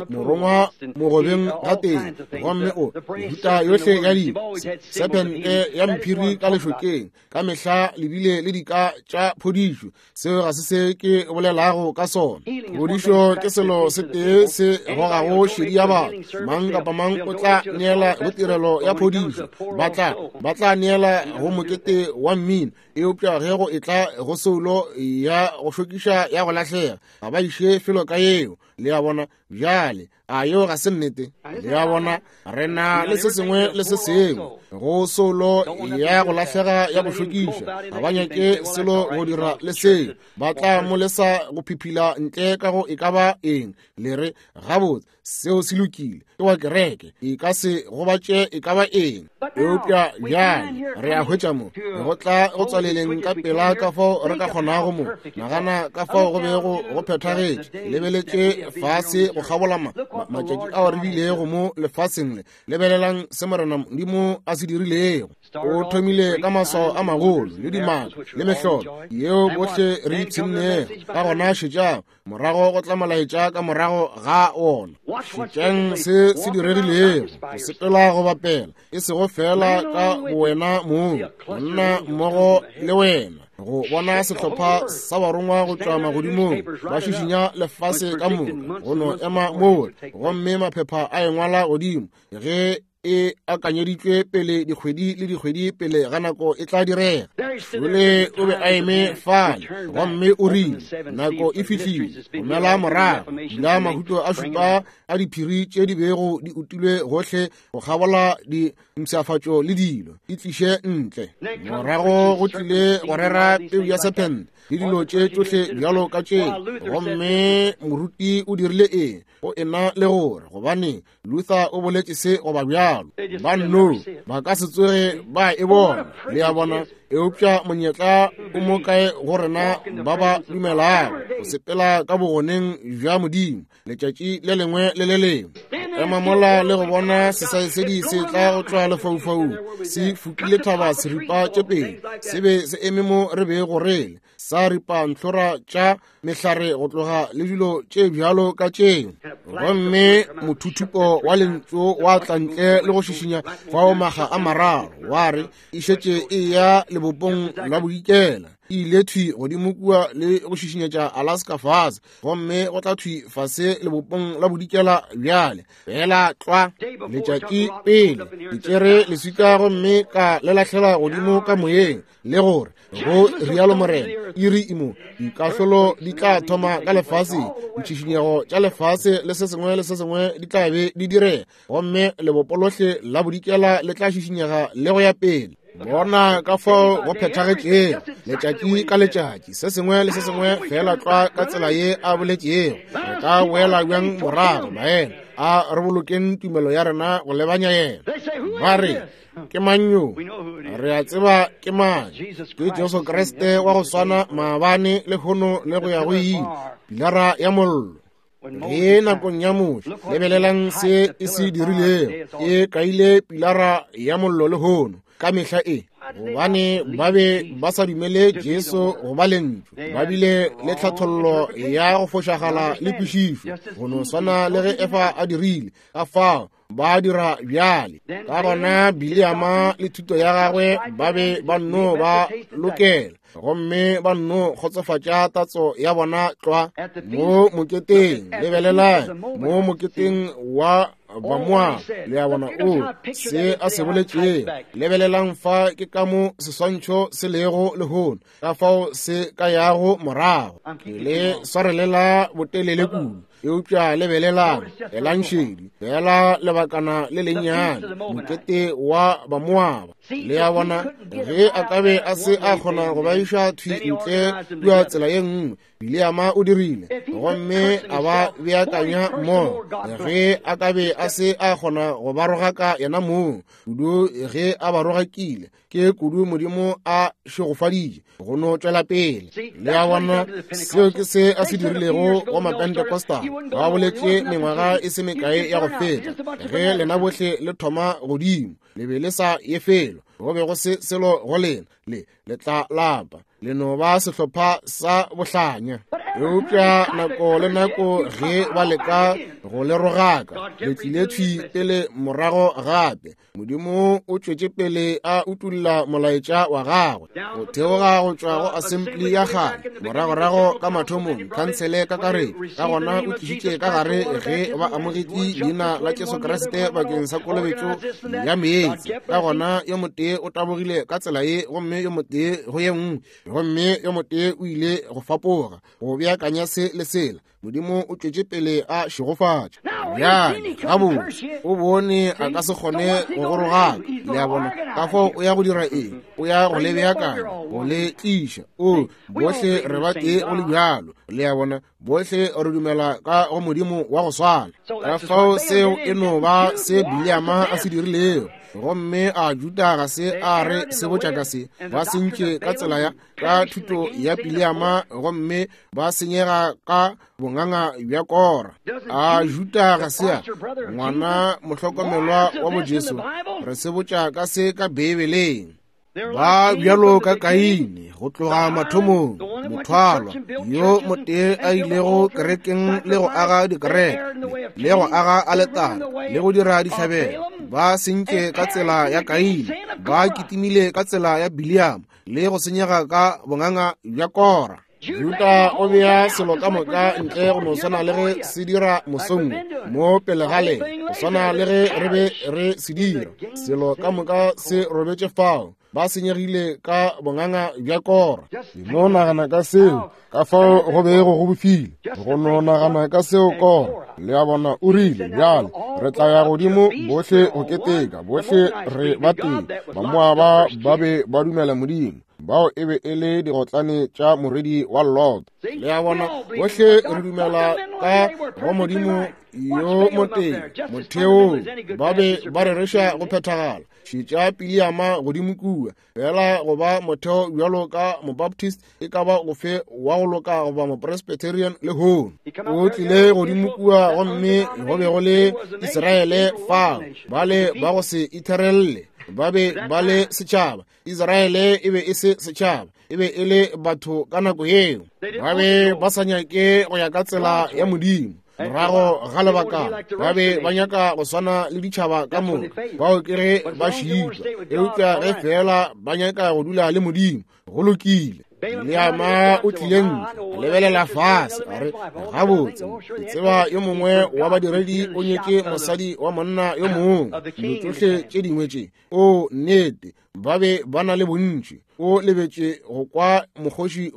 morongwa mogobeng gatee, gomme o mehuta yohle ya dilo, sephente ya mphiri ka lešokeng, ka mehla le bile le dika tša phodišo. Seo ga se se ke bolelago ka sona. Phodišo ke selo se tee se gogago šedi ya batho. Mang kapa mang o tla neela go tirelo ya phodišo, ba tla neela go mokete wa mmino, eupša ge go etla go soulo ya go šokiša ya go lahlega, ga ba iše felo ka yeo. Le a bona? Bjale, a yeo ga se nnete? Le a bona, re na le se sengwe le se sengwe go soulo ya go lahlega ya go šokiša. Ga ba nyake selo go dira le seo. Ba tla mo lesa go phiphila ntle ka go e ka ba eng. Le re, gabotse, seo se lokile, ke wa kereke, e ka se gobatše e ka ba eng. Eupša bjale re a hwetša mo go tla go tswaleleng ka pela ka fao re ka kgonago mo. Nagana ka fao go bego go phethagetše. Lebeletše fase go kgabola matšatši ao re bilego mo lefaseng le. Lebelelang se Morena Modimo a se dirilego. O thomile ka maswao a magolo le dimaka le mehlolo yeo bohle re ipshinnego ka gona. Šetšang morago go tla molaetša ka morago ga wona. Šetšang se se diregilego. Go sepela go bapela, e sego fela ka bowena mong, monna mmogo le wena, go bona sehlopha sa barongwa go tšwa magodimong ba šišinya lefase ka moka, go no ema moo, gomme maphepha a engwala godimo ge e akanyeditšwe pele dikgwedi le dikgwedi pele ga nako e tla direga. Jole o be a eme fale gomme o rile, nako e fihlile, gomela morago, dula mahuto a šupa a diphiri tše di bego di utilwe gohle go kgabola dimpshafatšo le dilo, di tliše ntle. Morago go tlile go rera peu ya sephente le dilo tše tšohle bjalo ka tše. Gomme moruti o dirile eng? Go ena le gore gobane Luther o boletše se goba bjalo, ba nno ba ka se tsoge ba e bona. Le a bona? Eupša monyetla o mo kae go rena ba ba dumelago go sepela ka bogoneng bja Modimo letšatši le lengwe le le lengwe, ema mola le go bona sesaesedi se tla go tšwa lefaufaung se fukile thaba seripa tše pedi, se be se eme mo re bego re le, sa ripa ntlhora tša mehlare go tloga le dilo tše bjalo ka tšeo. Gomme mothuthupo wa lentšu wa tla ntle le go šišinya fao maga a mararo, wa re e šetše e ya lebopong la bodikela, e ile thwi godimo kua le go šišinyetša Alaska fase, gomme go tla thwi fase lebopong la bodikela bjale fela tlwa letšatši pele. Ke tšere leswika gomme ka le lahlela godimo ka moyeng, le gore go rialo Morena, iri imo dikahlolo di tla thoma ka lefaseng, ditšhišinyego tša lefase le se sengwe le se sengwe di tla be di direga, gomme lebopo lohle la bodikela le tla šišinyega le go ya pele. Bona ka fao go phethagetšego letšatši ka letšatši, se sengwe le se sengwe fela tlwa ka tsela ye a boletšego. Re ka boela bjang morago, baena? A re bolokeng tumelo ya rena go lebanya yena. Ba re, ke mang yo? Re a tseba ke mang. Ke Jesu Kriste wa go swana maabane, lehono le go ya go ile, pilara ya mollo. Ge nakong ya Moshe, lebelelang se e se dirilego, e kaile pilara ya mollo lehono ka mehla e, gobane ba be ba sa dumele Jesu go ba lentšu. Ba bile le tlhathollo ya go fošagala le kwešišo, go no swana le ge Efa a dirile. Ka fao ba dira bjale. Ka gona Bileama le thuto ya gagwe ba be ba nno ba lokela, gomme ba nno kgotsofatša tatso ya bona tlwa mo moketeng. Lebelelang mo moketeng wa Bamoaba, le a bona o se a se boletšego. Lebelelang fa ke ka mo seswantšho se lego lehono, ka fao se ka yago morago. Ke le swarelela botelele kudu, eupša lebelelang, elang šedi fela lebakana le lennyane, mokete wa Bamoaba. Le a bona, ge a ka be a se a kgona go ba iša thwi ntle kua tsela ye nngwe, Bileama o dirile, gomme a ba beakanya mmogo. Ge a ka be a se a kgona go ba rogaka yena mong, kudu ge a ba rogakile, ke kudu Modimo a šegofaditše go no tšwela pele. Le a bona, seo ke se a se dirilego go Mapentecostal. Ba boletše mengwaga e se mekae ya go feta, ge lena bohle le thoma godimo, le be le sa ye felo, go be go se selo go lena, le le tla lapa, le no ba sehlopha sa bohlanya. Eupša nako le nako ge ba leka go le rogaka, le tlile thwi pele morago gape. Modimo o tšwetše pele a utulla molaetša wa gagwe go theoga go tšwa go assembly ya kgale, moragorago ka mathomong khansele kakaretšo. Ka gona o tlišitše ka gare ge ba amogetše leina la Jesu Kriste bakeng sa kolobetšo ya meetse. Ka gona yo motee o tabogile ka tsela ye, gomme yo motee go ye nngwe, gomme yo motee o ile go fapoga go beakanya se le sela. Modimo o tšwetše pele a šegofatša. Bjale gabotse o bone a ka se kgone go go rogaka, le a bona. Ka fao o ya go dira eng? O ya go le beakanya, go le tliša. O, bohle re ba tee go le bjalo, le a bona. Bohle re dumela ka go Modimo wa go swana. Ka fao seo e no ba se Bileama a se dirilego. Gomme a Juda ga se a re sebotša ka se, ba sentše ka tsela ya ka thuto ya Bileama, gomme ba senyega ka bonganga bja Kora. A Juda ga se a ngwana mohlokomelwa wa bo Jesu, re sebotša ka se ka Beibeleng. Ba bjalo ka Kaine go tloga mathomong, mothwalwa yo motee a ilego kerekeng le go aga dikereke le go aga aletare le go dira dihlabelo, ba sentše ka tsela ya Kaine, ba kitimile ka tsela ya Bileama le go senyega ka bonganga bja Kora. Juda o bea selo ka moka ntle go no swana le ge se dira mosong mo pele ga le, go swana le ge re be re se dira. Selo ka moka se robetše fao, ba senyegile ka bonganga bja Kora. Ke no nagana ka seo, ka fao go bego go bofile, go no nagana ka seo Kora. Le a bona, o rile, bjale re tla ya godimo bohle go keteka, bohle re ba tee. Bamoaba ba be ba dumela Modimo, bao e be e le digotlane tša morwedi wa Lot. Le a bona, bohle re dumela ka go Modimo yo motee. Motheong ba be ba rereša go phethagala. Šetša Bileama godimo kua, fela go ba motheo bjalo ka Mobaptist e ka ba ofe wa go loka goba Mopresbyterian lehono. O tlile godimo kua gomme go be go le Israele fao, bale ba go se itherelle, ba be ba le setšhaba. Israele e be e se setšhaba, e be e le batho ka nako yeo. Ba be ba sa nyake go ya ka tsela ya Modimo. Morago ga lebakana ba be ba nyaka go swana le ditšhaba ka moka, bao ke ge ba šitwa. Eupša ge feela ba nyaka go dula le Modimo, go lokile. Bileama o tlile ntle, a lebelela fase, a re, gabotse, ke tseba yo mongwe wa badiredi o nyetše mosadi wa monna yo mongwe. Dilo tšohle tše dingwe tše, o nnete, ba be ba na le bontši. O lebetše go kwa mokgoši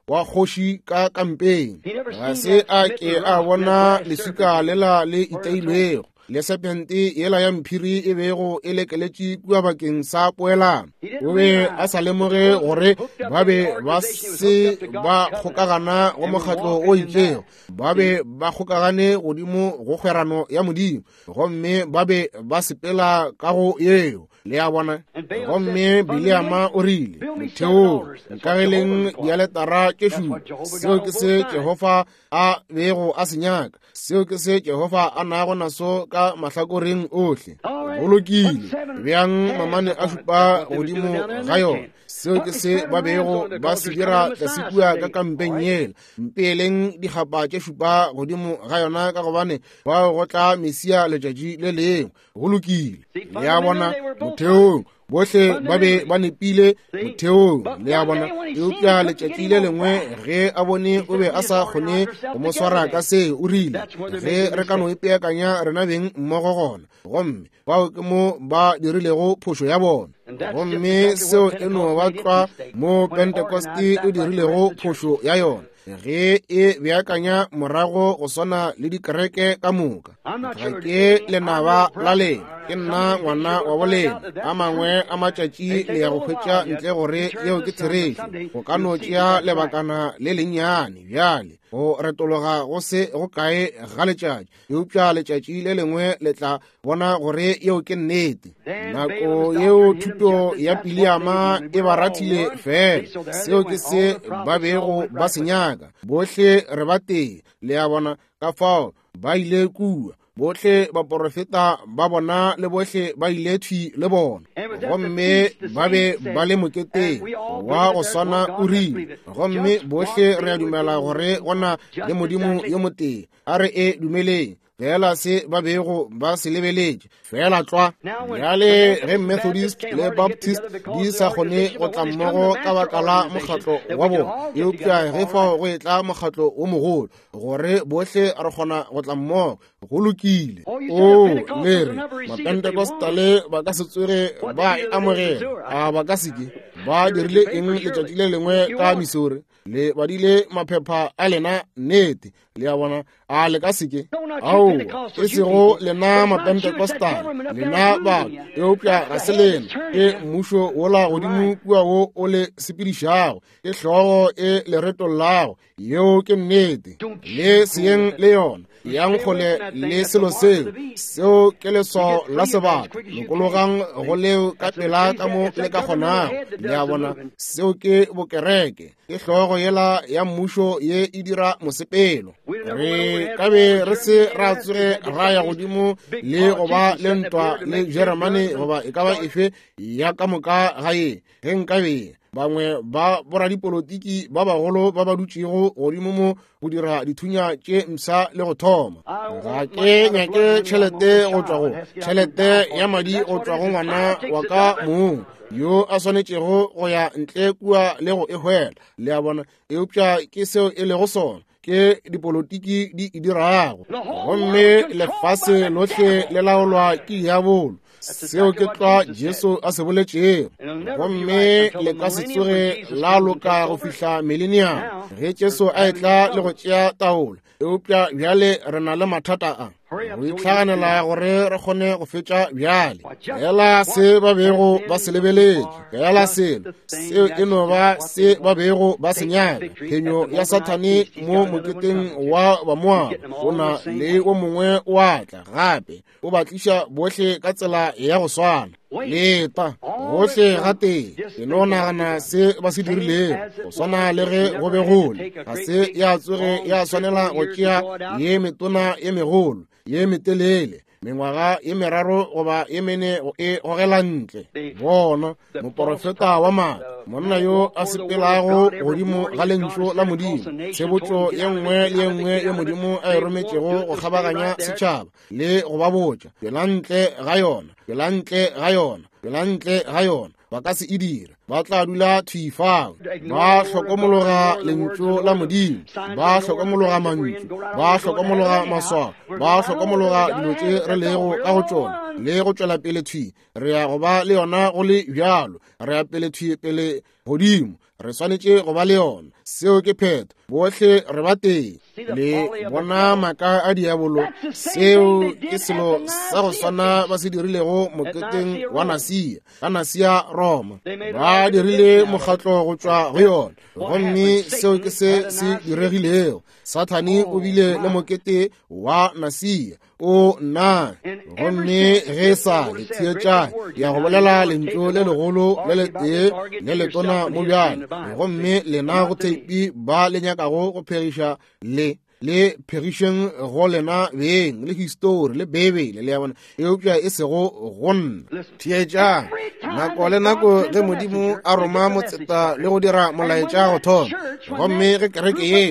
wa kgoši ka kampeng. Ga se a ke a bona leswika lela le iteilwego, le serpente yela ya mphiri e bego e lekeletše kua bakeng sa poelano. O be a sa lemoge gore ba be ba se ba kgokagana go mokgatlo o itšego, ba be ba kgokagane godimo go kgwerano ya Modimo, gomme ba be ba sepela ka go yeo. Le a bona? Gomme Bileama o rile, Motheong, nkageleng dialetara tše šupa. Seo ke se Jehofa a bego a se nyaka. Seo ke se Jehofa a nago naso ka mahlakoreng ohle. Go lokile, beang mamane a šupa godimo ga yona. Seo ke se ba bego ba se dira tlase kua ka kampeng yela. Mpeeleng dikgapa tše šupa godimo ga yona, ka gobane bao go tla Mesia letšatši le lengwe. Go lokile. Le a bona, motheong bohle ba be ba nepile motheong, le a bona. Eupša letšatši le lengwe ge a bone o be a sa kgone go mo swara ka se, o rile, ge re ka no ipeakanya rena beng mmogo gona. Gomme bao ke mo ba dirilego phošo ya bona. Gomme seo e no ba tlwa mo Pentecost e dirilego phošo ya yona, ge e beakanya morago go swana le dikereke ka moka. Ga ke lenaba la lena, ke nna ngwana wa bolena. A mangwe a matšatši le ya go hwetša ntle gore yeo ke therešo. Go ka no tšea lebakana le lennyane bjale go retologa go se go kae ga letšatši, eupša letšatši le lengwe le tla bona gore yeo ke nnete. Nako yeo thuto ya Bileama e ba rathile fela. Seo ke se ba bego ba se nyaka. Bohle re ba tee, le a bona. Ka fao ba ile kua, bohle baporofeta ba bona le bohle ba ile thwi le bona, gomme ba be ba le moketeng wa go swana o rile. Gomme bohle re a dumela gore go na le Modimo yo motee. A re e dumeleng fela se ba bego ba se lebeletše fela tlwa. Bjale ge Methodist le Baptist di sa kgone go tla mmogo ka baka la mokgatlo wa bona, eupša ge fao go etla mokgatlo wo mogolo gore bohle re kgona go tla mmogo, go lokile. O le re Mapentecostale ba ka se tsoge ba e amogela. A ba ka se ke? Ba dirile eng letšatši le lengwe ka Missouri? Le badile maphepha a lena, nnete. Le a bona? A le ka seke? Ao, e sego lena Mapentecostal, lena batho, eupša ga se lena, ke mmušo wola godimo kua wo o le sepedišago, ke hlogo e le retollago. Yeo ke nnete. Le seyeng le yona, yang kgole le selo seo. Seo ke leswao la sebata. Lokologang go leo ka pela ka mo le ka kgonago. Le a bona? Seo ke bokereke. Ke hlogo yela ya mmušo ye e dira mosepelo. Re ka be re se ra tsoge ra ya godimo le go ba le ntwa le Jeremane goba e ka ba efe ya ka moka ga ye, ge nkabe bangwe ba boradipolotiki ba bagolo ba ba dutšego godimo mo go dira dithunya tše mpsha le go thoma. Ga ke nyake tšhelete go tšwa go tšhelete ya madi go tšwa go ngwana wa ka mong yo a swanetšego go ya ntle kua le go e hwela. Le a bona? Eupša ke seo e lego sona, ke dipolotiki di e dirago. Gomme lefase lohle le laolwa ke diabolo. Seo ke tlwa Jesu a se boletšego. Gomme le ka se tsoge la loka go fihla millennium, ge Jesu a etla le go tšea taolo. Eupša bjale re na le mathata a go itlhaganela gore re kgone go fetša bjale. Fela se ba bego ba se lebeletše, fela selo seo e no ba se ba bego ba se nyaka. Phenyo ya Sathane mo moketeng wa Bamoaba, o na le o mongwe o a tla gape, o ba tliša bohle ka tsela ya go swana. Leta gohle gatee, ke no nagana se ba se dirilego, go swana le ge go be go le. Ga se ya tsoge ya swanela go tšea ye metona ye megolo ye metelele, mengwaga ye meraro goba ye mene go e gogela ntle. Bona moporofeta wa maaka, monna yo a sepelago godimo ga lentšu la Modimo, tshebotšo ye nngwe le ye nngwe ye Modimo a e rometšego go kgabaganya setšhaba le go ba botša, tšwela ntle ga yona, tšwela ntle ga yona, tšwela ntle ga yona. Ba ka se e dire, ba tla dula thwi fao. Ba hlokomologa lentšu la Modimo, ba hlokomologa mantšu, ba hlokomologa maswao, ba hlokomologa dilo tše re lego ka go tšona, le go tšwela pele thwi. Re ya go ba le yona go le bjalo, re ya pele thwi pele godimo. Re swanetše go ba le yona. Seo ke phetho. Bohle re ba tee. Le bona maaka a diabolo. Seo ke selo sa go swana ba se dirilego moketeng wa Nasia, ka Nasia Roma. Ba dirile mokgatlo go tšwa go yona, gomme seo ke se se diregilego. Sathane o bile le mokete wa Nasia. O nna gomme ge e sa le theetša ya go bolela lentšu le legolo le letee le letona mo bjale, gomme lena go theipi ba le nyakago go phegiša le le phegišeng go lena beng le histori le Beibele, le ya bona, eupša e sego go nna. Theetšang, nako le nako ge Modimo a roma motseta le go dira molaetša go thoma, gomme ge kereke ye,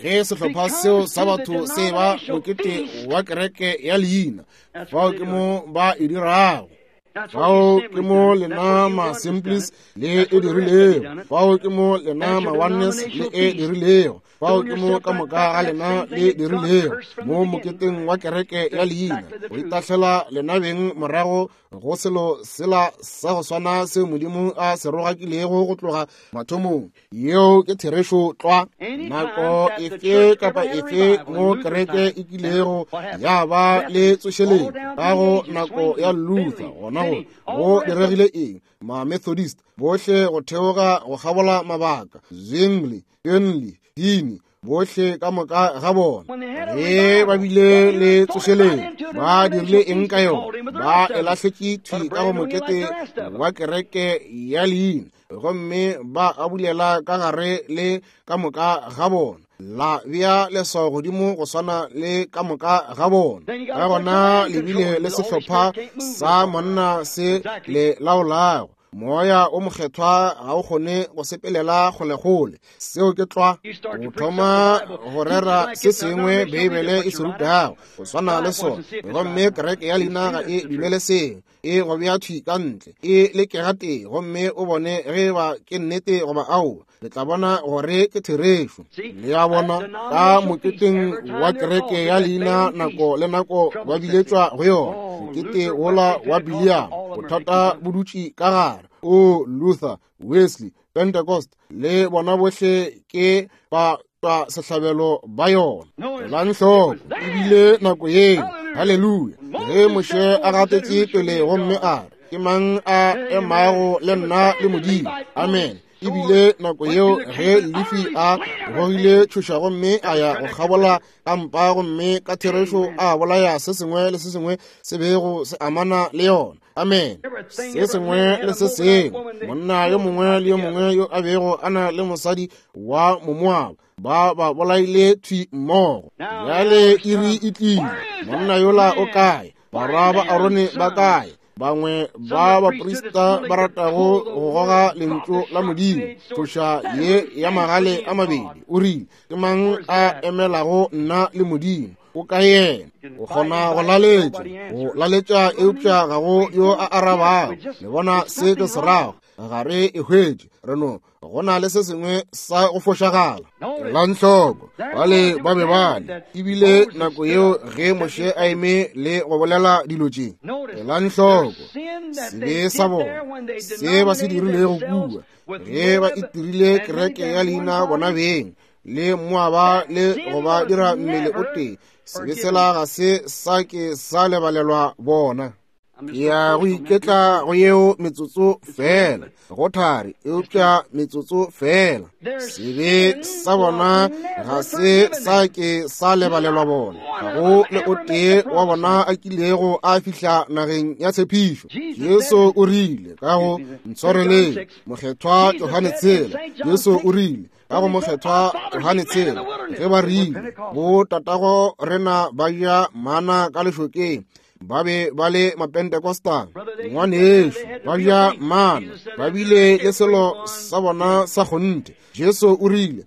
ge sehlopha seo sa batho se ba mokete wa kereke ya leina, fao ke mo ba e dirago. Fao ke mo lena ma-Assemblies le e dirilego. Fao ke mo lena ma-Oneness le e dirilego. Fao ke mo ka moka ga lena le dirilego, mo moketeng wa kereke ya leina, go itahlela lena beng morago go selo sela sa go swana seo Modimo a se rogakilego go tloga mathomong. Yeo ke therešo tlwa. Nako efe kapa efe mo kereke e kilego ya ba le tsošeletšo ka go nako ya Luther, gona go go diregile eng? Ma-Methodist bohle go theoga go kgabola mabaka, Zwingli, Henley, Dini, bohle ka moka ga bona, ge ba bile le tsošeletšo, ba dirile eng ka yona? Ba e lahletše thwi ka go mokete wa kereke ya leina, gomme ba abulela ka gare le ka moka ga bona, la bea leswao godimo go swana le ka moka ga bona. Ka gona le bile le sehlopha sa monna se le laolago. Moya o mokgethwa ga o kgone go sepelela kgolekgole. Seo ke tlwa. O thoma go rera se sengwe Beibele e se rutago go swana le sona, gomme kereke ya leina ga e dumele seo. E go bea thwi ka ntle, e lekega tee, gomme o bone ge ba ke nnete goba aowa. Le tla bona gore ke therešo. Le a bona, ka moketeng wa kereke ya leina nako le nako ba biletšwa go yona, mokete wola wa Biliam, bothata bo dutše ka gare. O Luther, Wesley, Pentecost, le bona bohle ke ba twa sehlabelo ba yona. Elang hloko, ebile nako yeo, haleluya, ge Moshe a gatetše pele gomme a re, ke mang a emago le nna le Modimo? Amen. Ebile nako yeo ge Lefi a gogile tšhoša gomme a ya go kgabola kampa, gomme ka therešo a bolaya se sengwe le se sengwe se bego se amana le yona. Amen. Se sengwe le se sengwe, monna yo mongwe le yo mongwe yo a bego a na le mosadi wa Momoaba, ba ba bolaile thwi mmogo. Bjale iri e tlile. Monna yola o kae? Barwa ba Arone ba kae? Bangwe ba baprista ba ratago go goga lentšu la Modimo, tšhoša ye ya magale a mabedi, o rile, ke mang a emelago nna le Modimo? O ka yena. O kgona go laletša, go laletša, eupša ga go yo a arabago. Le bona se ke se rago? Ga re e hwetše. Re no go na le se sengwe sa go fošagala. Elang hloko, bale ba be bale, ebile nako yeo ge Moshe a eme le go bolela dilo tše. Elang hloko sebe sa bona, se ba se dirilego kua, ge ba itirile kereke ya leina bona beng le Moaba le go ba dira mmele o tee. Sebe sela ga se sa ke sa lebalelwa bona. Ke ya go iketla go yeo metsotso fela, go thari, eupša metsotso fela. Sebe sa bona ga se sa ke sa lebalelwa bona. Ga go le o tee wa bona a kilego a fihla nageng ya tshepišo. Jesu o rile ka go ntshwareleng, Mokgethwa Johane tshela. Jesu o rile ka go Mokgethwa Johane tshela, ge ba rile bo tatago rena ba ja mana ka lešokeng, ba be ba le Mapentecostal. Ngwanešu, ba ja mana, ba bile le selo sa bona sa kgonthe. Jesu o rile,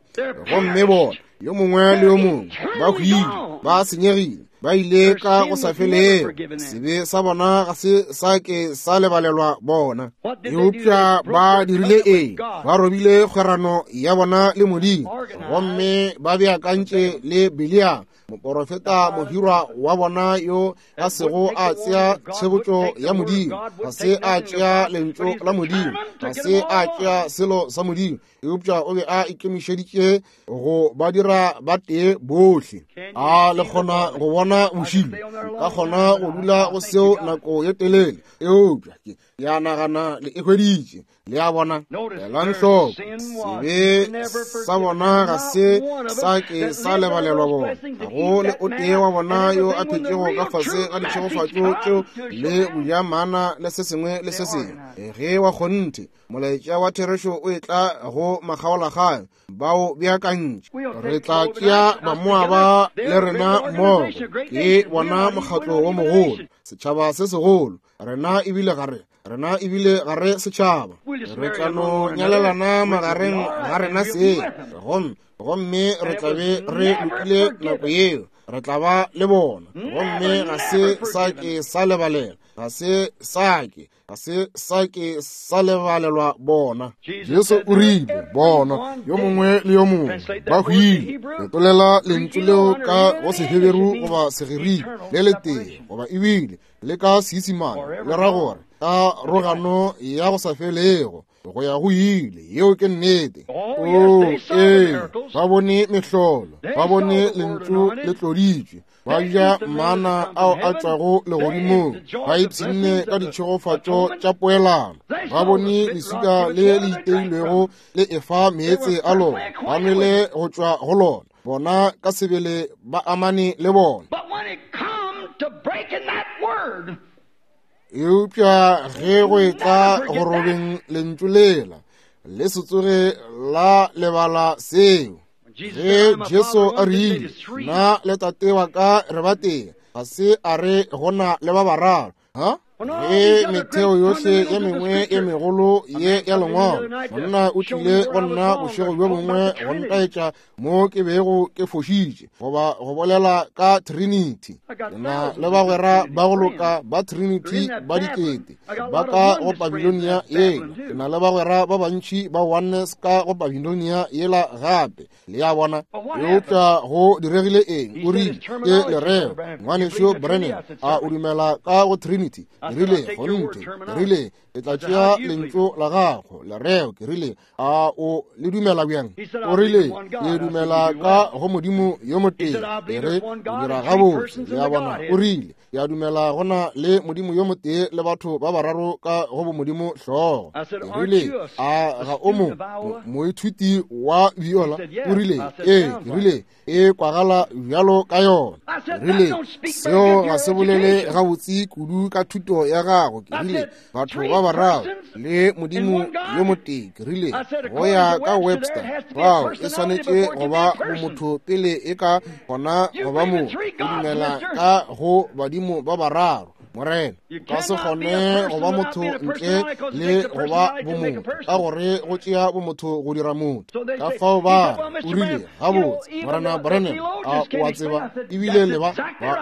gomme bona yo mongwe le yo mongwe ba hwile, ba senyegile, ba ile ka go sa felego. Sebe sa bona ga se sa ke sa lebalelwa bona. Eupša ba dirile eng? Ba robile kgwerano ya bona le Modimo, gomme ba beakantše le Biliam, moporofeta mohirwa wa bona yo a sego a tsea tshebotšo ya Modimo, ga se a tšea lentšu la Modimo, ga se a tšea selo sa Modimo, Eupša o be a ikemišeditše go ba dira ba tee bohle. A le kgona go bona bošilo? Ka kgona go dula go seo nako ye telele, eupša ke ya nagana le e hweditše. Le a bona? Elang hloko, sebe sa bona ga se sa ke sa lebalelwa bona. Ga go le o tee wa bona yo a phetšego ka fase ga ditšhegofatšo tšeo le go ja mana le se sengwe le se sengwe. Ge wa kgonthe molaetša wa therešo o etla go makgaolakgang, bao beakantše. Re tla tšea Bamoaba le rena mmogo. Ke bona mokgatlo wo mogolo, setšhaba se segolo. Rena ebile ga re, rena ebile ga re setšhaba. Re tla no nyalelana magareng ga rena seng, gomme, gomme re tla be re lokile nako yeo. Re tla ba le bona. Gomme ga se sa ke sa lebalela, ga se sa ke, ga se sa ke sa lebalelwa bona. Jesu o rile, bona, yo mongwe le yo mongwe ba hwile. Fetolela lentšu leo ka go Seheberu goba Segerika le letee, goba ebile le ka Seisemane, le ra gore ka rogano ya go sa felego go ya go ile. Yeo ke nnete. Oo, ee, ba bone mehlolo, ba bone lentšu le tloditšwe, ba ja mana ao a tšwago legodimong, ba ipshinne ka ditšhegofatšo tša poelano, ba bone leswika le le iteilwego le efa meetse a lona, ba nwele go tšwa go lona. Bona ka sebele ba amane le bona. Eupša ge go etla go robeng lentšu lela, le se tsoge la lebala seo. Ge Jesu a rile, Nna le Tate wa ka re ba tee, ga se a re go na le ba bararo. Ha? Ge metheo yohle ye mengwe ye megolo ye ya Lengwalo, monna o tlile go nna bošego bjo bongwe go ntaetša mo ke bego ke fošitše, goba go bolela ka Trinity. Ke na le bagwera ba go loka ba Trinity ba dikete ba ka go Babilonia yela. Ke na le bagwera ba bantši ba Oneness ka go Babilonia yela gape. Le a bona? Eupša go diregile eng? O rile, ke lereo, Ngwanešu Branham, a o dumela ka go Trinity? Ke rile, kgonthe. Ke rile, ke tla tšea lentšu la gago, lereo. Ke rile, a o le dumela bjang? O rile, ke dumela ka go Modimo yo motee. Ke re, o dira gabotse. Le a bona? O rile, ke a dumela go na le Modimo yo motee le batho ba bararo ka go bomodimo hlogo. Ke rile, a ga o mo moithuti wa viola? O rile, ee. Ke rile, e kwagala bjalo ka yona. Ke rile, seo ga se bolele gabotse kudu ka thuto ya gago. Ke rile, batho ba bararo le Modimo yo motee. Ke rile, go ya ka Webster, bao e swanetše go ba bomotho pele e ka gona go ba motho. O dumela ka go badimo ba bararo, Morena. Ka se kgone go ba motho ntle le go ba bomotho, ka gore go tšea bomotho go dira motho. Ka fao ba o rile, gabotse, Morena Branham, a o a tseba, ebile le ba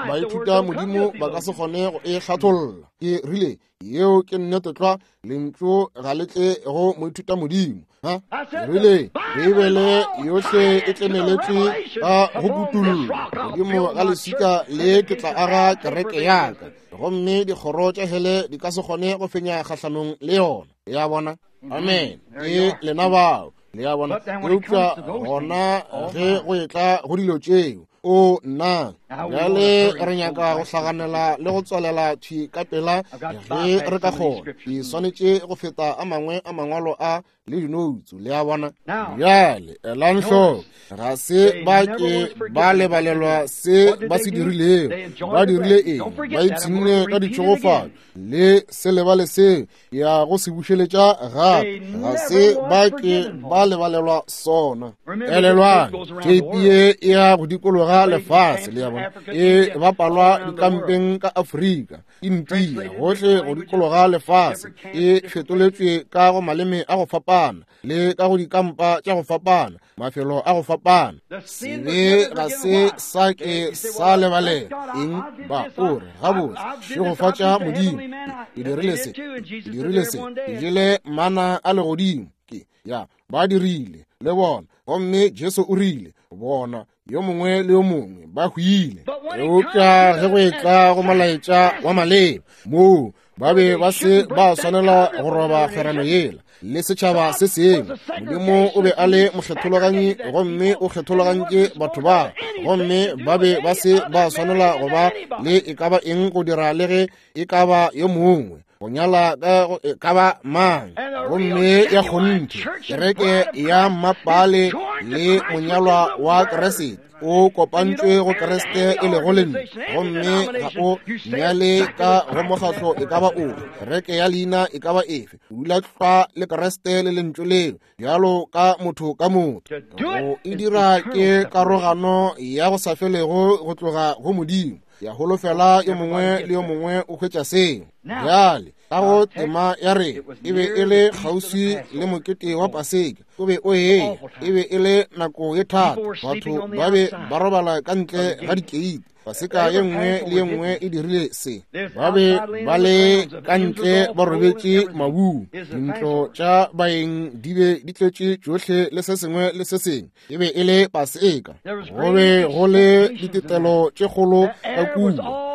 baithuta Modimo ba ka se kgone go e hlatholla. Ke rile, yeo ke nnete tlwa, lentšu ga le tle go moithuta Modimo. Ha? Ke rile, Beibele yohle e tlemeletšwe ka go kutullo. Godimo ga leswika le ke tla aga kereke ya ka, gomme dikgoro tša hele di ka se kgone go fenya kgahlanong le yona. Ya bona? Amen. Ke lena bao. Le a bona? Eupša gona ge go etla go dilo tšeo, o nna bjale re nyaka go hlaganela le go tswalela thwi ka pela ge re ka kgona. Ke swanetše go feta a mangwe a mangwalo a le dinoutsu. Le a bona? Bjale elang hloko, ga se ba ke ba lebalelwa se ba se dirilego. Ba dirile eng? Ba ipshinne ka ditšhegofatšo. Le se lebale seo, ya go se bušeletša gape. Ga se ba ke ba lebalelwa sona. Elelwang, theipi ye e ya go dikologa lefase, le ya bona, e bapalwa dikampeng ka Afrika, India, gohle go dikologa lefase, e fetoletšwe ka go maleme a go fapana le ka go dikampa tša go fapana, mafelo a go fapana. Sebe ga se sa ke sa lebalela. Eng? Ba o re, gabotse, šegofatša Modimo, ke dirile se, ke dirile se, ke jele mana a legodimo. Ke ya, ba dirile le bona. Gomme Jesu o rile, bona, yo mongwe le yo mongwe ba hwile. Eupša ge go etla go molaetša wa maleba, moo Ba be ba se ba swanela go roba kgwerano yela le setšhaba se sengwe. Modimo o be a le mokgethologanyi, gomme o kgethologantše batho ba, gomme ba be ba se ba swanela go ba le e ka ba eng go dira le ge e ka ba yo mongwe, go nyala ka go e ka ba mang. Gomme ya kgonthe kereke ya mmapale le monyalwa wa Kriste o kopantšwe go Kriste e lego lentšu, gomme ga o nyale ka go mokgatlo e ka ba ofe, kereke ya leina e ka ba efe. O dula tlwa le Kriste le lentšu leo bjalo ka motho ka motho. Go e dira ke karogano ya go sa felego go tloga go Modimo. Ya holofela yo mongwe le yo mongwe o hwetša seo. Bjale ka go tema ya rena e be e le kgauswi le mokete wa Paseka, o be o eya, e be e le nako ye thata, batho ba be ba robala ka ntle ga dikeiti. Paseka ye nngwe le ye nngwe e dirile se. Ba be ba le ka ntle ba robetše mabung, dintlo tša baeng di be di tletše tšohle le se sengwe le se sengwe. E be e le Paseka, go be go le ditetelo tše kgolo ka kua,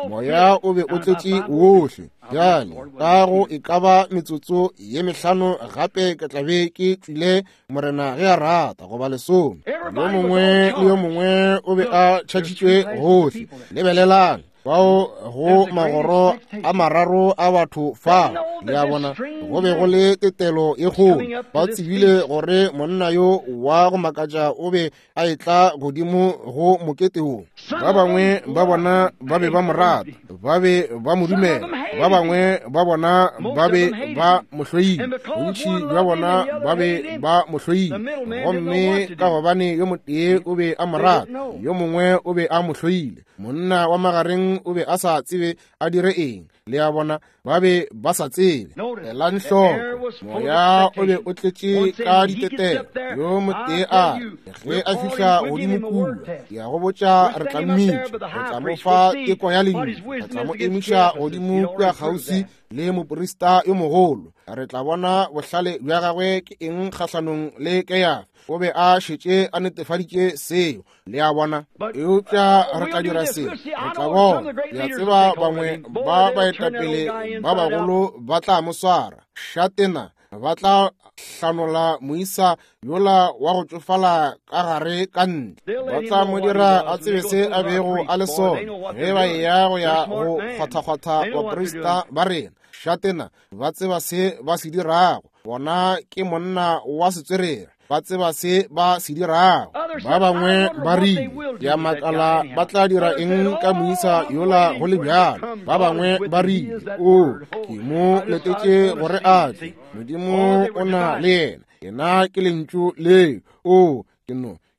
moya o be o tletše wohle. Bjale ka go e ka ba metsotso ye mehlano gape ke tla be ke tšwile, Morena ge a rata, goba lesome. Yo mongwe le yo mongwe o be a tšhatšitšwe gohle. Lebelelang bao go magoro a mararo a batho fa, le a bona, go be go le tetelo ye kgolo. Ba tsebile gore monna yo wa go makatša o be a etla godimo go mokete wo. Ba bangwe ba bona ba be ba mo rata, ba be ba mo dumela, ba bangwe ba bona ba be ba mo hloile, bontši bja bona ba be ba mo hloile. Gomme ka gobane yo motee o be a mo rata, yo mongwe o be a mo hloile, monna wa magareng o be a sa tsebe a dire eng. Le a bona, ba be ba sa tsebe. Elang hloko, moya o be o tletše ka ditetelo. Yo motee a re, ge a fihla godimo kua, ke ya go botša, re tla mmitša, re tla mo fa teko ya lentšu, re tla mo emiša godimo kua kgauswi le moprista yo mogolo, re tla bona bohlale bja gagwe ke eng kgahlanong le Keyafa. O be a šetše a netefaditše seo, le a bona. Eupša re tla dira se, re tla bona. Le a tseba, bangwe ba baetapele ba bagolo ba tla mo swara šatena, ba tla hlanola moisa yola wa go tšofala ka gare ka ntle, ba tla mo dira a tsebe se a bego a le sona ge ba eya go ya go kgwathakgwatha baprista ba rena. Šatena, ba tseba se ba se dirago. Bona ke monna wa setswerere, ba tseba se ba se dirago. Ba bangwe ba rile, ke a makala ba tla dira eng ka moisa yola go le bjalo. Ba bangwe ba rile, o, ke mo letetše gore a tle. Modimo o na le yena, yena ke lentšu leo. O, ke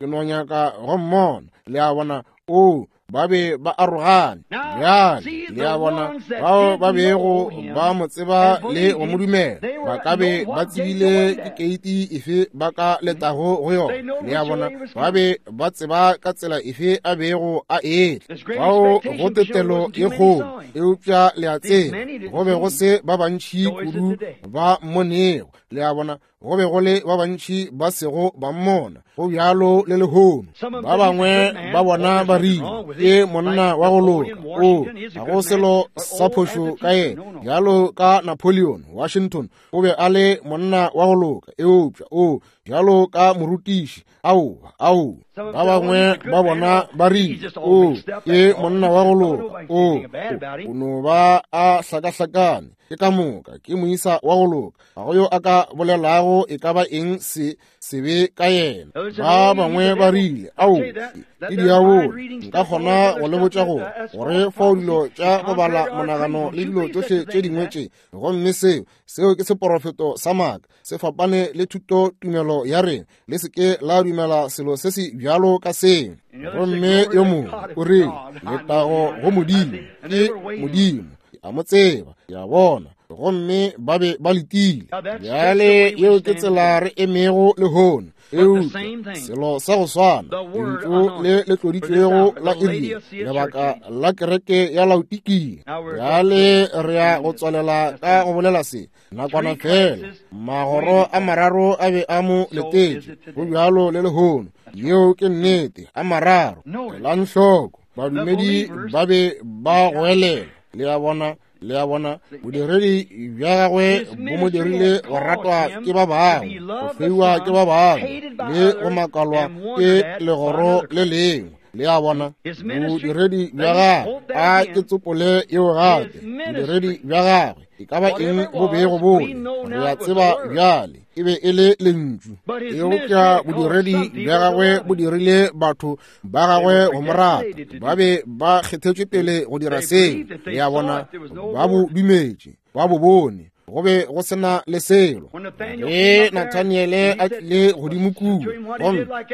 no nyaka go mmona. Le a bona, o, ba be ba arogane. Bjale le a bona, bao ba bego ba mo tseba le go mo dumela ba ka be ba tsebile ke keiti efe ba ka letago go yona. Le a bona, ba be ba tseba ka tsela efe a bego a etla. Bao go tetelo ye kgolo, eupša le a tseba, go be go se ba bantši kudu ba mmonego. Le a bona, go be go le ba bantši ba sego ba mmona. Go bjalo le lehono. Ba bangwe ba bona ba rile, ke monna wa go loka, o, ga go selo sa phošo ka yena. Bjalo ka Napoleon Washington, o be a le monna wa go loka, eupša o, bjalo ka morutiši, aowa, aowa. Ba bangwe ba bona ba rile, o, ke monna wa go loka, o, o no ba a hlakahlakane, ke ka moka, ke moisa wa go loka, ga go yo a ka bolelago e ka ba eng se sebe ka yena. Ba bangwe ba rile, ao, ke diabolo. Nka kgona go le botša gore gore fao dilo tša go bala monagano le dilo tšohle tše dingwe tše, gomme seo, seo ke seporofeto sa maaka, se fapane le thuto tumelo ya rena. Le se ke la dumela selo se se bjalo ka seo. Gomme yo mongwe o rile, letago go Modimo, ke Modimo, ke a mo tseba, ke a bona. Gomme ba be ba letile. Bjale yeo ke tsela re emego lehono. Eupša selo sa go swana, lentšu le le tloditšwego la iri, lebaka la kereke ya Laodikia. Bjale re ya go tswalela ka go bolela se nakwana fela. Magoro a mararo a be a mo letetše, go bjalo le lehono. Yeo ke nnete, a mararo. Elang hloko, badumedi ba be ba goelela. Le a bona? Le a bona, bodiredi bja gagwe bo mo dirile go ratwa ke ba bangwe, go feiwa ke ba bangwe, le go makalwa ke legoro le lengwe. Le a bona, bodiredi bja gagwe, a ke tsopole yeo gape, bodiredi bja gagwe e ka ba eng bo bego bole, re a tseba bjale e be e le lentšu. Eupša bodiredi bja gagwe bo dirile batho ba gagwe go mo rata. Ba be ba kgethetšwe pele go dira seo. Le a bona, ba bo dumetše, ba bo bone, go be go sena le selo. Ge Nathaniele a tlile godimo kua,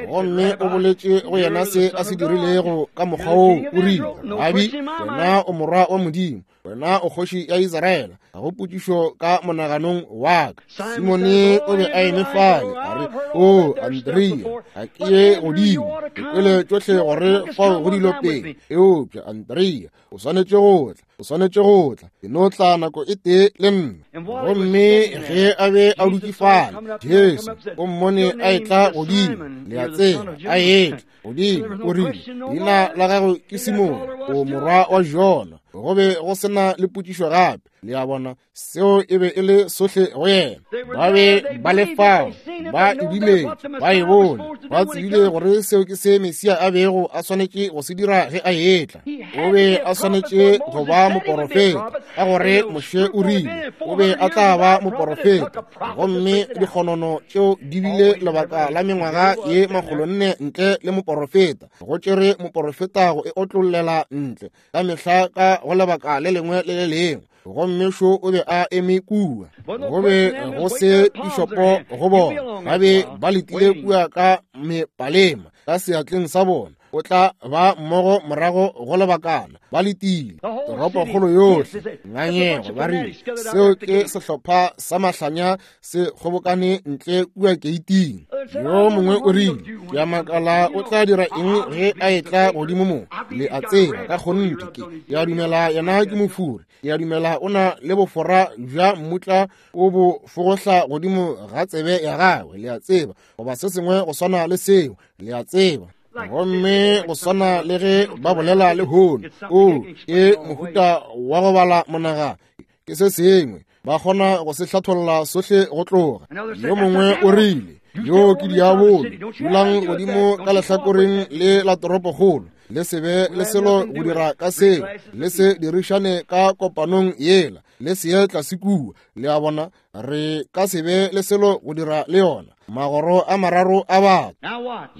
gomme o boletše go yena se a se dirilego ka mokgwa woo, o rile, Rabi, wena o morwa wa Modimo, wena o kgoši ya Israele. Ga go potšišo ka monaganong wa ka. Simone o be a eme fale, a re, O Andrea, ga ke ye godimo, ke kwele tšohle gore fao go dilo pele. Eupša Andrea, o swanetše go tla, o swanetše go tla, ke no tla nako e tee le nna. Gomme ge a be a dutše fale, Jesu o mmone a etla godimo, le a tseba, a etla godimo, o rile, leina la gago ke Simone, o morwa wa Jona. Go be go sena le potšišo gape. Le a bona, seo e be e le sohle go yena. Ba be ba le fao, ba e dumetše, ba e bone, ba tsebile gore seo ke se Mesia a bego a swanetše go se dira ge a etla. O be a swanetše go ba moporofeta, ka gore Moshe o rile o be a tla ba moporofeta. Gomme dikgonono tšeo di bile lebaka la mengwaga ye 400 ntle le moporofeta. Go tšere moporofeta go e otlollela ntle ka mehla ka go lebaka le lengwe le le lengwe. Gomme šo o be a eme kua, go be go se pišopo go bona, ba be ba letile kua ka mepalema ka seatleng sa bona. O tla ba mmogo morago go lebakana, ba letile. Toropokgolo yohle ngangego, ba rile seo ke sehlopha sa mahlanya se kgobokane ntle kua keiting. Yo mongwe o rile, ke a makala o tla dira eng ge a etla godimo mo. Le a tseba, ka kgonthe ke a dumela yena ke mofuri. Ke a dumela o na le bofora bja mmutla o bo fogohla godimo ga tsebe ya gagwe, le a tseba, goba se sengwe go swana le seo, le a tseba. Gomme go swana le ge ba bolela lehono, o ke mohuta wa go bala monagano, ke se sengwe ba kgona go se hlatholla sohle go tloga. Yo mongwe o rile, yo ke diabolo, dulang godimo ka lehlakoreng le la toropokgolo, le se be le selo go dira ka seo, le se dirišane ka kopanong yela, le se ye tlase kua. Le a bona, re ka se be le selo go dira le yona. Magoro a mararo a batho.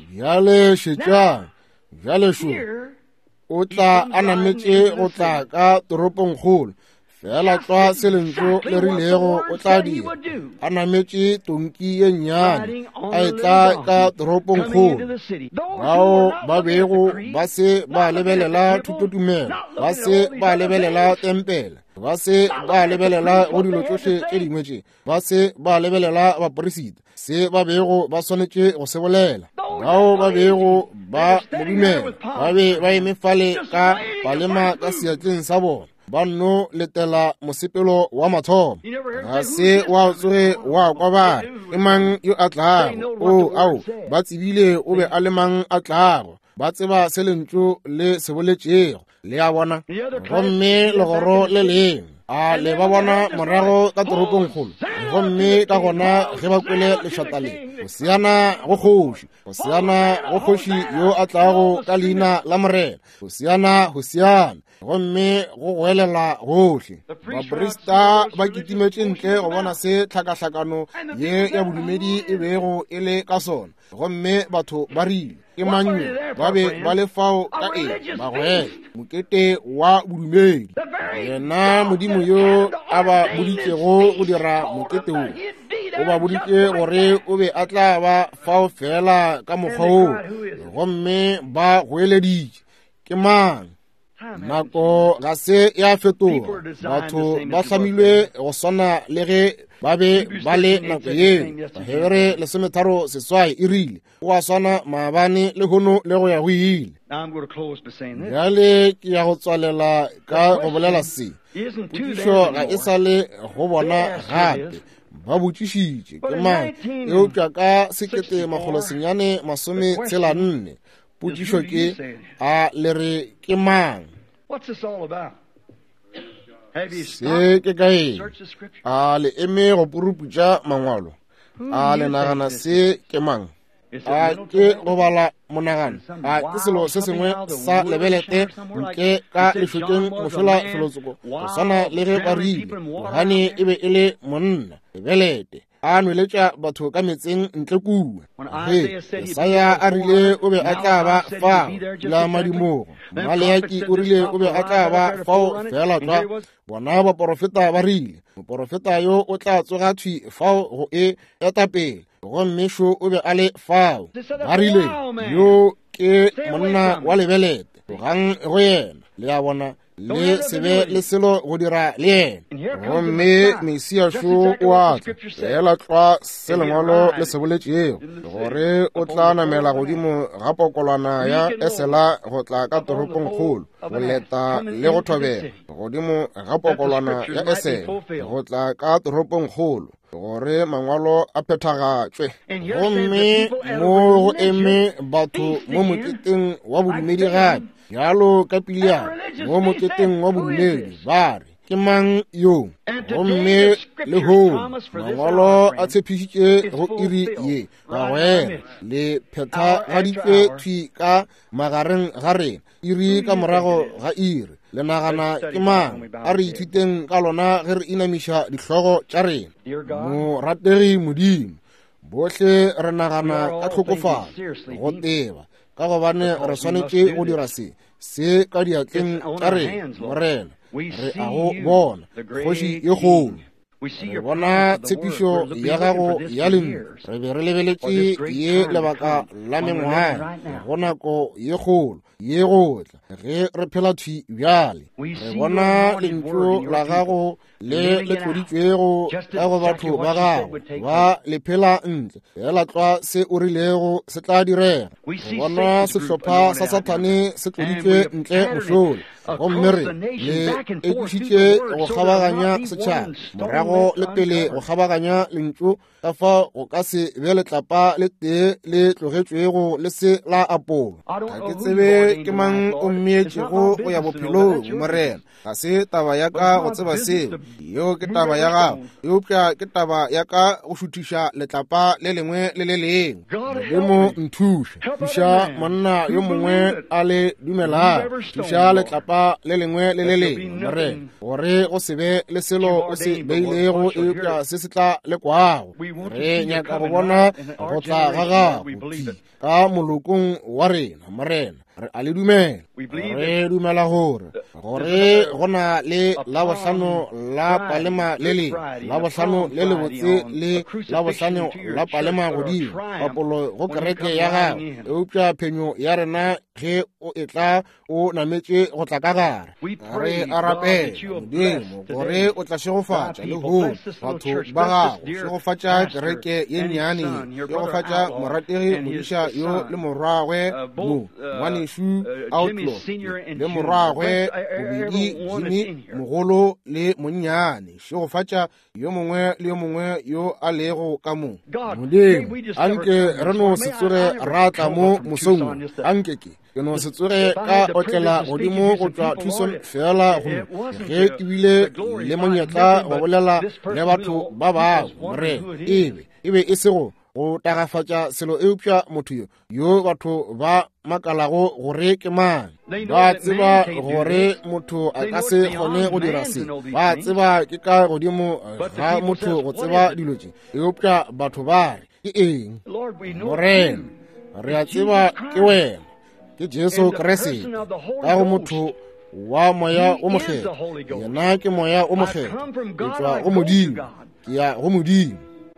Bjale šetšang, bjale šo o tla a nametše go tla ka toropongkgolo, fela tlwa se lentšu le rilego o tla dira, a nametše tonki ye nnyane, a etla ka toropongkgolo. Bao ba bego ba se ba lebelela thutotumelo, ba se ba lebelela tempele, ba se ba lebelela go dilo tšohle tše dingwe tše, ba se ba lebelela baporisita, se ba bego ba swanetše go se bolela. Bao ba bego ba mo dumela ba be ba eme fale ka palema ka seatleng sa bona, ba nno letela mosepelo wa mathomo. Ga se wa tsoge wa kwa ba re, ke mang yo a tlago? O, ao, ba tsebile o be a le mang a tlago. Ba tseba se lentšu le se boletšego. Le a bona? Gomme legoro le lengwe a le ba bona morago ka toropongkgolo. Gomme ka gona ge ba kwele lešata le, Hosiana go kgoši, Hosiana go kgoši yo a tlago ka leina la Morena, Hosiana, Hosiana. Gomme go goelela gohle. Baprista ba kitimetše ntle go bona se tlhakahlakano ye ya bodumedi e bego e le ka sona. Gomme batho ba rile, ke mang yo? Ba be ba le fao ka eng? Bagwera, mokete wa bodumedi. Yena Modimo yo a ba boditšego go dira mokete wo, o ba boditše gore o be a tla ba fao fela ka mokgwa woo. Gomme ba goeleditše, ke mang? Nako ga se ya fetoga. Batho ba hlamilwe go swana le ge ba be ba le nako yeo. Bahebere 13:8 e rile, o a swana maabane le hono le go ya go ile. Bjale ke ya go tswalela ka go bolela se. Potšišo ga e sa le go bona gape. Ba botšišitše ke mang, eupša ka 1964 potšišo ke, a le re ke mang? What's this all about? Se ke ka eng? A le eme go puruputša mangwalo? A le nagana se ke mang? A ke go bala monagano? A ke selo se sengwe sa lebelete nke ka lešokeng mošola felotsoko, go swana le ge ba rile Johane e be e le monna lebelete, a nweletša batho ka metseng ntle kua. Ge Jesaya a rile o be a tla ba fao la madimogo, Maleaki o rile o be a tla ba fao fela tlwa. Bona baporofeta ba rile moporofeta yo o tla tsoga thwi fao go e eta pele, gomme šo o be a le fao. Ba rile yo ke monna wa lebelete, tlogang go yena. Le a bona, le se be le selo go dira le yena. Gomme Mesia šo o a tla, fela tlwa se lengwalo le se boletšego, gore o tla namela godimo ga pokolwana ya esela go tla ka toropongkgolo, go leta le go thobela godimo ga pokolwana ya esela go tla ka toropongkgolo, gore mangwalo a phethagatšwe. Gomme mo go eme batho mo moketeng wa bodumedi gape, bjalo ka Pileamo mo moketeng wa bodumedi, ba re, ke mang yo? Gomme lehono mangwalo a tshepišitše go iri ye, bagwera, le phethagaditšwe thwi ka magareng ga rena, iri ka morago ga iri. Le nagana ke mang? A re ithuteng ka lona ge re inamiša dihlogo tša rena. Morategi Modimo, bohle re nagana ka tlhokofalo go teba, ka gobane re swanetše go dira se se ka diatleng tša rena. Morena, re a go bona, kgoši ye kgolo. Re bona tshepišo ya gago ya lentšu. Re be re lebeletše ye lebaka la mengwaga, go nako ye kgolo ye go tla, ge re phela thwi bjale. Re bona lentšu la gago le le tloditšwego ka go batho ba gago, ba le phela ntle fela tlwa se o rilego se tla direga. Re bona sehlopha sa Sathane se tloditšwe ntle mošola, gomme re le ekišitše go kgabaganya setšhaba, morago le pele go kgabaganya lentšu, ka fao go ka se be letlapa le tee le tlogetšwego le se la apolwa. Ga ke tsebe ke mang o mmeetšego go ya bophelong, Morena. Ga se taba ya ka go tseba seo, yeo ke taba ya gago, eupša ke taba ya ka go šuthiša letlapa le lengwe le le lengwe. Modimo nthuše, thuša monna yo mongwe a le dumelago, thuša letlapa le lengwe le le lengwe, Morena, gore go se be le selo o se beilego eupša se se tla lekwago. Re nyaka go bona go tla ga gago ka molokong wa rena, Morena. Re a le dumela. Re dumela gore go na le Labohlano la Palema le lengwe, Labohlano le lebotse le Labohlano la Palema godimo, papolo go kereke ya gago, eupša phenyo ya rena ge o etla o nametše go tla ka gare. Re a rapela, Modimo, gore o tla šegofatša lehono batho ba gago, šegofatša kereke ye nnyane ye, šegofatša morategi modiša yo le morwagwe mo, ngwanešu Outlaw le morwagwe bobedi Jimmy mogolo le monnyane, šegofatša yo mongwe le yo mongwe yo a lego ka mo. Modimo, anke re no se tsoge ra tla mo mosong wo, anke ke no se tsoge ka otlela godimo go tšwa Tucson fela go ge ke bile le monyetla go bolela le batho ba bangwe, Morena, e be e se go tagafatša selo, eupša motho yo batho ba makalago gore ke mang. Ba tseba gore motho a ka se kgone go dira se, ba tseba ke ka godimo ga motho go tseba dilo tše, eupša batho ba re ke eng? Morena, re a tseba ke wena, ke Jesu Kriste, ka go motho wa Moya o Mokgethwa. Yena ke Moya o Mokgethwa, ke tšwa go Modimo, ke ya go Modimo.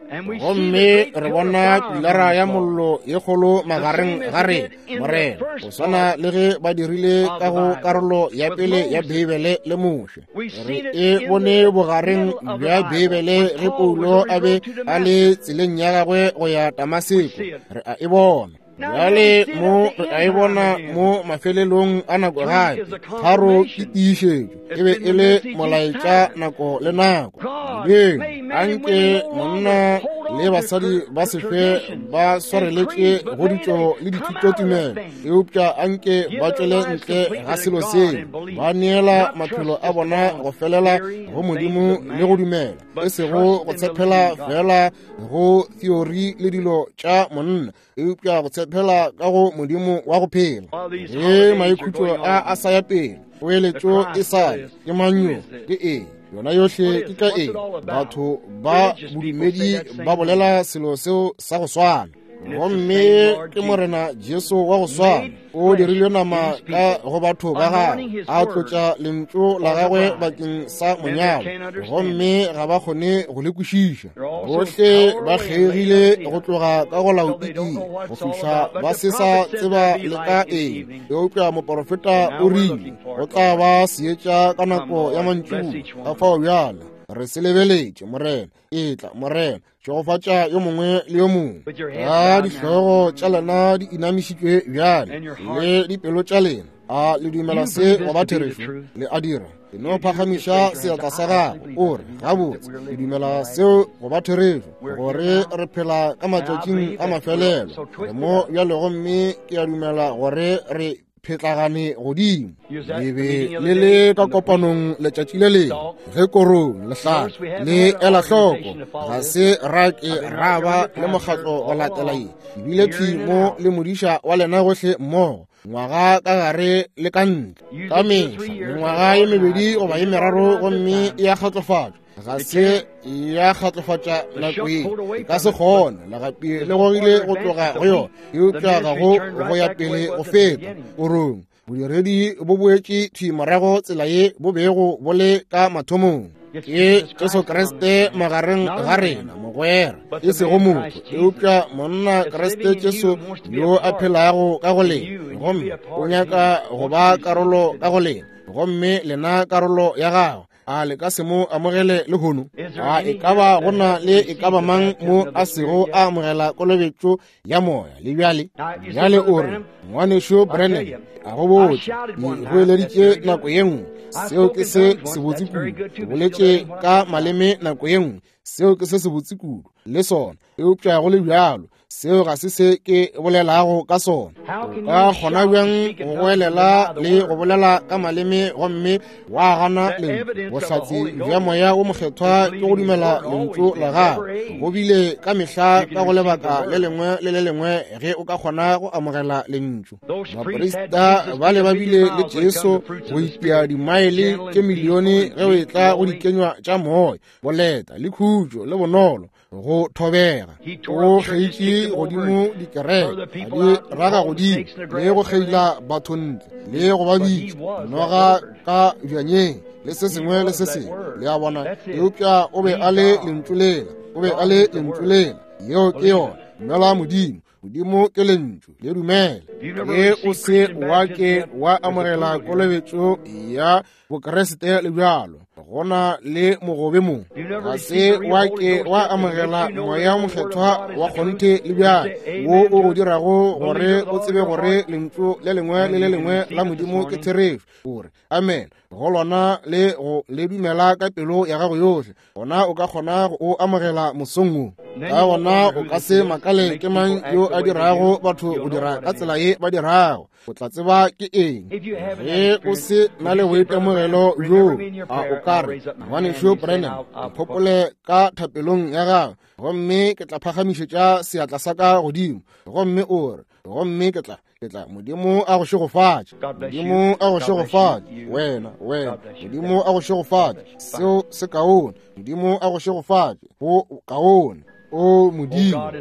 Gomme re bona pilara ya mollo ye kgolo magareng ga rena, Morena, go swana le ge ba dirile ka go karolo ya pele ya Beibele le Moshe. Re e bone bogareng bja Beibele ge Paulo a be a le tseleng ya gagwe go ya Damaseko. Re a e bona bjale mo, re a e bona mo mafelelong a nako gape. Tharo ke tiišetšo, e be e le molaetša nako le nako. Modimo, anke monna le basadi ba se fe ba swareletše go ditšo le dithutotumelo, eupša anke ba tšwele ntle ga selo seo, ba neela maphelo a bona go felela go Modimo le go dumela, e sego go tshepela fela go theory le dilo tša monna, eupša go tshepela ka go Modimo wa go phela. Ge maikhutšo a a sa ya pele, poeletšo e sa ya, ke mang yo, ke eng, yona yohle ke ka eng? Batho ba bodumedi ba bolela selo seo sa go swana, gomme ke Morena Jesu wa go swana o dirilwe nama ka go batho ba gagwe, a tlotša lentšu la gagwe bakeng sa monyalo, gomme ga ba kgone go le kwešiša. Bohle ba kgeigile go tloga ka go Laodikia go fihla ba se sa tseba le ka eng, eupša moporofeta o rile go tla ba seetša ka nako ya mantšu. Ka fao bjale re se lebeletše, Morena. Etla, Morena, šegofatša yo mongwe le yo mongwe. Ka dihlogo tša lena di inamišitšwe bjale le dipelo tša lena, a le dumela se go ba therešo? Le a dira? E no phagamiša seatla sa gago, o re, gabotse, ke dumela seo go ba therešo, gore re phela ka matšatšing a mafelelo. Re mo bjale, gomme ke a dumela gore re phetlagane godimo. Le be le le ka kopanong letšatši le lengwe ge korong lehlaka le ela hloko, ga se ra ke ra ba le mokgatlo go latela ye, ebile thwi mo le modiša wa lena gohle mmogo, ngwaga ka gare le ka ntle, ka mehla mengwaga ye mebedi goba ye meraro, gomme e a kgatlofatšwa. Ga se ya kgatlofatša nako ye, e ka se kgone, legapi le gogile go tloga go yona, eupša ga go go ya pele go feta korong. Bodiredi bo boetše thwi morago tsela ye bo bego bo le ka mathomong. Ke Jesu Kriste magareng ga rena, mogwera, e sego motho, eupša monna Kriste Jesu yo a phelago ka go lena, gomme o nyaka go ba karolo ka go lena, gomme lena karolo ya gagwe. A le ka se mo amogele lehono? A e ka ba go na le e ka ba mang mo a sego a amogela kolobetšo ya moya le bjale? Bjale o re, Ngwanešu Branham, a go botše, ke goeleditše nako ye nngwe, seo ke se sebotse kudu. Ke boletše ka maleme nako ye nngwe, seo ke se sebotse kudu le sona, eupša go le bjalo seo ga se se ke bolelago ka sona. O ka kgona bjang go goelela le go bolela ka maleme gomme wa gana lentšu? Bohlatse bja Moya wo Mokgethwa ke go dumela lentšu la gago. Go bile ka mehla ka go lebaka le lengwe le le lengwe ge o ka kgona go amogela lentšu. Baprista bale ba bile le Jesu go itia dimaele tše milione ge o etla go dikenywa tša moya, boleta le khutšo le bonolo, go thobega. O kgeitše godimo dikereke, a di raga godimo, le go kgeila batho ntle, le go ba bitša noga ka bjanyeng, le se sengwe le se sengwe, le a bona. Eupša o be a le lentšu lela, o be a le lentšu lela. Yeo ke yona. Dumela Modimo. Modimo ke lentšu, le dumele. Ge o se wa ke wa amogela kolobetšo ya Bokriste le bjalo, go na le mogobe mo. Ga se wa ke wa amogela Moya wo Mokgethwa wa kgonthe le bjalo, wo o go dirago gore o tsebe gore lentšu le lengwe le le lengwe la Modimo ke therešo, o re amen go lona le go le dumela ka pelo ya gago yohle, gona o ka kgona go o amogela mosong wo. Ka gona o ka se makale ke mang yo a dirago batho go dira ka tsela ye ba dirago. O tla tseba ke eng. Ge o se na le boitemogelo bjoo, a o ka re, Ngwanešu Branham, nkhopole ka thapelong ya gago, gomme ke tla phagamišetša seatla sa ka godimo, gomme o re, gomme ke tla, ke tla. Modimo a go šegofatše. Modimo a go šegofatše. Wena, wena. Modimo a go šegofatše. Seo se kaone. Modimo a go šegofatše. Go kaone. O Modimo,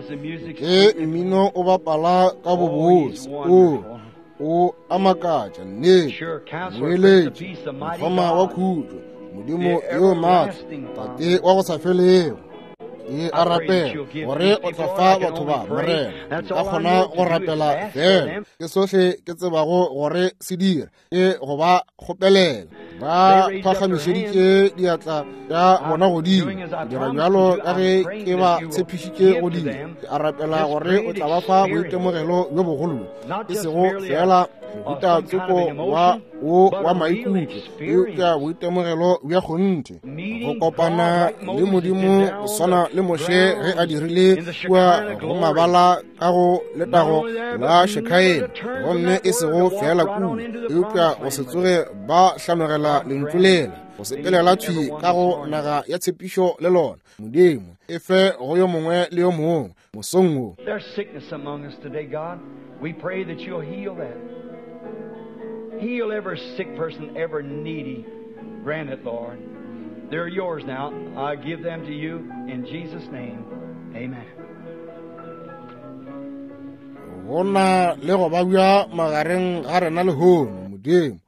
ge mmino o bapala ka bobose, o o a makatša, nnete, moeletši, mokgoma wa khutšo, Modimo yo maatla, Tate wa go sa felego. Ke a rapela gore o tla fa batho ba, Morena. Nka kgona go rapela fela, ke sohle ke tsebago gore se dira, ke go ba kgopelela. Ba phagamišeditše diatla tša bona godimo, ke dira bjalo ka ge ke ba tshepišitše go dira. Ke a rapela gore o tla ba fa boitemogelo bjo bogolo, e sego fela Mohuta tsoko wa wo wa maikutlo, eupša boitemogelo bja kgonthe, go kopana le Modimo go swana le Moshe ge a dirile kua go mabala ka go letago la Shekhaena, gomme e sego fela kua, eupša go se tsoge ba hlanogela lentšu lela, go sepelela thwi ka go naga ya tshepišo le lona. Modimo e fe go yo mongwe le yo mongwe mosong wo. There's sickness among us today, God. We pray that you'll heal that. Heal every sick person, every needy. Grant it, Lord. They're yours now. I give them to you in Jesus' name. Amen. Go na le go babja magareng ga rena lehono, Modimo.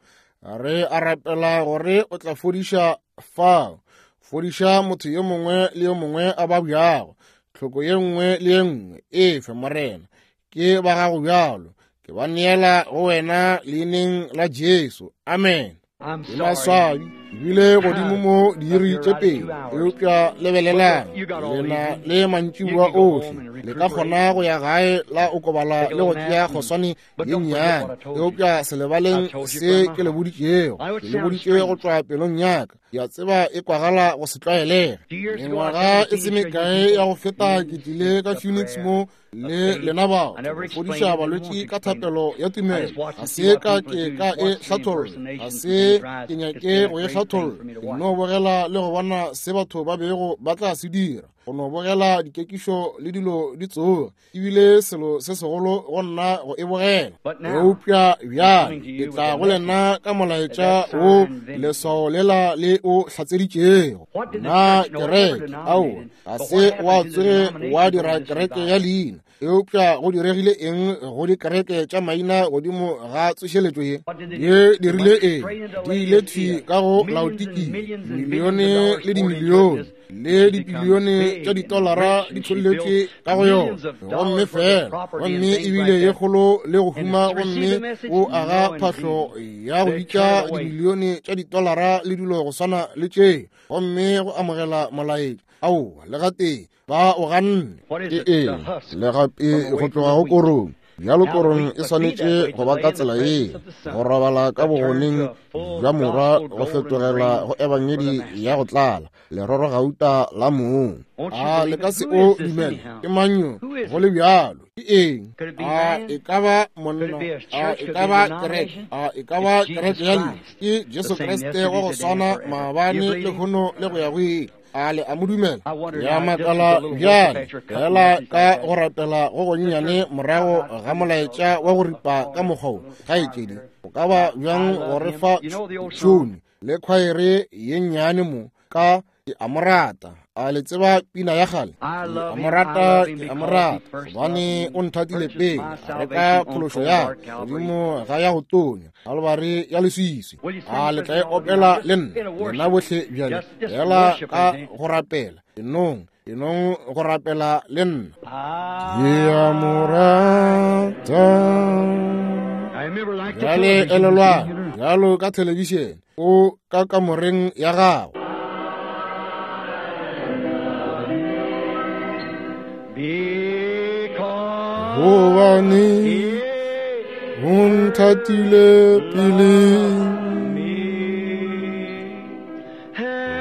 Re a rapela gore o tla fodiša fao. Fodiša motho yo mongwe le yo mongwe a babjago. Tlhoko ye nngwe le ye nngwe e fe, Morena. Ke ba gago bjalo. Ke ba neela go wena leineng la Jesu. Amen. I'm Ke sorry. maswabi ebile godimo mo diiri tše pedi, eupša lebelelang, lena le mantšiboa ohle le ka kgona go ya gae la okobala le go tšea kgoswane ye nnyane, eupša se lebaleng se ke le boditšego. Ke le boditše go tšwa pelong ya ka. Ke a tseba e kwagala go se tlwaelege. Mengwaga e se mekae ya go feta ke tlile ka Phoenix mo le lena bao go fodiša balwetši ka thapelo ya tumelo. Ga se ka ke ka e hlatholla, ga se ke nyake go e hlatholla. Ke no bogela le go bona se batho ba bego ba tla se dira, go no bogela dikekišo le dilo di tsoga. Ebile selo se segolo go nna go e bogela. Eupša bjale ke tla go lena ka molaetša wo leswao lela le o hlatseditšego. Na kereke, aowa, ga se wa tsoge wa dira kereke ya leina. Eupša go diregile eng go dikereke tša maina godimo ga tsošeletšo ye? Ye dirile eng? Di ile thwi ka go Laodikia, milione le dimilione le dibilione tša ditolara di tšholletše ka go yona, gomme fela, gomme ebile ye kgolo le go huma, gomme o aga phahlo ya go bitša dimilione tša ditolara le dilo go swana le tše, gomme go amogela molaetša. Aowa, le gatee ba o ganne. Ke eng? Le gape go tloga go korong. Bjalo korong e swanetše go ba ka tsela ye, go robala ka bogoneng bja morwa, go fetogela go ebangedi ya go tlala, leroro gauta la mong. A le ka se o dumele? Ke mang yo go le bjalo? Ke eng? A e ka ba monna? A e ka ba kereke? A e ka ba kereke ya leina? Ke Jesu Kriste wa go swana maabane, lehono le go ya go ile. A le a mo dumela? Ya makala bjale, fela ka go rapela go gonnyane morago ga molaetša wa go ripa ka mokgwa wo, kgaetšedi, go ka ba bjang go re fa tšhone le khwaere ye nnyane mo ka ke a mo rata. A le tseba pina ya kgale? Ke a mo rata, ke a mo rata, gobane o nthatile pele, a reka phološo ya ka godimo ga ya go tonya, Kalvari ya leswiswi. A le tla e opela le nna, lena bohle bjale, fela ka go rapela, enong go rapela le nna. Ke a mo rata. Bjale elelwang, bjalo ka thelebišene, o ka kamoreng ya gago. Gobane o nthatile pele,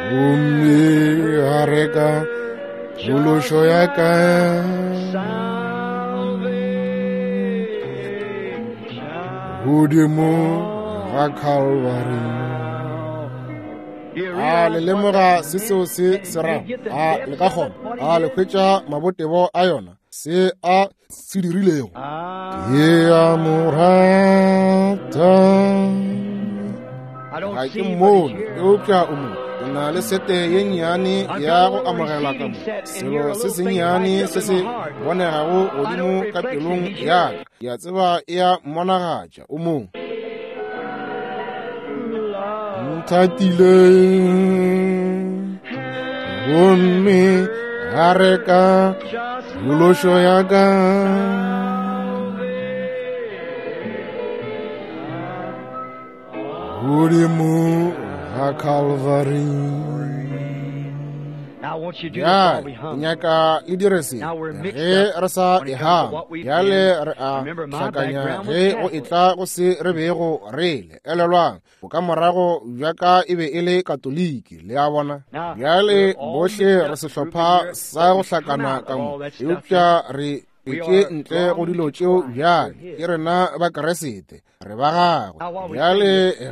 gomme a reka phološo ya ka godimo ga Calvary. A le lemoga se seo se se rago? A le ka kgona? A le hwetša mabotebo a yona, se a se dirilego? Ke a mo rata. Ga ke mmone, eupša o mo. O na le sete ye nnyane ya go amogela ka mo, selo se sennyane se se bonegago godimo ka pelong ya ka. Ke a tseba e a mmonagatša o mo. Nthatile, gomme a reka phološo ya ka. Godimo ga Calvary. Bjale ke nyaka le dire se ge re sa e hama. Bjale re a hlakanya ge go etla go se re bego re le. Elelwang, bokamorago bja ka e be e le Katoliki, le a bona. Bjale bohle re sehlopha sa go hlakana ka mo, eupša re tšwetše ntle go dilo tšeo bjale. Ke rena ba Keresete, re ba gagwe. Bjale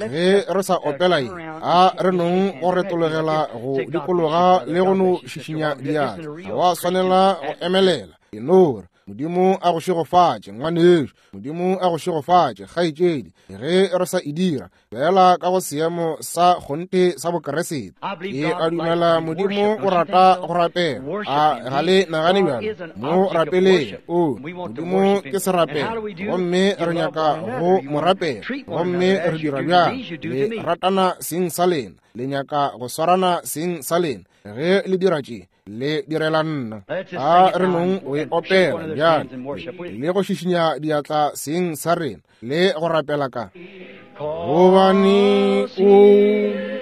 ge re sa opela ye, a re nong go retologela go dikologa le go no šišinya diatla. Ga wa swanela go emelela. Ke no re, Modimo a go šegofatše, ngwanešu. Modimo a go šegofatše, kgaetšedi. Ge re sa e dira, fela ka go seemo sa kgonthe sa Bokeresete. Ke a dumela Modimo o rata go rapela. A ga le nagane bjalo? Mo rapeleng. O, Modimo ke serapelo, gomme re nyaka go mo rapela. Gomme re dira bjang? Le ratana seng sa lena, le nyaka go swarana seng sa lena. Ge le dira tše, le direla nna. A re nong o e opela bjale, le go šišinya diatla seng sa rena, le go rapela ka gobane o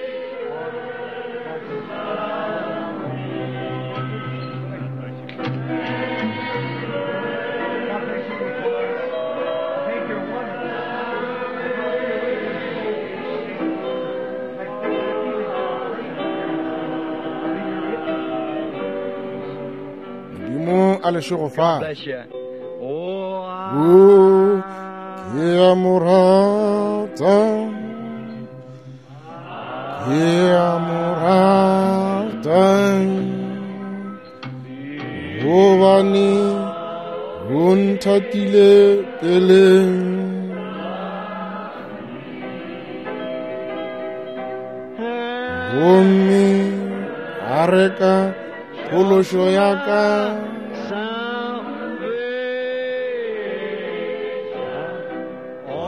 Modimo a le šegofatše. O ke a mo rata, ke a mo rata, gobane o nthatile peleng. Gomme a reka phološo ya ka.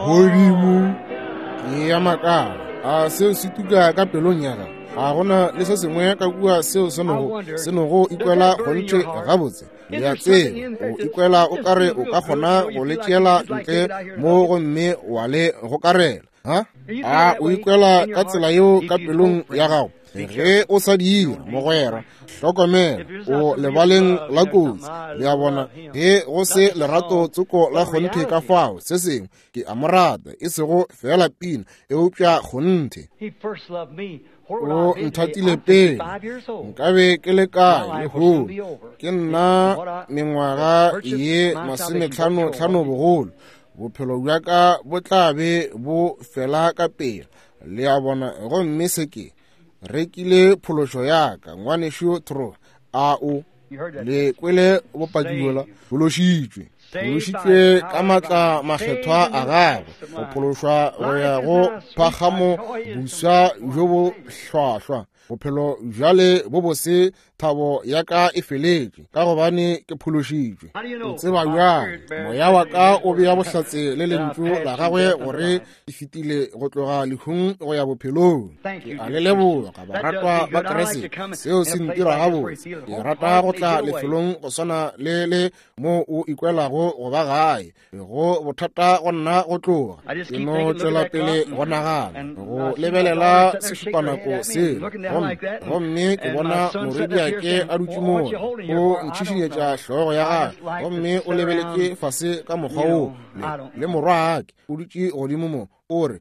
Godimo ke ya makala. A seo se tuka ka pelong ya gago? Ga gona le se sengwe ka kua seo se nogo ikwela kgonthe gabotse. Le a tseba, o ikwela o kare o ka kgona go le tšeela ntle mo gomme wa le gokarela. Ha? A o ikwela ka tsela yeo ka pelong ya gago? Ge o sa dira, mogwera, hlokomela, o lebaleng la kotsi. Le a bona, ge go se lerato tsoko la kgonthe ka fao, se sengwe, ke a mo rata, e sego feela pina, eupša kgonthe. O nthatile pele nkabe ke le kae lehono. Ke nna mengwaga ye 55 bogolo. Bophelo bja ka bo tla be bo fela ka pela. Le a bona? Gomme se ke rekile phološo ya ka, ngwanešu Tro. A o le kwele bopaki bjola? Phološitšwe, phološitšwe ka maatla makgethwa a gagwe, go phološwa go ya go phagamo boswa bjo bo hlwahlwa. Bophelo bjale bo bose, thabo ya ka e feletše, ka gobane ke phološitšwe. O tseba bjang? Moya wa ka o bea bohlatse le lentšu la gagwe gore ke fetile go tloga lehung go ya bophelong. Ke a le leboga, baratwa ba Kriste. Seo se ntira gabotse. Ke rata go tla lefelong go swana le le mo o ikwelago go ba gae. Go bothata go nna go tloga. Ke no tšwela pele go nagana, go lebelela sešupanako sela, gomme ke bona morwediake a dutše mola, o ntšhišinyetša hlogo ya gagwe, gomme o lebeletše fase ka mokgwa wo, le morwaake o dutše godimo mo, o re,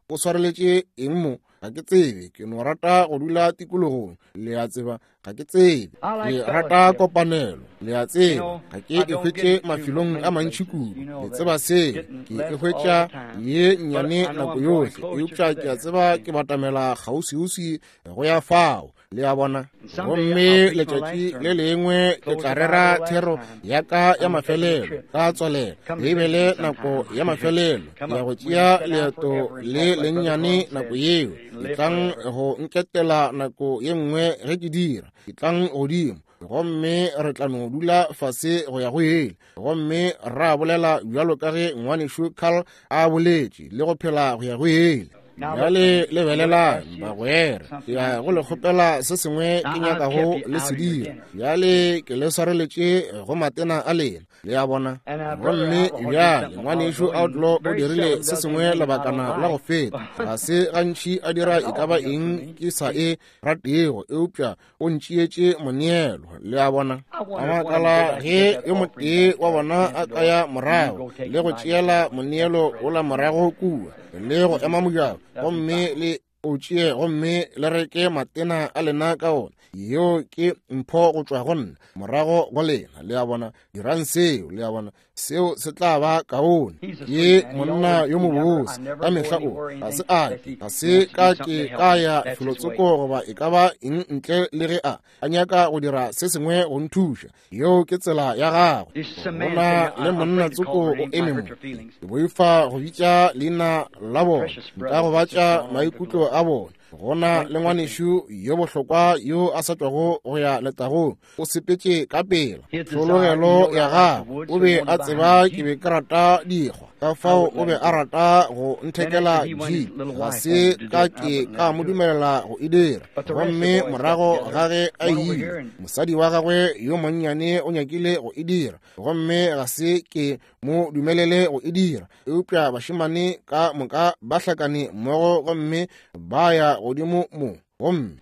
o swareletše eng mo? Ga ke tsebe, ke no rata go dula tikologong, le a tseba. Ga ke tsebe, ke rata kopanelo, le a tseba. Ga ke e hwetše mafelong a mantši kudu, le tseba seo. Ke e hwetša ye nnyane nako yohle, eupša ke a tseba ke batamela kgauswiuswi go ya fao, le a bona. Gomme letšatši le lengwe ke tla rera thero ya ka ya mafelelo ka tswalelo Beibele, nako ya mafelelo ya go tšea leeto le lennyane nako yeo. Ke tlang go nketela nako ye nngwe ge ke dira, ke tlang godimo gomme re tla no dula fase go ya go ele, gomme ra bolela bjalo ka ge ngwanešu Carl a boletše, le go phela go ya go ele. Bjale lebelelang, bagwera, ke ya go le kgopela se sengwe ke nyakago le se dira. Bjale ke le swareletše go matena a lena, le a bona. Gomme bjale ngwanešu Outlaw o dirile se sengwe lebakana la go feta. Ga se gantši a dira e ka ba eng ke sa e ratego, eupša o ntšeetše moneelo, le a bona. Ka makala ge yo motee wa bona a ka ya morago le go tšeela moneelo ola morago kua le go ema mojako, gomme le o tšee gomme le reke matena a lena ka ona. Yeo ke mpho go tšwa go nna morago go lena, le a bona. Dirang seo, le a bona, seo se tla ba kaone. Ke monna yo mobose ka mehla o ga se a ga se ka ke ka ya felotsoko goba e ka ba eng ntle le ge a nyaka go dira se sengwe go nthuša. Yeo ke tsela ya gagwe. Go na le monna tsoko o eme mo, ke boifa go bitša leina la bona, nka gobatša maikutlo a bona. Go na le ngwanešu yo bohlokwa yo a sa tšwago go ya letagong, o sepetše ka pela tlhologelo ya gagwe. O be a tseba ke be ke rata dikgwa, ka fao o be a rata go nthekela jeep. Ga se ka ke ka mo dumelela go e dira. Gomme morago ga ge a ile, mosadi wa gagwe yo monnyane o nyakile go e dira, gomme ga se ke mo dumelele go e dira. Eupša bašemane ka moka ba hlakane mmogo gomme ba ya godimo mo. Gomme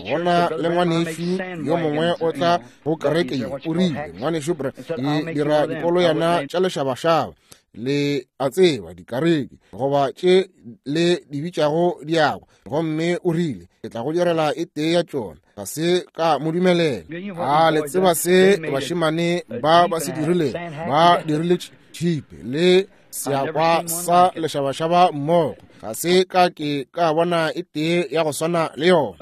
gona le ngwanešu yo mongwe o tla go kereke ye, o rile, ngwanešu Bre, ke dira dikoloyana tša lešabašaba, le a tseba, dikareke goba tše le di bitšago diako. Gomme o rile, ke tla go direla e tee ya tšona. Ga se ka mo dumelela. A le tseba se bašemane ba ba se dirile? Ba dirile tšhipe le seakwa sa lešabašaba mmogo. Ga se ka ke ka bona e tee ya go swana le yona.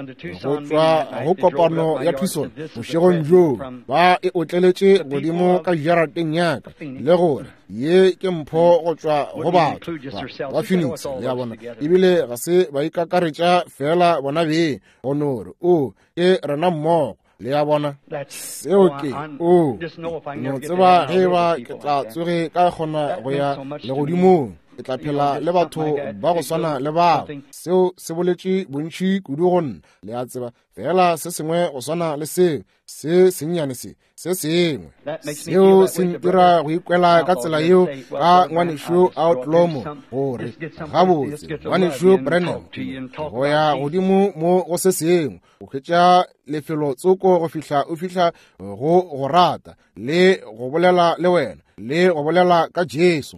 Go tšwa go kopano ya Tucson bošegong bjoo, ba e otleletše godimo ka jarateng ya ka, le gore ye ke mpho go tšwa go batho ba Phoenix, le a bona. Ebile ga se ba ikakaretša fela bona beng, go no re o ke rena mmogo, le a bona. Seo ke o no tseba ge ba ke tla tsoge ka kgona go ya legodimong, ke tla phela le batho ba go swana le bao. Seo se boletše bontši kudu go nna, le a tseba, fela se sengwe go swana le seo, se sennyane se se sengwe seo se ntira go ikwela ka tsela yeo ka ngwanešu Outlaw mo, gore gabotse ngwanešu Branham go ya godimo mo go se sengwe, o hwetša lefelo tsoko go fihla o fihla go go rata le go bolela le wena le go bolela ka Jesu.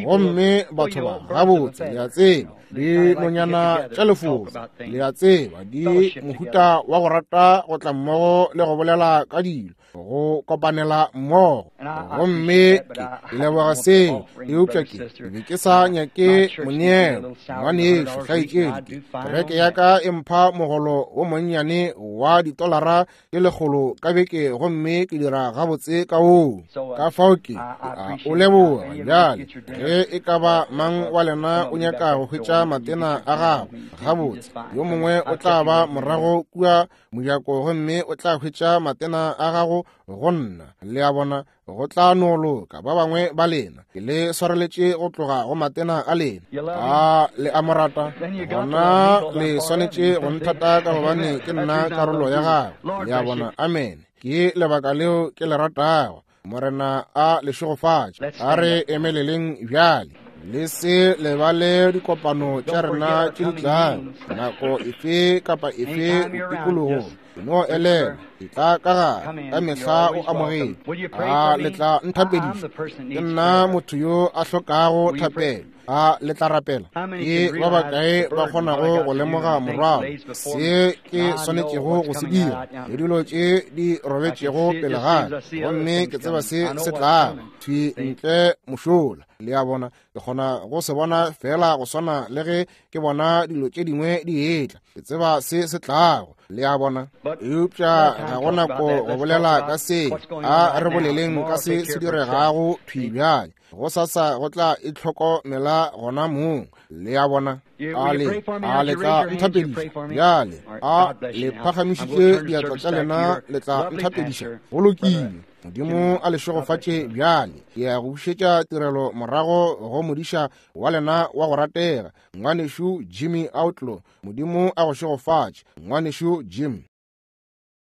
Gomme batho ba gabotse, le a tseba, di nonyana tša lefofa, le a tseba, di mohuta wa go rata go tla mmogo le go bolela ka dilo, go kopanela mmogo. Gomme ke leboga seo, eupša ke be ke sa nyake moneelo. Ngwanešu kgaetšedi, kereke ya ka e mpha mogolo wo monnyane wa ditolara ke 100 ka beke, gomme ke dira gabotse ka woo. Ka fao ke a o leboga. Bjale ge e ka ba mang wa lena o nyaka go hwetša matena a gagwe gabotse, yo mongwe o tla ba morago kua mojako gomme o tla hwetša matena a gago go nna, le a bona, go tla no loka. Ba bangwe ba lena ke le swareletše go tloga go matena a lena. A le a mo rata? Gona le swanetše go nthata ka gobane ke nna karolo ya gagwe, le a bona. Amen. Ke lebaka leo ke le ratago. Morena a le šegofatše. A re emeleleng bjale. Le se lebale dikopano tša rena tše di tlago, nako efe kapa efe tikologong. No elelwa, ke tla ka gare ka mehla o amogetše. A le tla nthapediša? Ke nna motho yo a hlokago thapelo. A le tla rapela? Ke ba bakae ba kgonago go lemoga morwalo, se ke swanetšego go se dira, le dilo tše di robetšego pele ga ka, gomme ke tseba se se tlago thwi ntle mošola, le a bona. Ke kgona go se bona fela go swana le ge ke bona dilo tše dingwe di etla. Ke tseba se se tlago, le a bona. Eupša ga go nako go bolela ka se. A re boleleng ka se se diregago thwi bjale. Gosasa go tla itlhokomela gona mong. Le a bona? A le, a le tla nthapediša bjale? A le phagamišitše diatla tša lena, le tla nthapediša? Go lokile. Modimo a le šegofatše bjale. Ke ya go bušetša tirelo morago go modiša wa lena wa go ratega, Ngwanešu Jimmy Outlaw. Modimo a go šegofatše, Ngwanešu Jim.